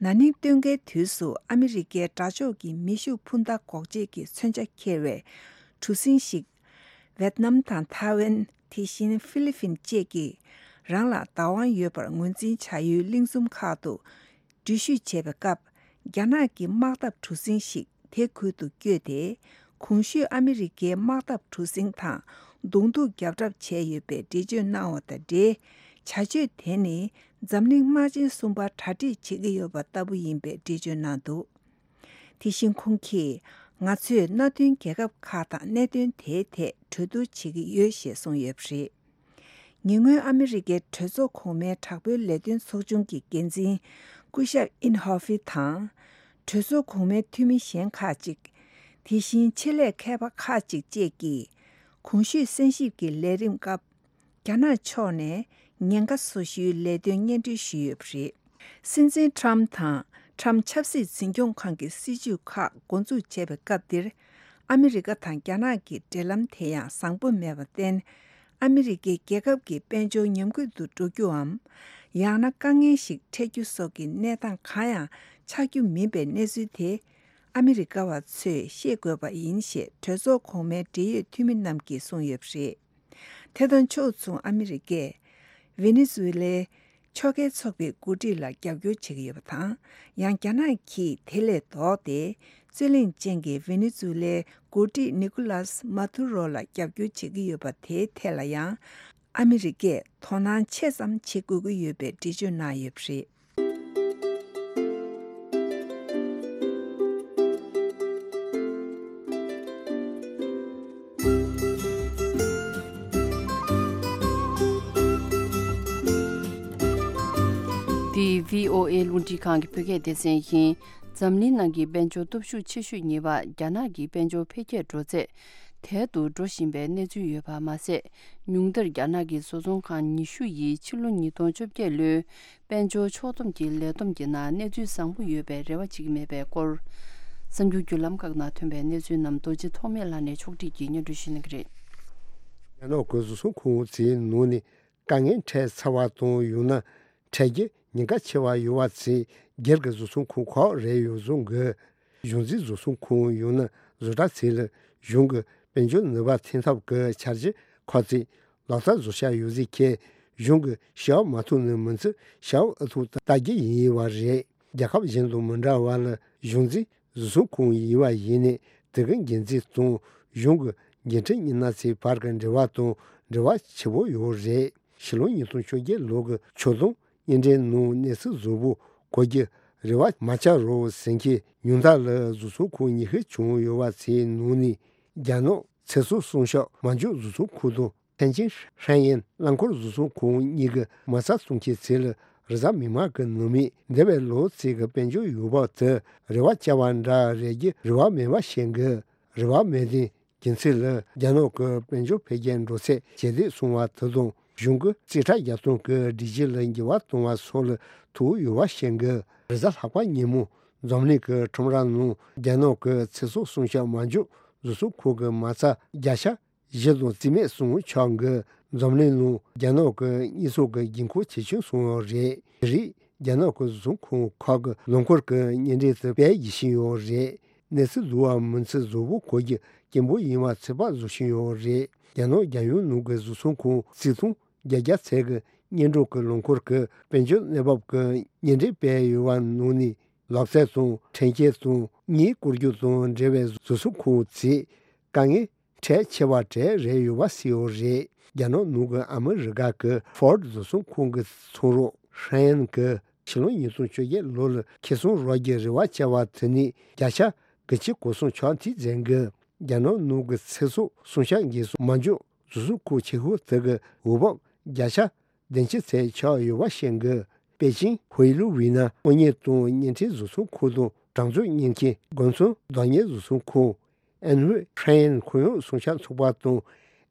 ན་ནིང་སྟོན་ཁའི་དུས་སུ་ཨ་མི་རི་ཀའི་དགྲ་ཕྱོགས་ཀྱི་མེ་ཤུགས་འཕུར་མདའ་འགོག་བྱེད་ཀྱི་མཚོན་ཆ་འཁྱེར་བའི་གྲུ་གཟིངས་ཤིག་ཝེད་ནམ་དང་ཐའེ་ཝན། དེ་བཞིན་ཧྥི་ལི་ཕིན་བཅས་ཀྱིས་རང་ལ་བདག་དབང་ཡོད་པར་ངོས་འཛིན་བྱ་ཡུལ་གླིང་ཚོམ་ཁག་ཏུ་འགྲུལ་བཞུད་བྱས་པའི་སྐབས། རྒྱ་ནག་གི་དམག་འཐབ་གྲུ་གཟིངས་ཤིག་དེ་ཁུལ་དུ་བསྐྱོད་དེ། གོང་ཞུས་ཨ་མི་རི་ཀའི་དམག་འཐབ་གྲུ་གཟིངས་དང་གདོང་ཐུག་རྒྱབ་གྲབས་བྱས་ཡོད་པའི་འགྲེལ་བརྗོད་གནང་བ་དང་འབྲེལ། བྱ་སྤྱོད་དེ་ནི་འཛམ་གླིང་དམག་ཆེན་གསུམ་པ་གྲ་སྒྲིག་བྱེད་ཀྱི་ཡོད་པ་ལྟ་བུ་ཡིན་པའི་འགྲེལ་བརྗོད་གནང་འདུག་དེ་བཞིན་ཁོང་གིས། ང་ཚོས་མནའ་མཐུན་རྒྱལ་ཁབ་ཁག་དང་གནད་དོན་དེའི་ཐད་གྲོས་བསྡུར་བྱེད་ཀྱི་ཡོད་ཞེས་གསུངས་ཡོད་པ་རེད། ཉེ་སྔོན་ཨ་མི་རི་ཀའི་གྲོས་ཚོགས་གོང་མའི་དྲག་པོའི་ལས་དོན་ཚོགས་ཆུང་གི་འགན་འཛིན་སྐུ་ཞབས་ཨིན་ཧོ་ཧྥི་དང་། གྲོས་ཚོགས་གོང་མའི་འཐུས་མི་གཞན་ཁག་ཅིག་དེ་བཞིན་ཆེད་ལས་མཁས་པ་ཁག་ཅིག་བཅས་ཀྱིས། གོང་ཞུས་གསན་ཞིབ་ཀྱི་ལས་རིམ་སྐབས། རྒྱ་ནག་ཕྱོགས་ནས་ཉེན་ཁ་བཟོ་ཞུའི་ལས་དོན་སྙན་སྒྲོན་ཞུས་ཡོད་པ་རེད། སྲིད་འཛིན་ཁྲམ་དང་ཁྲམ་ཆབ་སྲིད་འཛིན་སྐྱོང་ཁང་གི་སྲིད་ཇུས་ཁག་འགོ་འཛུགས་བྱས་པའི་སྐབས་འདིར། ཨ་མི་རི་ཀ་དང་རྒྱ་ནག་གི་འབྲེལ་ལམ་དེ་ཡང་བཟང་པོ་མེད་པར་བརྟེན། ཨ་མི་རི་ཀའི་རྒྱལ་ཁབ་ཀྱི་དཔལ་འབྱོར་ཉམས་རྒུད་དུ་འགྲོ་རྒྱུའམ། ཡང་ན་དཀའ་ངལ་ཞིག་འཕྲད་རྒྱུ་སོགས་ཀྱི་གནས་སྟངས་གང་ཡང་ཆགས་རྒྱུ་མིན་པའི་གནས་ཚུལ་དེ། ཨ་མི་རི་ཀ་བ་ཚོས་ཤེས་དགོས་པ་ཡིན་ཞེས་གྲོས་ཚོགས་གོང་མའི་འབྲེལ་ཡོད་འཐུས་མི་རྣམས་ཀྱིས་གསུངས་ཡོད་པ་རེད། དེ་དང་ཕྱོགས་མཚུངས་ཨ་མི་རི་ཀས་ཝེ་ནེ་ཛུ་ཝེ་ལའི་ཕྱོགས་འགལ་ཚོགས་པའི་འགོ་ཁྲིད་ལ་རྒྱབ་སྐྱོར་བྱེད་ཀྱི་ཡོད་པ་དང་། ཡང་རྒྱ་ནག་གིས་དེ་ལས་ལྡོག་སྟེ། རྩོད་གླེང་ཅན་གྱི་ཝེ་ནེ་ཛུ་ཝེ་ལའི་འགོ་ཁྲིད་ནི་ཀོ་ལཱས་མ་དུ་རོ་ལ་རྒྱབ་སྐྱོར་བྱེད་ཀྱི་ཡོད་པ་དེའི་ཐད་ལ་ཡང་། ཨ་མི་རི་ཀས་དོ་སྣང་ཆེ་ཙམ་བྱེད་དགོས་ཀྱི་ཡོད་པའི་འགྲེལ་བརྗོད་གནང་ཡོད་པ་རེད། འདི་བྷི་ཨོ་ཨེ་རླུང་འཕྲིན་ཁང་གི་བོད་སྐད་སྡེ་ཚན་ཡིན། འཛམ་གླིང་ནང་གི་དཔལ་འབྱོར་སྟོབས་ཤུགས་ཆེ་ཤོས་གཉིས་པ་རྒྱ་ནག་གི་དཔལ་འབྱོར་འཕེལ་རྒྱས་འགྲོ་ཚད་དལ་དུ་འགྲོ་བཞིན་པའི་གནས་ཚུལ་ཡོད་པ་མ་ཟད། ཉུང་མཐར་རྒྱ་ནག་གི་བཟོ་ཚོང་ཁང་ཉི་ཤུ་ཡིས་ཕྱི་ལོ་ཉིས་སྟོང་བཅོ་བརྒྱད་ལོའི་དཔལ་འབྱོར་ཕྱོགས་བསྡོམས་ཀྱི་ལས་བསྡོམས་ཀྱི་ནང་གནས་ཚུལ་བཟང་པོ་ཡོད་པའི་རེ་བ་བྱེད་ཀྱི་མེད་པའི་སྐོར། གསར་འགྱུར་བརྒྱུད་ལམ་ཁག་ནང་ཐོན་པའི་གནས་ཚུལ་རྣམས་རྡོ་རྗེ་ཐོགས་མེད་ལགས་ནས་ཕྱོགས་སྒྲིག་གིས་སྙན་སྒྲོན་ཞུ་གནང་གི་རེད། རྒྱ་ནག་གི་བཟོ་ཚོང་ཁང་ཚོའི་ནང་ནས་དཀའ་ངལ་འཕྲད་ཚར་བ་དང་ཡང་ན་འཕྲད་རྒྱུ་ཉེན་ཁ་ཆེ་བ་ཡོད་པ་ཚོས་སྒེར་གྱི་བཟོ་ཚོང་ཁང་ཁག་རེད་ཡོད་བཟོ་འགོད། གཞུང་འཛིན་བཟོ་ཚོང་ཁང་ཡང་ན་བཟོ་གྲྭ་ཚོ་ལ་གཞུང་གི་དཔལ་འབྱོར་ནུས་པ་འཐེན་ཐབས་ཀྱི་འཆར་གཞི་ཁག་ཅིག་ལག་བསྟར་བཟོ་འཆར་ཡོད་ཚུལ་འཁོད་གཞུང་གི་ཞུ་བ་མ་ཐོབ་ནས་མི་ཚེ་ཞབས་ཨུ་ཐུག་ལྟ་རྒྱུ་ཡིན་པ་རེད། རྒྱལ་ཁབ་གཞན་དང་མི་འདྲ་བ་ལ་གཞུང་འཛིན་བཟོ་ཚོང་ཁང་ཡིན་པ་ཡིན་ནས་དེ་གའི་འགན་འཛིན་དང་གཞུང་གི་འགན་འཁྲི་གཉིས་སྣ་ཚོའི་བར་གྱི་འབྲེལ་བ་དང་འབྲེལ་བ་ཆེ་པོ་ཡོད་རེད། ཕྱི་ལོ་ཉིས་སྟོང་བཅོ་བརྒྱད་ལོ་གི་ཆོད་དོན་སྙན་འགྲེལ་ནང་གནས་ཚུལ་གཟུགས་པོ་གོ་རྒྱུ་རེ་བ་མ་བཅངས་རོགས་ཟེར་མཁན་ཉུང་མཐའ་ལ་བཟོ་ཚོང་ཁང་ཉི་ཤུ་བྱུང་ཡོད་པ་ཚོའི་ནང་ནས་རྒྱ་ནག་ཚེ་སྲོག་སྲུང་སྐྱོབ་མ་འཇོག་བཟོ་ཚོང་ཁང་དང་ཐེན་ཅིན་ཧྲན་ཡན་རླངས་འཁོར་བཟོ་ཚོང་ཁང་གཉིས་ཀྱི་མ་རྩ་བཙུགས་མཁན་ཚོ་ལ་རེས་གཟའ་མིག་དམར་གྱི་ནང་མི་འདས་པའི་ལོ་ཚིགས་ཀྱི་དཔལ་འབྱོར་ཡོང་འབབ་དེ་རེ་བ་བཅངས་པ་འདྲ་རེད་ཀྱི་རེ་བ་མེད་པ་བཤད་འགོད། རེ་བ་མེད་དེ། རྒྱུ་མཚན་ལ་རྒྱ་ནག་གི་དཔལ་འབྱོར་འཕེལ་རྒྱས་འགྲོ་ཚད་ཇེ་བདེ་སོང་བ་དེ་དང་གཞུང་གི་རྩིས་ཁྲ་རྒྱག་སྟངས་ཀྱི་སྒྲིག་གཞི་ལ་འགྱུར་བ་གཏོང་བ་སོགས་ལ་ཐུག་ཡོད་པ་བཤད་འགོད། རེས་གཟའ་ལྷག་པ་ཉིན་མོ་འཛམ་གླིང་གི་ཁྲོམ་ར་ནང་རྒྱ་ནག་གི་ཚེ་སྲོག་སྲུང་སྐྱོབ་མ་འཇོག་བཟོ་ཚོང་ཁང་གི་མ་རྩ་བརྒྱ་ཆ་བཞི་དང་རྩིས་མེད་སོང་ཆགས་འགོད། འཛམ་གླིང་ནང་རྒྱ་ནག་གི་དངོས་ཟོག་གི་དགོས་མཁོ་ཇེ་ཆུང་སོང་བ་རེད། དེ་རིང་རྒྱ་ནག་གི་བཟོ་ཚོང་ཁང་ཁག་གི་ལོ་འཁོར་གྱི་སྙན་འགྲེལ་དེ་སྤེལ་བགྱིད་བཞིན་ཡོད་རེད། གནས་ཚུལ་བསྡུ་བ་མིན་ཚུལ་གཟུགས་པོ་གོ་རྒྱུ་སྐྱེན་པོ་ཡིན་པ་ཚོད་དཔག་བཟོ་བཞིན་ཡོད་རེད། རྒྱ་ནག་རྒྱལ་ཡོངས་ནང་གི་བཟོ་ཚོང་ཁང་རྩིས་ཐོ་བརྒྱད་བརྒྱ་ཚད་ཀྱི་སྙན་སྒྲོན་གྱི་ལོ་འཁོར་གྱི་དཔལ་འབྱོར་གནས་བབ་ཀྱི་སྙན་འགྲེལ་སྤེལ་ཡོད་པ་ནང་ནས་ལག་རྩལ་དང་ཁྲལ་འཁྱེར་དང་གཉེན་བཀུར་རྒྱུ་དང་འབྲེལ་བའི་བཟོ་ཚོང་ཁང་ཚོས་དཀའ་ངལ་ཁྲལ་ཆེ་བ་གྲས་རེད་ཡོད་པ་གསལ་ཡོད་རེད། རྒྱ་ནག་ནང་གི་ཨ་མི་རི་ཀ་གི་ཧྥོར་ཌི་བཟོ་ཚོང་ཁང་གི་ཚོང་རོགས་ཧྲན་ཡན་གྱིས་ཕྱི་ལོ་ཉིས་སྟོང་བཅོ་བརྒྱད་ལོ་ལ་ཁེ་བཟང་རག་རྒྱུའི་རེ་བ་བཅངས་པ་དེ་ནི་བརྒྱ་ཆ་དགུ་བཅུ་གོ་གསུམ་ཆག་འཐུས་མཛད་འགོད། རྒྱ་ནག་ནང་གི་ཚེ་སྲོག་སྲུང་སྐྱོབ་འགན་སྲུང་མ་འཇོག་བཟོ་ཚོང་ཁང་ཆེ་ཤོས་དེ་གི་འོས་བབ་བརྒྱ་ཆ་བདུན་ཅུ་ཚད་ཆག་ཡོད་པ་བཤད་འགོད། པེ་ཅིང་ཧུའེ་ལུའུ་ཝི་ན་དངོས་གཉེར་དང་བརྙན་འཕྲིན་བཟོ་ཚོང་ཁང་དང་གྲངས་རྩོད་གཉེར་མཁན་དགོན་ཚོང་བདག་གཉེར་བཟོ་ཚོང་ཁང་ཨན་ཧུའེ་ཧྲན་ཡན་ཁོར་ཡུག་སྲུང་སྐྱོབ་ཚོགས་པ་དང་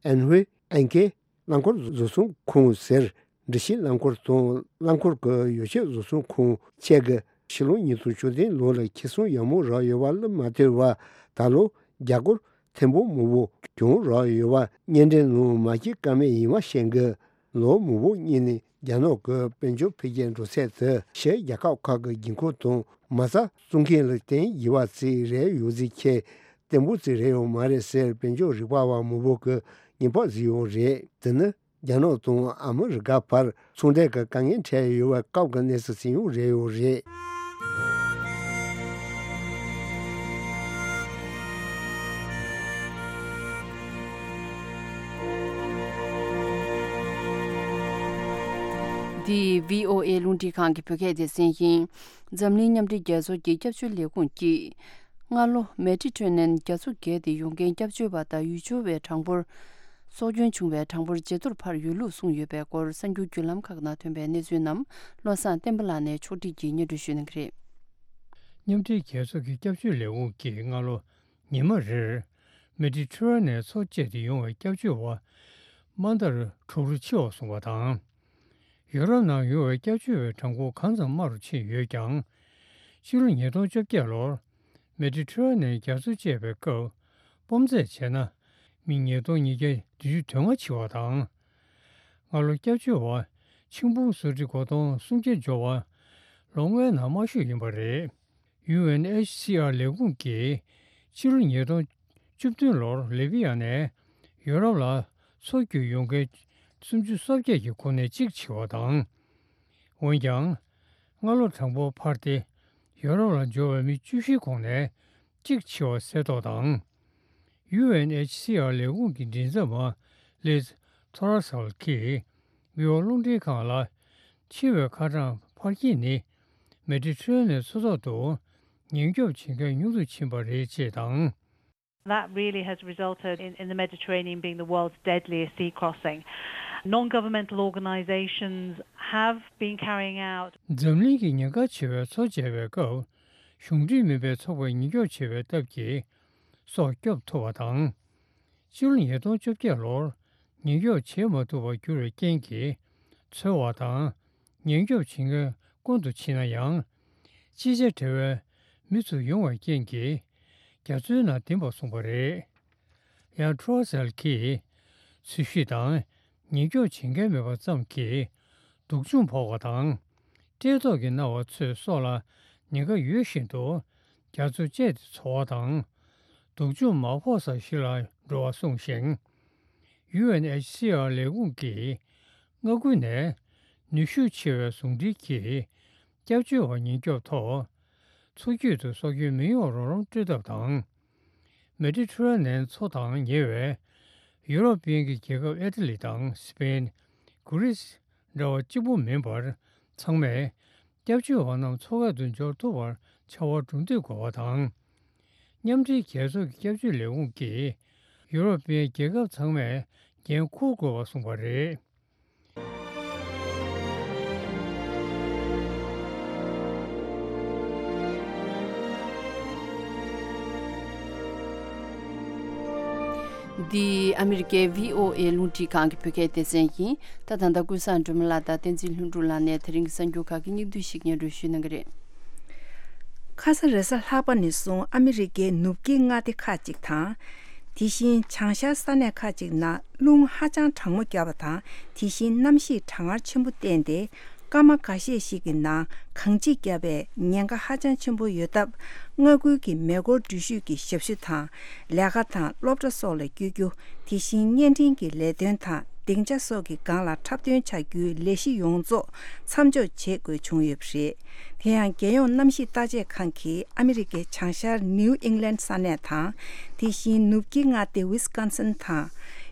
ཨན་ཧུའེ་ཨན་ཀེ་རླངས་འཁོར་བཟོ་ཚོང་ཁང་ཟེར་འགྲུལ་བཞུད་རླངས་འཁོར་དང་རླངས་འཁོར་གྱི་ཡོ་བྱད་བཟོ་ཚོང་ཁང་བཅས་ཀྱིས་ཕྱི་ལོ་ཉིས་སྟོང་བཅུ་བདུན་ལོ་ལ་ཁེ་བཟང་ཡག་མོ་རག་ཡོད་པ་ལ་མ་ལྟོས་པར་ད་ལོ་རྒྱ་སྒོར་ཐེར་འབུམ་མང་པོ་གྱོང་རག་ཡོད་པ་སྙན་འགྲེལ་ནང་མ་བཤད་ཀ་མེད་ཡིན་པ་བཤད་འགོད། ལོ་མང་པོ་སྔོན་ནས་རྒྱ་ནག་གི་དཔལ་འབྱོར་འཕེལ་རྒྱས་འགྲོ་ཚད་དེ་ཕྱིའི་རྒྱལ་ཁབ་ཁག་གི་དགོས་མཁོ་དང་མ་རྩ་བཙུགས་མཁན་ལ་བརྟེན་ཡོད་པ་ཅིག་རེད་ཡོད་ཚུལ་འཁོད་བརྟན་པོ་ཅིག་རེད་ཡོད་མ་རེད་ཟེར་དཔལ་འབྱོར་རིག་པ་བ་མང་པོ་གིས་ངན་པ་བཟོས་ཡོད་རེད། དེ་ནི་རྒྱ་ནག་དང་ཨ་མི་རི་ཀ་བར་ཚོང་འབྲེལ་གྱི་དཀའ་ངལ་འཕྲད་ཡོད་པའི་སྐབས་ཀྱི་གནས་ཚུལ་ཅིག་ཡང་རེད་ཡོད་རེད། འདི་བྷི་ཨོ་ཨེ་རླུང་འཕྲིན་ཁང་གི་བོད་སྐད་སྡེ་ཚན་ཡིན། འཛམ་གླིང་མཉམ་འབྲེལ་རྒྱལ་ཚོགས་ཀྱི་སྐྱབས་བཅོལ་ལས་ཁུངས་ཀྱིས། སྔ་ལོ་མེ་ཌི་ཊེ་རེ་ནན་རྒྱ་མཚོ་བརྒལ་ཏེ་ཡོང་མཁན་སྐྱབས་བཅོལ་བ་དང་ཡུལ་སྐྱོར་བའི་གྲངས་འབོར། སྲོག་སྐྱོན་བྱུང་བའི་གྲངས་འབོར་ཇེ་མཐོར་འཕར་ཡོད་ལུགས་གསུངས་ཡོད་པའི་སྐོར་གསར་འགྱུར་བརྒྱུད་ལམ་ཁག་ནང་ཐོན་པའི་གནས་ཚུལ་རྣམས་བློ་བཟང་བསྟན་པ་ལགས་ནས་ཕྱོགས་སྒྲིག་གིས་སྙན་སྒྲོན་ཞུ་གནང་གི་རེད། མཉམ་འབྲེལ་རྒྱལ་ཚོགས་ཀྱི་སྐྱབས་བཅོལ་ལས་ཁུངས་ཀྱིས་སྔ་ལོ་ཉི་མ་རེར་མེ་ཌི་ཊེ་རེ་ནན་མཚོ་བཅད་དེ་ཡོང་བའི་སྐྱབས་བཅོལ་བ་དམའ་མཐར་དྲུག་རུ་ཆེ་བ་སོང་བ་དང་། ཡུ་རོབ་ནང་ཡོང་བའི་སྐྱབས་བཅོལ་བའི་གྲངས་འབོར་གང་ཙམ་དམའ་རུ་ཕྱིན་ཡོད་ཀྱང་། ཕྱི་ལོ་ཉིས་སྟོང་བཅོ་བརྒྱད་ལོར་མེ་ཌི་ཊེ་རེ་ནན་རྒྱ་མཚོ་བཅད་པའི་སྐབས་སྤོམ་རྩེད་བྱས་ན་མི་ཉིས་སྟོང་ཉིས་བརྒྱ་བདུན་ཅུ་དོན་ལྔ་འཆི་བ་དང་། སྔ་ལོ་སྐྱབས་བཅོལ་བ་ ཆིང་ཕུང་སོ་ཊི་སྒོ་སྟོང་སུམ་བརྒྱ་འབྱོར་བ་ལོ་ལྔའི་ནང་མང་ཤོས་ཡིན་པ་རེད། ཡུ་ཨེན་ཨེཆ་སི་ཨར་ལས་ཁུངས་ཀྱིས་ཕྱི་ལོ་ཉིས་སྟོང་བཅུ་བདུན་ལོར་ལི་བི་ཡ་ནས་ཡོ་རོབ་ལ་མཚོ་བརྒྱུད་ཡོང་མཁན་སུམ་ཅུ་སོ་བརྒྱད་ཀྱི་ཁོངས་ནས་གཅིག་འཆི་བ་དང་། འོན་ཀྱང་། སྔ་ལོ་གྲངས་འབོར་འཕར་ཏེ་ཡོ་རོབ་ལ་འབྱོར་བའི་མི་བཅུ་བཞིའི་ཁོངས་ནས་གཅིག་འཆི་བ་གསལ་རྟོགས་དང་། ཡུ་ཨེན་ཨེཆ་སི་ཨར་ལས་ཁུངས་ཀྱི་མགྲིན་ཚབ་པ་ལིཛ་ཐོ་ར་སལ་གྱིས་བི་ཨོ་རླུང་འཕྲིན་ཁང་ལ། འཆི་བའི་ཁ་གྲངས་འཕར་སྐྱེད་ནི་མེ་ཌི་ཊེ་རེ་ནེན་མཚོ་ཐོག་ཏུ་ཉེན་སྐྱོབ་བྱེད་མཁན་ཉུང་དུ་ཕྱིན་པ་རེད་ཅེས་དང་། That really has resulted in, in the Mediterranean being the world's deadliest sea crossing. Non-governmental organisations have been carrying out འཛམ་གླིང་གི་ཉེན་ཁ་ཆེ་བའི་མཚོ་མཇལ་བའི་སྐབས། གཞུང་འབྲེལ་མིན་པའི་ཚོགས་པས་ཉེན་སྐྱོབ་བྱེད་པའི་སྟབས་ཀྱིས་སྲོག་སྐྱོབ་ཐུབ་པ་དང་། སྤྱི་ལོ་ཉིས་སྟོང་བཅོ་བརྒྱད་ལོར་ཉེན་སྐྱོབ་བྱེད་མ་ཐུབ་པར་གྱུར་བའི་རྐྱེན་གྱིས་འཚོལ་བ་དང་ཉེན་སྐྱོབ་བྱེད་མཁན་ཀུན་ཏུ་ཕྱིན་ན་ཡང་། ཅི་བྱ་བྲལ་བའི་མི་ཚོ་ཡོང་བའི་རྐྱེན་གྱིས་རྒྱ་མཚོའི་ནང་ལྡིང་བར་སོང་བ་རེད། ཡང་ཁྲོ་སེལ་གྱིས་འཚོལ་ཞིབ་དང་ཉེན་སྐྱོབ་བྱེད་མཁན་མེད་པ་ཙམ་གྱིས་སྡུག་སྦྱོང་ཕོག་པ་དང་། བཀྲེས་ལྟོགས་ཀྱིས་མནར་བ་ཚོའི་སྲོག་ལ་ཉེན་ཁ་ཡོད་བཞིན་དུ་རྒྱ་མཚོ་བཅད་དེ་འཚོ་བ་དང་། སྡུག་སྦྱོང་མ་ཕོག་ས་ཞིག་ལ་འགྲོ་བ་གསུངས་ཤིང་། ཡུ་ཨེན་ཨེཆ་སི་ཨར་ལས་ཁུངས་ཀྱིས་མངའ་ཁུལ་ནས་ནུས་ཤུགས་ཆེ་བའི་ཟུང་འབྲེལ་གྱིས་སྐྱབས་བཅོལ་བ་ཉེན་སྐྱོབ་ཐོག་མཚོ་རྒྱུད་དུ་སྲོག་སྐྱོན་མི་ཡོང་རོགས་རམ་སྤྲོད་ཐབས་དང་། མེ་ཌི་ཊེ་རེ་ནེན་མཚོ་དང་ཉེ་བའི་ཡུ་རོབ་དབྱིན་གྱི་རྒྱལ་ཁབ་ཨི་ཊ་ལི་དང་སི་པེན། གུ་རིས་འདྲ་བ་གཅིག་པུ་མིན་པར་ཚང་མས་སྐྱབས་བཅོལ་བ་རྣམས་མཚོ་ཁ་ཏུ་འབྱོར་ཐུབ་པར་ཕྱར་བ་གྲུ་འདེགས་དགོས་པ་དང་། མཉམ་འབྲེལ་རྒྱལ་ཚོགས་ཀྱི་སྐྱབས་བཅོལ་ལས་ཁུངས་ཀྱིས་ཡུ་རོབ་པའི་རྒྱལ་ཁབ་ཚང་མས་འགན་འཁུར་དགོས་པ་གསུངས་པ་རེད། འདི་ཨ་མི་རི་ཀའི་བྷི་ཨོ་ཨེ་རླུང་འཕྲིན་ཁང་གི་བོད་སྐད་སྡེ་ཚན་ཡིན། ད་ད་ལྟ་ཀུན་བཟང་སྒྲོལ་མ་ལགས་དང་བསྟན་འཛིན་ལྷུན་གྲུབ་ལགས་ནས་དེ་རིང་གི་གསར་འགྱུར་ཁག་གི་སྙིང་བསྡུས་ཤིག་སྙན་སྒྲོན་ཞུ་གནང་གི་རེད། ཁ་ས་རེས་གཟའ་ལྷག་པ་ནས་བཟུང་ཨ་མི་རི་ཀའི་ནུབ་དཀྱིལ་མངའ་སྡེ་ཁག་ཅིག་དང་། དེ་བཞིན་བྱང་ཤར་ས་གནས་ཁག་ཅིག་ནང་རླུང་ཧ་ཅང་གྲང་མོ་བརྒྱབ་པ་དང་། དེ་བཞིན་གནམ་གཤིས་གྲང་ངར་ཆེན་པོ་བསྟན་ཏེ། སྐར་མ་ཁ་ཤས་ཤིག་གི་ནང་གངས་འཁྱིག་བརྒྱབ་པའི་ཉེན་ཁ་ཧ་ཅང་ཆེན་པོ་ཡོད་སྟབས། མངའ་ཁུལ་གྱི་མེ་འཁོར་འགྲུལ་བཞུད་ཀྱི་ཞབས་ཞུ་དང་། ལས་ཀ་དང་སློབ་གྲྭ་སོགས་ལ་བསྐྱོད་རྒྱུ། དེ་བཞིན་བརྙན་འཕྲིན་གྱི་ལས་དོན་དང་སྡིངས་ཆ་སོགས་ཀྱི་སྒང་ལ་འཁྲབ་སྟོན་བྱ་རྒྱུའི་ལས་གཞི་ཡོངས་རྫོགས་མཚམས་འཇོག་བྱེད་དགོས་བྱུང་ཡོད་པ་རེད། དེ་ཡང་རྒྱལ་ཡོངས་གནམ་གཤིས་བརྟག་དཔྱད་ཁང་གིས་ཨ་མི་རི་ཀའི་བྱང་ཤར་ནིའུ་ཨིང་ལན་ས་གནས་དང་། དེ་བཞིན་ནུབ་དཀྱིལ་མངའ་སྡེ་ཝི་སི་ཀོན་སིན་དང་།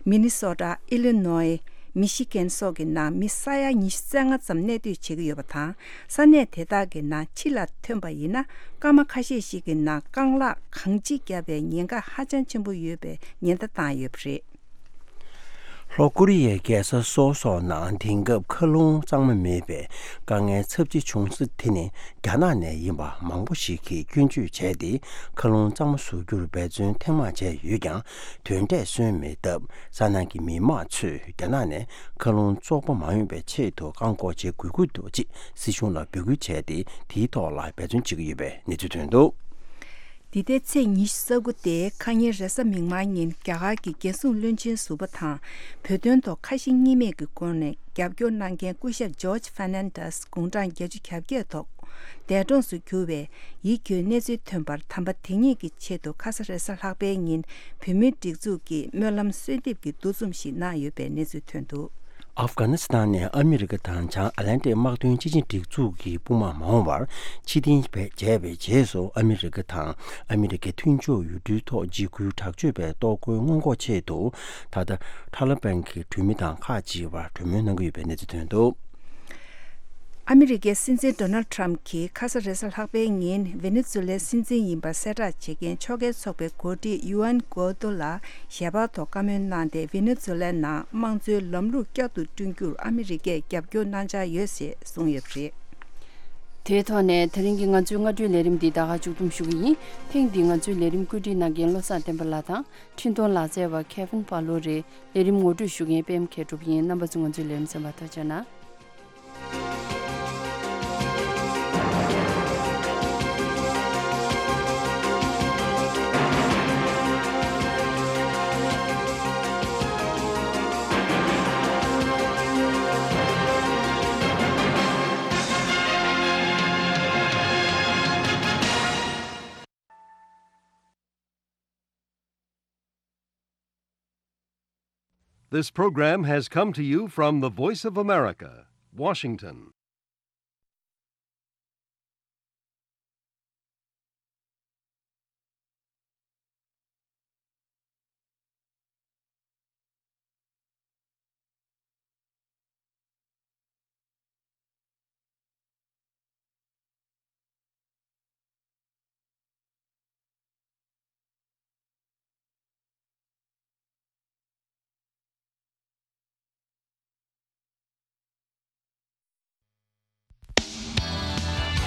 མི་ནི་སོ་ཊ། ཨི་ལི་ནོའི། མི་ཤི་གན་སོགས་ཀྱི་ནང་མི་ས་ཡ་ཉི་ཤུ་རྩ་ལྔ་ཙམ་གནས་སྡོད་བྱེད་ཀྱི་ཡོད་པ་དང་། ས་གནས་དེ་དག་གི་ནང་ཕྱི་ལ་ཐོན་པ་ཡིན་ན། སྐར་མ་ཁ་ཤས་ཤིག་གི་ནང་རྐང་ལག་གངས་འཁྱིག་བརྒྱབ་པའི་ཉེན་ཁ་ཧ་ཅང་ཆེན་པོ་ཡོད་པའི་ཉེན་བརྡ་བཏང་ཡོད་པ་རེད། ལྷོ་ཀོ་རི་ཡའི་རྒྱལ་ས་སོལ་སོགས་ནང་དེང་སྐབས་མཁའ་རླུང་གཙང་མ་མེད་པའི་དཀའ་ངལ་ཚབས་ཆེ་བྱུང་ས་དེ་ནི་རྒྱ་ནག་ནས་ཡིན་པ་མང་པོ་ཞིག་གིས་སྐྱོན་བརྗོད་བྱས་ཏེ། མཁའ་རླུང་གཙང་མ་བཟོ་རྒྱུར་འབད་བརྩོན་ཐེངས་མང་བྱས་ཡོད་ཀྱང་། དོན་འབྲས་སོན་མེད་སྟབས། ས་གནས་ཀྱི་མི་མང་ཚོས་རྒྱ་ནག་ནས་མཁའ་རླུང་བཙོག་པ་མ་ཡོང་བའི་ཆེད་དུ་བཀག་འགོག་བྱེད་དགོས་ཀྱི་འདུག་ཅེས་སྲིད་གཞུང་ལ་འབོད་སྐུལ་བྱས་ཏེ། དེའི་ཐོག་ལ་འབད་བརྩོན་བྱེད་ཀྱི་ཡོད་པའི་གནས་ཚུལ་ཐོན་འདུག། འདི་ཟླའི་ཚེས་ཉི་ཤུ་རྩ་དགུ་སྟེ་ཁ་ཉིན་རེས་གཟའ་མིག་དམར་ཉིན་རྒྱ་གར་གྱི་རྒྱལ་སྲུང་བློན་ཆེན་ཟུར་པ་དང་། བོད་དོན་ཐོག་ཁ་ཞེ་གཉིས་མེད་ཀྱི་སྒོ་ནས་རྒྱབ་སྐྱོར་གནང་མཁན་སྐུ་ཞབས་ཇོརྗ་ཧྥེར་ནན་ཌེས་དགུང་གྲངས་བརྒྱད་ཅུ་གྱ་བརྒྱད་ཐོག་འདས་གྲོངས་སུ་གྱུར་བའི་ཡིད་སྐྱོའི་གནས་ཚུལ་ཐོན་པར། དམ་པ་དེ་ཉིད་ཀྱི་ཆེད་དུ་ཁ་ས་རེས་གཟའ་ལྷག་པའི་ཉིན་བོད་མིའི་སྒྲིག་འཛུགས་ཀྱིས་སྨོན་ལམ་གསོལ་འདེབས་ཀྱི་འདུ་འཛོམས་ཤིག་གནང་ཡོད་པའི་གནས་ཚུལ་ཐོན་འདུག། ཨབ་གྷ་ནི་སི་ཐན་ནས་ཨ་མི་རི་ཀ་དང་བྱང་ཨེ་ལན་ཏིག་དམག་དོན་སྤྱི་ཆིངས་སྒྲིག་འཛུགས་ཀྱི་དཔུང་དམག་མ་འོངས་པར་ཕྱིར་འཐེན་བྱས་པའི་རྗེས་སུ། ཨ་མི་རི་ཀ་དང་ཨ་མི་རི་ཀའི་མཐུན་ཕྱོགས་ཡུལ་གྲུའི་ཐོག་འཇིགས་སྐུལ་དྲག་སྤྱོད་པའི་གཏོར་རྒོལ་སྔོན་འགོག་ཆེད་དུ། ད་ལྟ་ཐ་ལི་བན་གྱི་གྲོས་མི་དང་ཁག་ཅིག་བར་གྲོས་མོལ་གནང་གི་ཡོད་པའི་གནས་ཚུལ་ཐོན་འདུག། ཨ་མི་རི་ཀའི་སྲིད་འཛིན་ཌོ་ནལ་ཊམ་གྱིས་ཁ་ས་རེས་གཟའ་ལྷག་པའི་ཉིན་ཝེ་ནེ་ཛུ་ལའི་སྲིད་འཛིན་ཡིན་པར་གསལ་བསྒྲགས་བྱེད་མཁན་ཕྱོགས་འགལ་ཚོགས་པའི་འགོ་ཁྲིད་ཡུ་ཨན་གོ་ཏོ་ལ་ཞལ་པར་ཐོག་བཀའ་མོལ་གནང་སྟེ། ཝེ་ནེ་ཛུ་ལའི་ནང་དམངས་གཙོའི་ལམ་ལུགས་བསྐྱར་དུ་བསྐྲུན་རྒྱུར་ཨ་མི་རི་ཀས་རྒྱབ་སྐྱོར་གནང་འཆར་ཡོད་ཅེས་གསུངས་ཡོད་པ་རེད། དེའི་ཐོག་ནས་དེ་རིང་གི་ང་ཚོའི་སྔ་དྲོའི་ལས་རིམ་འདི་ད་ག་མཇུག་བསྡོམས་ཞུ་གི་ཡིན། ཐེངས་འདིའི་ང་ཚོའི་ལས་རིམ་བཀོད་སྒྲིག་གནང་མཁན་བློ་བཟང་བསྟན་པ་ལགས་དང་། འཕྲིན་གཏོང་ལག་རྩལ་བ་ཁེ་ཝིན་པ་ལོ་རེད། ལས་རིམ་ངོ་སྤྲོད་ཞུ་མཁན་པད་མ་མཁས་གྲུབ་ཡིན། རྣམ་པ་ཚོ་ང་ཚོའི་ལས་རིམ་གསན་པར་ཐུགས་རྗེ་གནང་། This program has come to you from the Voice of America, Washington.